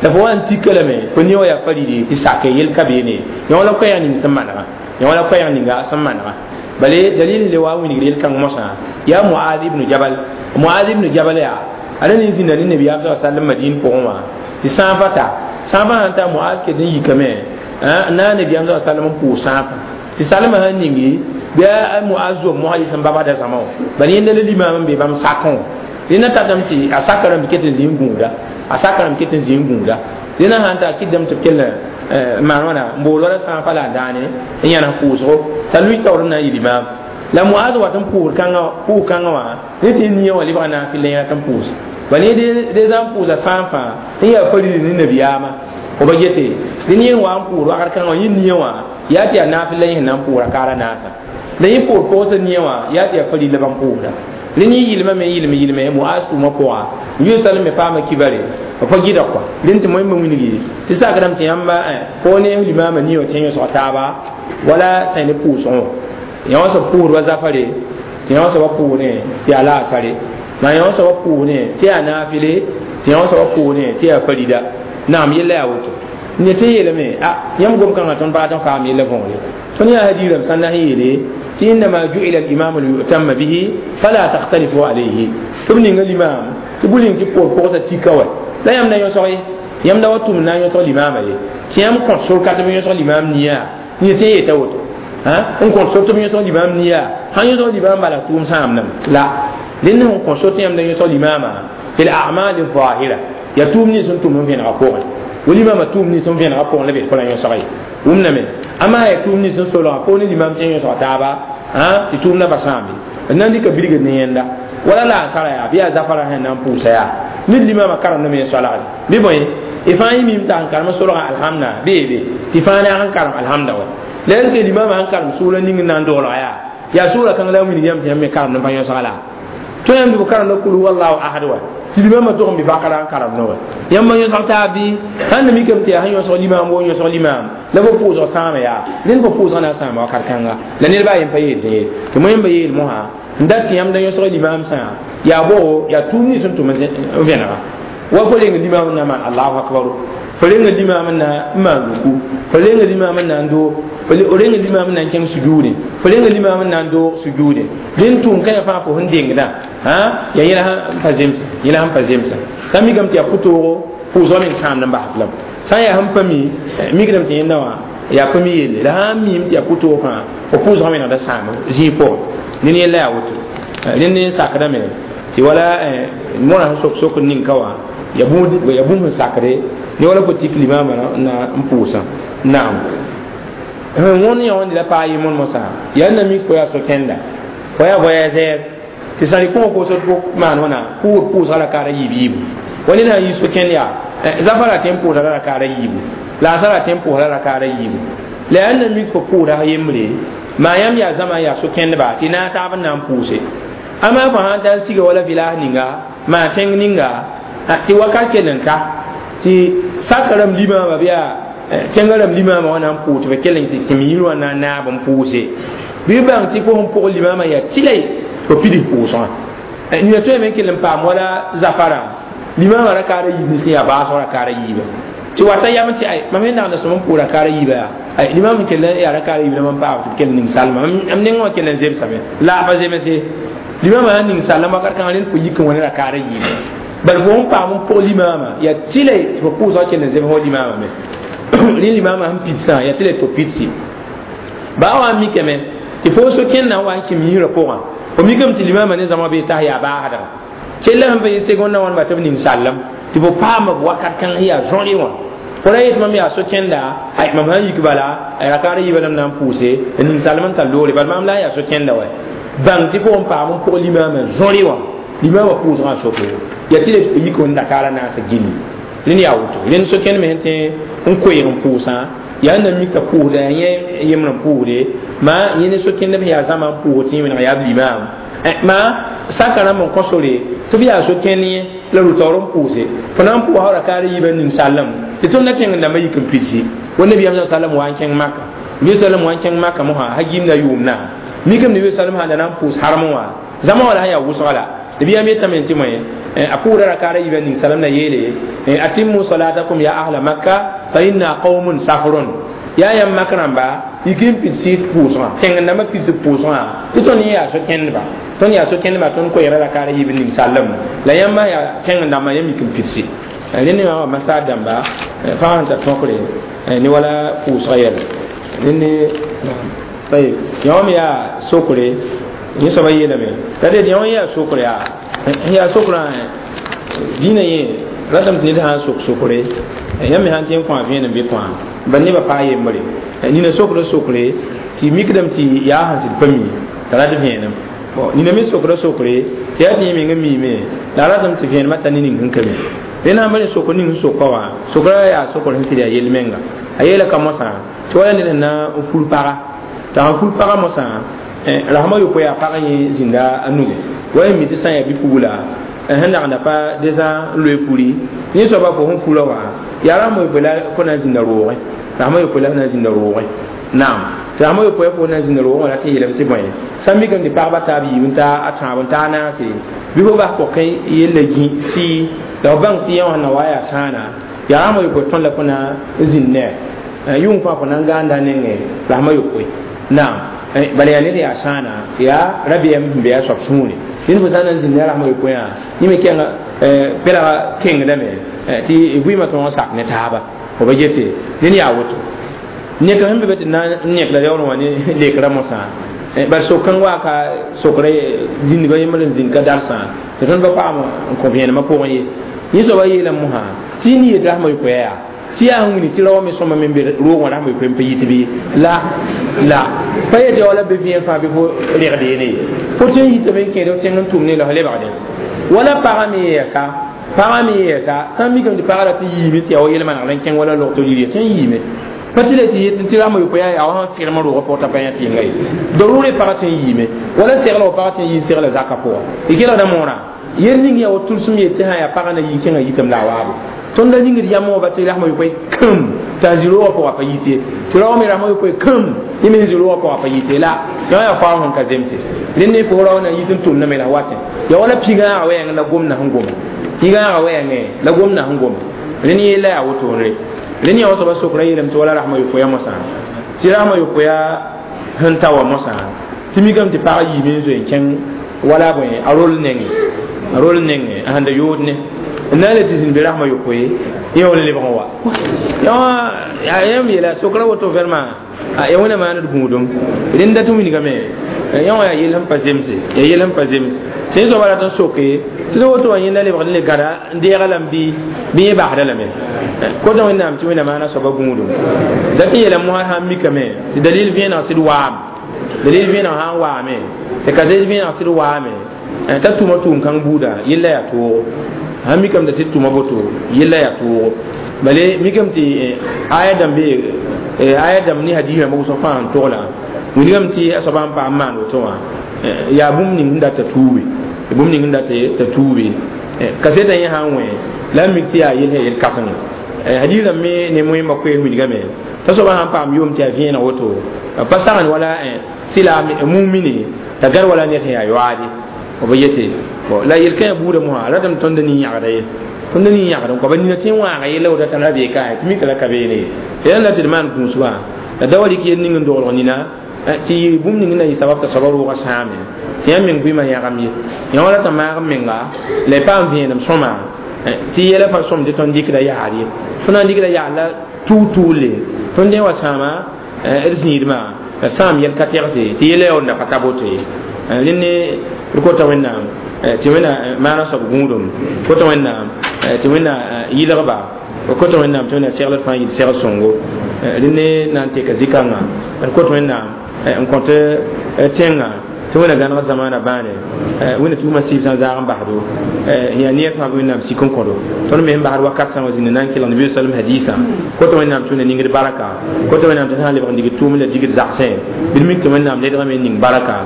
la fo wa n tika lame fo nia wã yaa faridi tɩ sake yel ka beene yã wala koɛɛg ning sẽn manega yã wala koɛɛg ninga sẽn manega bale dalil le wa wilgr yel-kãng mosã yaa muad ibnu jabal muad ibnu jabal yaa a rẽnd n zĩnda ne nabiyaam sa sallam madin pʋgẽ wã tɩ sãafã ta sãafã sãn ta muaz ket n yikame n na nabiyaam sa sallam n pʋʋs sãafã tɩ salmã sãn ningi bɩ a muaz zom mosã yɩ sẽn babsda zãma wã bala yẽnda la limaam n be bãmb sakẽ wã rẽnda tatame tɩ a saka rãmb ket n zĩ n gũuda a saka rãmb ket n zĩ n gũuda rẽnda sãn ta kɩtdame tɩ b kell maan wãna n bool wala sãafã la a daane n yãnes pʋʋsgo t'a lui taoor n na n yɩ limaam la muaz wat n pʋʋs kãngã pʋʋs kãngã wã ne tɩ nia wã lebga naafɩl la yẽra tɩ n pʋʋs bala yẽ deza n pʋʋsa sãafã n yaa faridi ne nabiyaamã f ba gete rẽnd yẽ wa n pʋʋs wagr kãngã wã yẽ nia wã yaa tɩ yaa naafɩl la yẽ sẽn na n pʋʋs rakaara naasa la yẽ pʋʋs pʋgsa nia wã yaa tɩ yaa faridi la bãmb pʋʋsda rẽnd yẽ yɩlmame yɩlm yɩlme muaz tʋʋmã pʋga n yʋ salme paama kibare b pa gɩdg kɔa rẽnd tɩ moẽmba wilgi tɩ sakdame tɩ yãmba fo ne limaamã nia wã tɩ yõsg taaba wala sã ne pʋʋsgẽ wã yã wã soab pʋʋsd wa zafare tɩ yã wã soaba pʋʋsdẽ tɩ yaa laasare maa yã wã soaba pʋʋsdẽ tɩ yaa naafɩle tɩ yã wã soaba pʋʋsdẽ tɩ yaa farida naam yella yaa woto ne tɩ yeelame a yãmb gom-kãngã tõnd pagat n faam yella võore tõnd yaa hadiirame sã n na n yeele tɩ innama ju'ila alimamu liyutamma bihi fala takhtalifu alayhi tɩ b ninga limaam tɩ bʋ ning tɩ pʋʋr pʋgsa tika wa la yãmb na yõsg ye yãmb da wa tʋm na n yõsg limaamã ye tɩ yãmb kõt sor ka tɩ b yõsg limaam nia ne tɩ yeta woto n kõt sor tɩ b yõsg limaam nia sãn yõsg limaam bala tʋʋm sãamdame la rẽnd sẽn kõt sor tɩ yãmb da yõsg limaamã fi l-a'mal zahira yaa tʋʋm nins sẽn tʋm n vẽnega pʋgẽ wa limaamã tʋʋm nins n vẽnega pʋgẽ la be fo la yõsg ye wʋmdame ama yaa tʋʋm nins n solga fo ne limaam tɩ yõsg taaba tɩ tʋʋmdã pa sãambe d na n dɩka bilgd ne yẽnda wala la a sara yaa bɩ yaa zafara sẽn na n pʋʋsa yaa ned limaamã karemdame yẽ soalgre bɩ bõe y fãa yẽ mim t'a sẽn karem solga alhamda bee be tɩ fãa ne a sẽn karem alhamda wa la est ce que limaamã sẽn karem sʋʋla ning n na n doolga yaa yaa sʋʋla kãng la a wilg yãmb tɩ yãmb me karemd n pa yõsga la tõe yãmb tɩ b karemda kul wallahu ahad wa tɩ limaamã tog n bɩ bakara n karemdẽ wa yãmb yõsg taab bɩ sãn na mikame tɩ yaa sẽn yõsg limaam wo yõsg limaam la fo pʋʋsg sãama yaa rẽnd fo pʋʋsg na n sãama wakat kãnga la ned baa yen pa yeel tɩ ye tɩ moẽmba yeel mosã n dat tɩ yãmb da yõsg limaam sã yaa boo yaa tʋʋm nins sẽn tʋm n vẽnega wa fo reng limaam n na maan allahu akbaru fo renga limaam n na n maan ruku fo renga limaam n na n doog fo renga limaam n na n kẽng sujuude fo renga limaam n na n doog sujuude rẽnd tʋʋm kãna fãa fo sẽn dengdã yaa yẽla sẽn pa zemsa yẽla sẽn pa zemsa sã n mikame tɩ yaa pʋtoogo pʋʋsgã meng sãamd n bas f lame sã n yaa sẽn pa mi mikdame tɩ yẽnda wã yaa pa mi yelle la sã n miime tɩ yaa pʋtoog fãa fo pʋʋsgã menegda sãam zĩig pʋgẽ ned yella yaa woto rẽnd n sakdame tɩ wala mõra sẽn sok sokd ning ka wã ya bũmb ya bũmb sẽn sakde ne wala fo tik limaamã na n pʋʋsã naam sẽn wõnd yã wãnde la paa yemond mosã yaa na mik fo yaa so-kẽnda fo yaa voyageur tɩ sã rɩ kõ fo sot fo maan wãna pʋʋd pʋʋsga rakaada yiib yiibu wa ned sã n yi so-kẽnd yaa zafã ra tẽ n pʋʋsda rakaada yiibu laasã ra tẽ n pʋʋsda rakaada yiibu la yaa na mik fo pʋʋda yembre maa yãmb yaa zãma n yaa so-kẽndba tɩ naag taab n na n pʋʋse ama fo sãn ta n siga wala village ninga maa tẽng ninga tɩ wakat kell n ta tɩ saka rãmb limaamã bɩ yaa tẽngã rãmb limaamã wã na n pʋʋs tɩ b kell n tɩ tɩm yir wã na n naab n pʋʋse bɩ bãng tɩ fo sẽn pʋg limaamã yaa tɩla fo pids pʋʋsgã nina tõeme n kell n paam wala zafarã limaamã rakaada yiib nins yaa baasg rakaada yiiba tɩ wata yam tɩ ay mam sẽn nagda sõm n pʋʋs rakaada yiiba yaa ay limaam n kell yaa rakaada yiib la mam paam tɩ b kell ning salma m nengã wã kell n zemsame la pa zemse limaamã sãn ning sallam wakat kãngã rẽnd fo yik n wa ne rakaada yiiba bal fo sẽn paam n pʋg limaamã yaa tɩla tɩ fo pʋʋsgã kell n zems fo limaamã me rẽ limaamã sẽn pidsã yaa tɩla tɩ fo pidsi baa wa n mikame tɩ fo so-kẽndã wa n kẽm yĩsrã pʋgã fo mikame tɩ limaamã ne zãma bee tas yaa baasdga kell sẽn pa yɩ segonda wãnema tɩ b ning sallem tɩ fo paama b wakat kãng sẽn yaa zõre wã fo ra yet mam yaa so-kẽnda ay mam sãn yik bala rakaada yiibã lam na n pʋʋse n ning sallem n tar loore bal maam la n yaa so-kẽnda wa bãng tɩ fo n paam n pʋg limaamã zõre wã limaamã pʋʋsgã n soke yaa tɩ le tɩ fo yik n rakaada naasã gilli rẽnd yaa woto rẽnd so-kẽnd me sẽn tẽ n koeeg n pʋʋsã yaa na mika pʋʋsda yaa yẽ yemr n pʋʋsde maa yẽ ne so-kẽndb sẽn yaa zãma n pʋʋs tɩ wẽneg yaa b limaam maa saka rãmb n kõ sore tɩ b yaa so-kẽnd yẽ la rʋ-taoor n pʋʋse fo na n pʋʋsa rakaada yiibã ning sallem tɩ tõnd na tẽng dãmbã yik n pidsi wa nabiyaam sa sallam wa n kẽng maka nabi sallam wa n kẽng maka mosã ha gimda yʋʋm na mikame nabi sallam sãn da na n pʋʋs harmẽ wã zãma wã la sẽn yaa wʋsga la nabiyaam yetame tɩ moe a pʋʋda rakaada yiibã ning salam na yeele atimmu salatakum ya ahla makka fa inna qaumun safrun yaa yãmb mak rãmba yik n pidsi pʋʋsgã tẽng dãmbã pids pʋʋsgã tɩ tõnd yẽ yaa so-kẽndba tõnd yaa so-kẽndba tõnd koɛɛgra rakaada yiib ning sallem la yãmb yaa tẽng dãmbã yãmb yik n pidsi rẽnd wã masaar dãmba pagã sẽn tar tõkre ne wala pʋʋsgã yɛl rẽnd yã me yaa sokre yẽ soaba yeelame la ded yã wã yaa sokre yaa yaa sokrã dĩinã yẽ ratame tɩ ned sã n sok sokre yãmb me sãn tẽ n kõ a vẽenem bɩ kõa bal nebã paa yembre nina sokda sokre tɩ mikdame tɩ yaa sẽn sɩd pa mi t'a rat vẽenem nina me sokda sokre tɩ yaa tɩ yẽ meng n miime la a ratame tɩ vẽenemã ta ne ning sẽn ka mi rẽnd sãn pa sokr ning sẽn soka wã sokra yaa sokr sẽn sɩd yaa yel-menga a yeela ka mosã tɩ wala ned sẽn na n ful paga t'a sãn ful paga mosã rasmã yopoe yaa pag yẽ zĩnda a nuge wa mi tɩ sã n yaa bi-pugla sẽn lagenda pa dẽsã n loe furi yẽ soaba fo sẽn fura wã yaa rasmã yopoe la fo na n zĩnda roogẽ rasmã yopoe la fo na n zĩnda roogẽ naam tɩ rasmã yopoe fo na n zĩnda roogẽ wã la tɩ yeelame tɩ bõe sã n mikame tɩ pagba taab yiib n ta a tãab n ta a naase bɩ fo bas pɔkẽ yella gĩ sɩɩ la f bãng tɩ yẽ wã na wa yaa sãana yaa rasmã yopoe tõnd la fo na n zĩnd ne yʋng fãa fo na n gãanda nengẽ rasmã yopoe naam bala yaa ned yaa sãana yaa rabeɛm sẽn be a soab sũure ned fo sã n na n zĩnd ne a rasmã yopoe wã yẽ me kẽnga pɛlga kengdame tɩ vɩɩmã tõog n sak ne taaba fo ba gete ned yaa woto nek sẽn be be tɩ na n yẽk la yaool wã ne lekrã mosã bal sok-kãng wa ka sokra zĩndgã yembr n zĩnd ka darsã tɩ tõnd pa paam n kõ vẽenemã pʋgẽ ye yẽ soaba yeelame mosã tɩ y yet rasmã yopoe yaa tɩ yaa sẽn wini tɩ rao me sõma me n be roog wã rasmã yopoe n pa yit bɩ la la pa yet yaoola be vẽen fãa bɩ fo regd yene ye fo tõe n yitame n kẽed f tẽng n tʋm ne la f lebgde wala pagã me yɛɛsa pagã me yɛɛsa sã n mikame tɩ pagã rat n yiime tɩ yaa wa yel-manegr n kẽng wala log tɩ rɩ tõe n yiime pa tɩ la tɩ yet tɩ rasmã yopoe yaa yaa wa sẽn fɩrem roogã pʋgã t'a pa yã tɩ yẽnga ye darʋʋre pagã tõe n yiime wala segl pagã tõe n yi n segla zakã pʋgã y kelgda moorã yel ning yaa wa tʋlsem yet tɩ sã yaa pagã na yi kẽngã yitame la a waabo tõnd la yĩngd yãmb wã ba tɩ rasmã yopoe kãm t'a zĩ roogã pʋgã pa yit ye tɩ rao me rasmã yopoe kãm yẽ me zĩ roogã pʋgã pa yit ye la yã yaa faoog sẽn ka zemse rẽnd ne fo rao na yit n tʋmdame la watẽ ya wala pigãaga wɛɛngẽ la gomda sẽn goma pigãaga wɛɛngẽ la gomda sẽn goma rẽnd yella yaa wotone rẽnd yã wa soaba sokra yeelame tɩ wala rasmã yopoeya mosã tɩ rasmã yopoeya sẽn ta wa mosã tɩ mikame tɩ pag yiime n zoe n kẽng wala bõe a rol nengẽ a rol nengẽ a sẽn da yood ne n na n le tɩ zĩnd be rasmã yopoe yẽ wall lebg n wa yã yãmb yeela sokra woto vraiment ya wẽna maand gũudum rẽnd dat n wilgame yã wã yaa yell sẽn pa zemse yaa yell sẽn pa zems sẽn soaba rat n soke sɩd woto wã yẽnda lebgd n le gãda n deega lame bɩ bɩ yẽ basda lame kota wẽnnaam tɩ wẽnna maana soaba gũudum dat n yeela mosã sã n mikame tɩ dalil vẽeneg sɩd waam dalil vẽeneg sã n waame tɩ kaset vẽeneg sɩd waame t'a tʋma tʋʋm kãng buuda yella yaa toogo sãn mikame t'a sɩd tʋma boto yella yaa toogo bale mikame tɩ aya dãmb be aya dãmb ne hadis rãmba wʋsg fãa n togla wilgame tɩ a soaba n paam maan woto wã yaa bũmb ning sẽn dat t'a tuube bũmb ning sẽn dat t'a tuube kasetã yẽ sã n wẽ la n mik tɩ yaa yel sẽn yel kãseng hadis rãmb me ne moẽmba koees wilgame t'a soaba sãn paam yʋʋm tɩ yaa vẽeneg woto pa sagn wala sɩla mumine t'a gãd wala ned sẽn yaa yoaade b yete la yel-kãã buudã mosã ratame tõnd nin-yãgda ye tõnd nin-yãgd n kõ ba nina tɩ n wãaga yella woto t'a ra bee ka tɩ mika la ka beene ye tɩ la tɩ d maan gũusgã la da wa rɩk yel ning n doglg nina tɩ yɩ bũmb ning na yɩ sabab t'a soaba roogã sãame tɩ yãmb meng vɩɩmã yãgam ye yã wã rata maag n menga la y paam vẽenem sõma tɩ yɛla pa sõmd tɩ tõnd dɩkda yaar ye tõnd na n dɩkda yaar la tuug-tuugle tõnd dẽ wa sãama d zĩidmã la sãam yɛl ka tɛgse tɩ yɛla yaoonda pa ta boto ye rẽnd ne d kota wẽnnaam tɩ wẽnna maana soab gũudum kota wẽnnaam tɩ wẽnna yɩlgba kota wẽnnaam tɩ wẽnna segl fãa yɩl segl sõngo rẽnd ne na n teka zĩ-kãngã d kot wẽnnaam n kõt tẽngã tɩ wẽnna gãneg zamaana bãane wẽnna tuuma sɩɩb sã n zaag n basdo yaa neer fãa bɩ wẽnnaam sik n kõdo tõnd me sẽn basd wakat sã wã zĩnd na n kelg nabi sallam hadisã kota wẽnnaam tɩ wẽnna ningd baraka kota wẽnnaam tɩ sã n lebg n digd tʋʋm la digd zagsẽ bɩ d mik tɩ wẽnnaam ledgame n ning baraka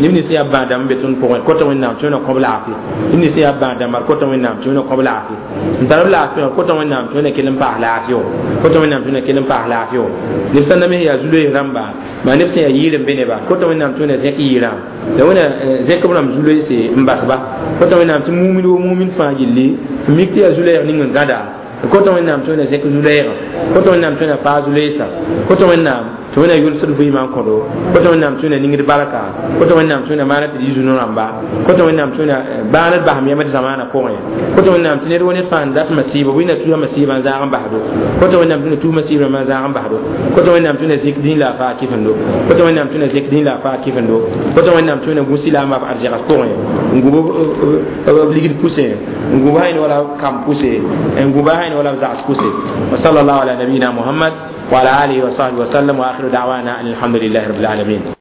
neb nins yaa bãa dãmb be tõnd pʋgẽ kota wẽnnaam tɩ wẽnna kõb laafɩ neb nins yaa bãa dãmba kota wẽnnaam tɩ wẽnna kõb laafɩ n tar b laafɩ wã kota wẽnnaam tɩ wẽnna kell n paas laafɩ kota wẽnnaam tɩ wẽnna kell n paas laafɩ neb sã n name yaa zu-loees rãmba maa neb sẽn yaa yɩɩr n be neba kota wẽnnaam tɩ wẽnna zẽk yɩɩrã la wẽnna zẽk b rãmb zu-loeese n basba kota wẽnnaam tɩ mumin wo mumin fãa yelle n mik tɩ yaa zu-loɛɛg ning n gãda kota wẽnnaam tɩ wẽnna zẽk zu-loɛɛgã kota wẽnnaam tɩ wẽnna faa zu-loeesã kota wẽnnaam tɩ wẽnna yʋlsd vɩɩmã n kõdo kota wẽnnaam tɩ wẽnna ningd barka kota wẽnnaam tɩ wẽnna maana tɩ d yɩ zu-no-rãmba kota wẽnnaam tɩ wẽnna bãaned basem yamd zamaanã pʋgẽ kota wẽnnaam tɩ ned wa ned fãa n dat masiiba wẽnna tusa masiibã n zaag n basdo kota wẽnnaam tɩ wẽnna tus masiib rãmbã n zaag n basdo kota wẽnnaam tɩ wẽnna zẽk dĩn la a faa kɩfendo kota wẽnnaam tɩ wẽnna zẽk dĩn la a faa kɩfendo kota wẽnnaam tɩ wẽnna gũsi la a maaf arzɛgs pʋgẽ n gũb b ligd pʋsẽ n gũb hayn wala kam pʋse n gũb hayn wala b zags pʋse wa sallallahu ala nabiyina muhammad وعلى آله وصحبه وسلم وآخر دعوانا أن الحمد لله رب العالمين.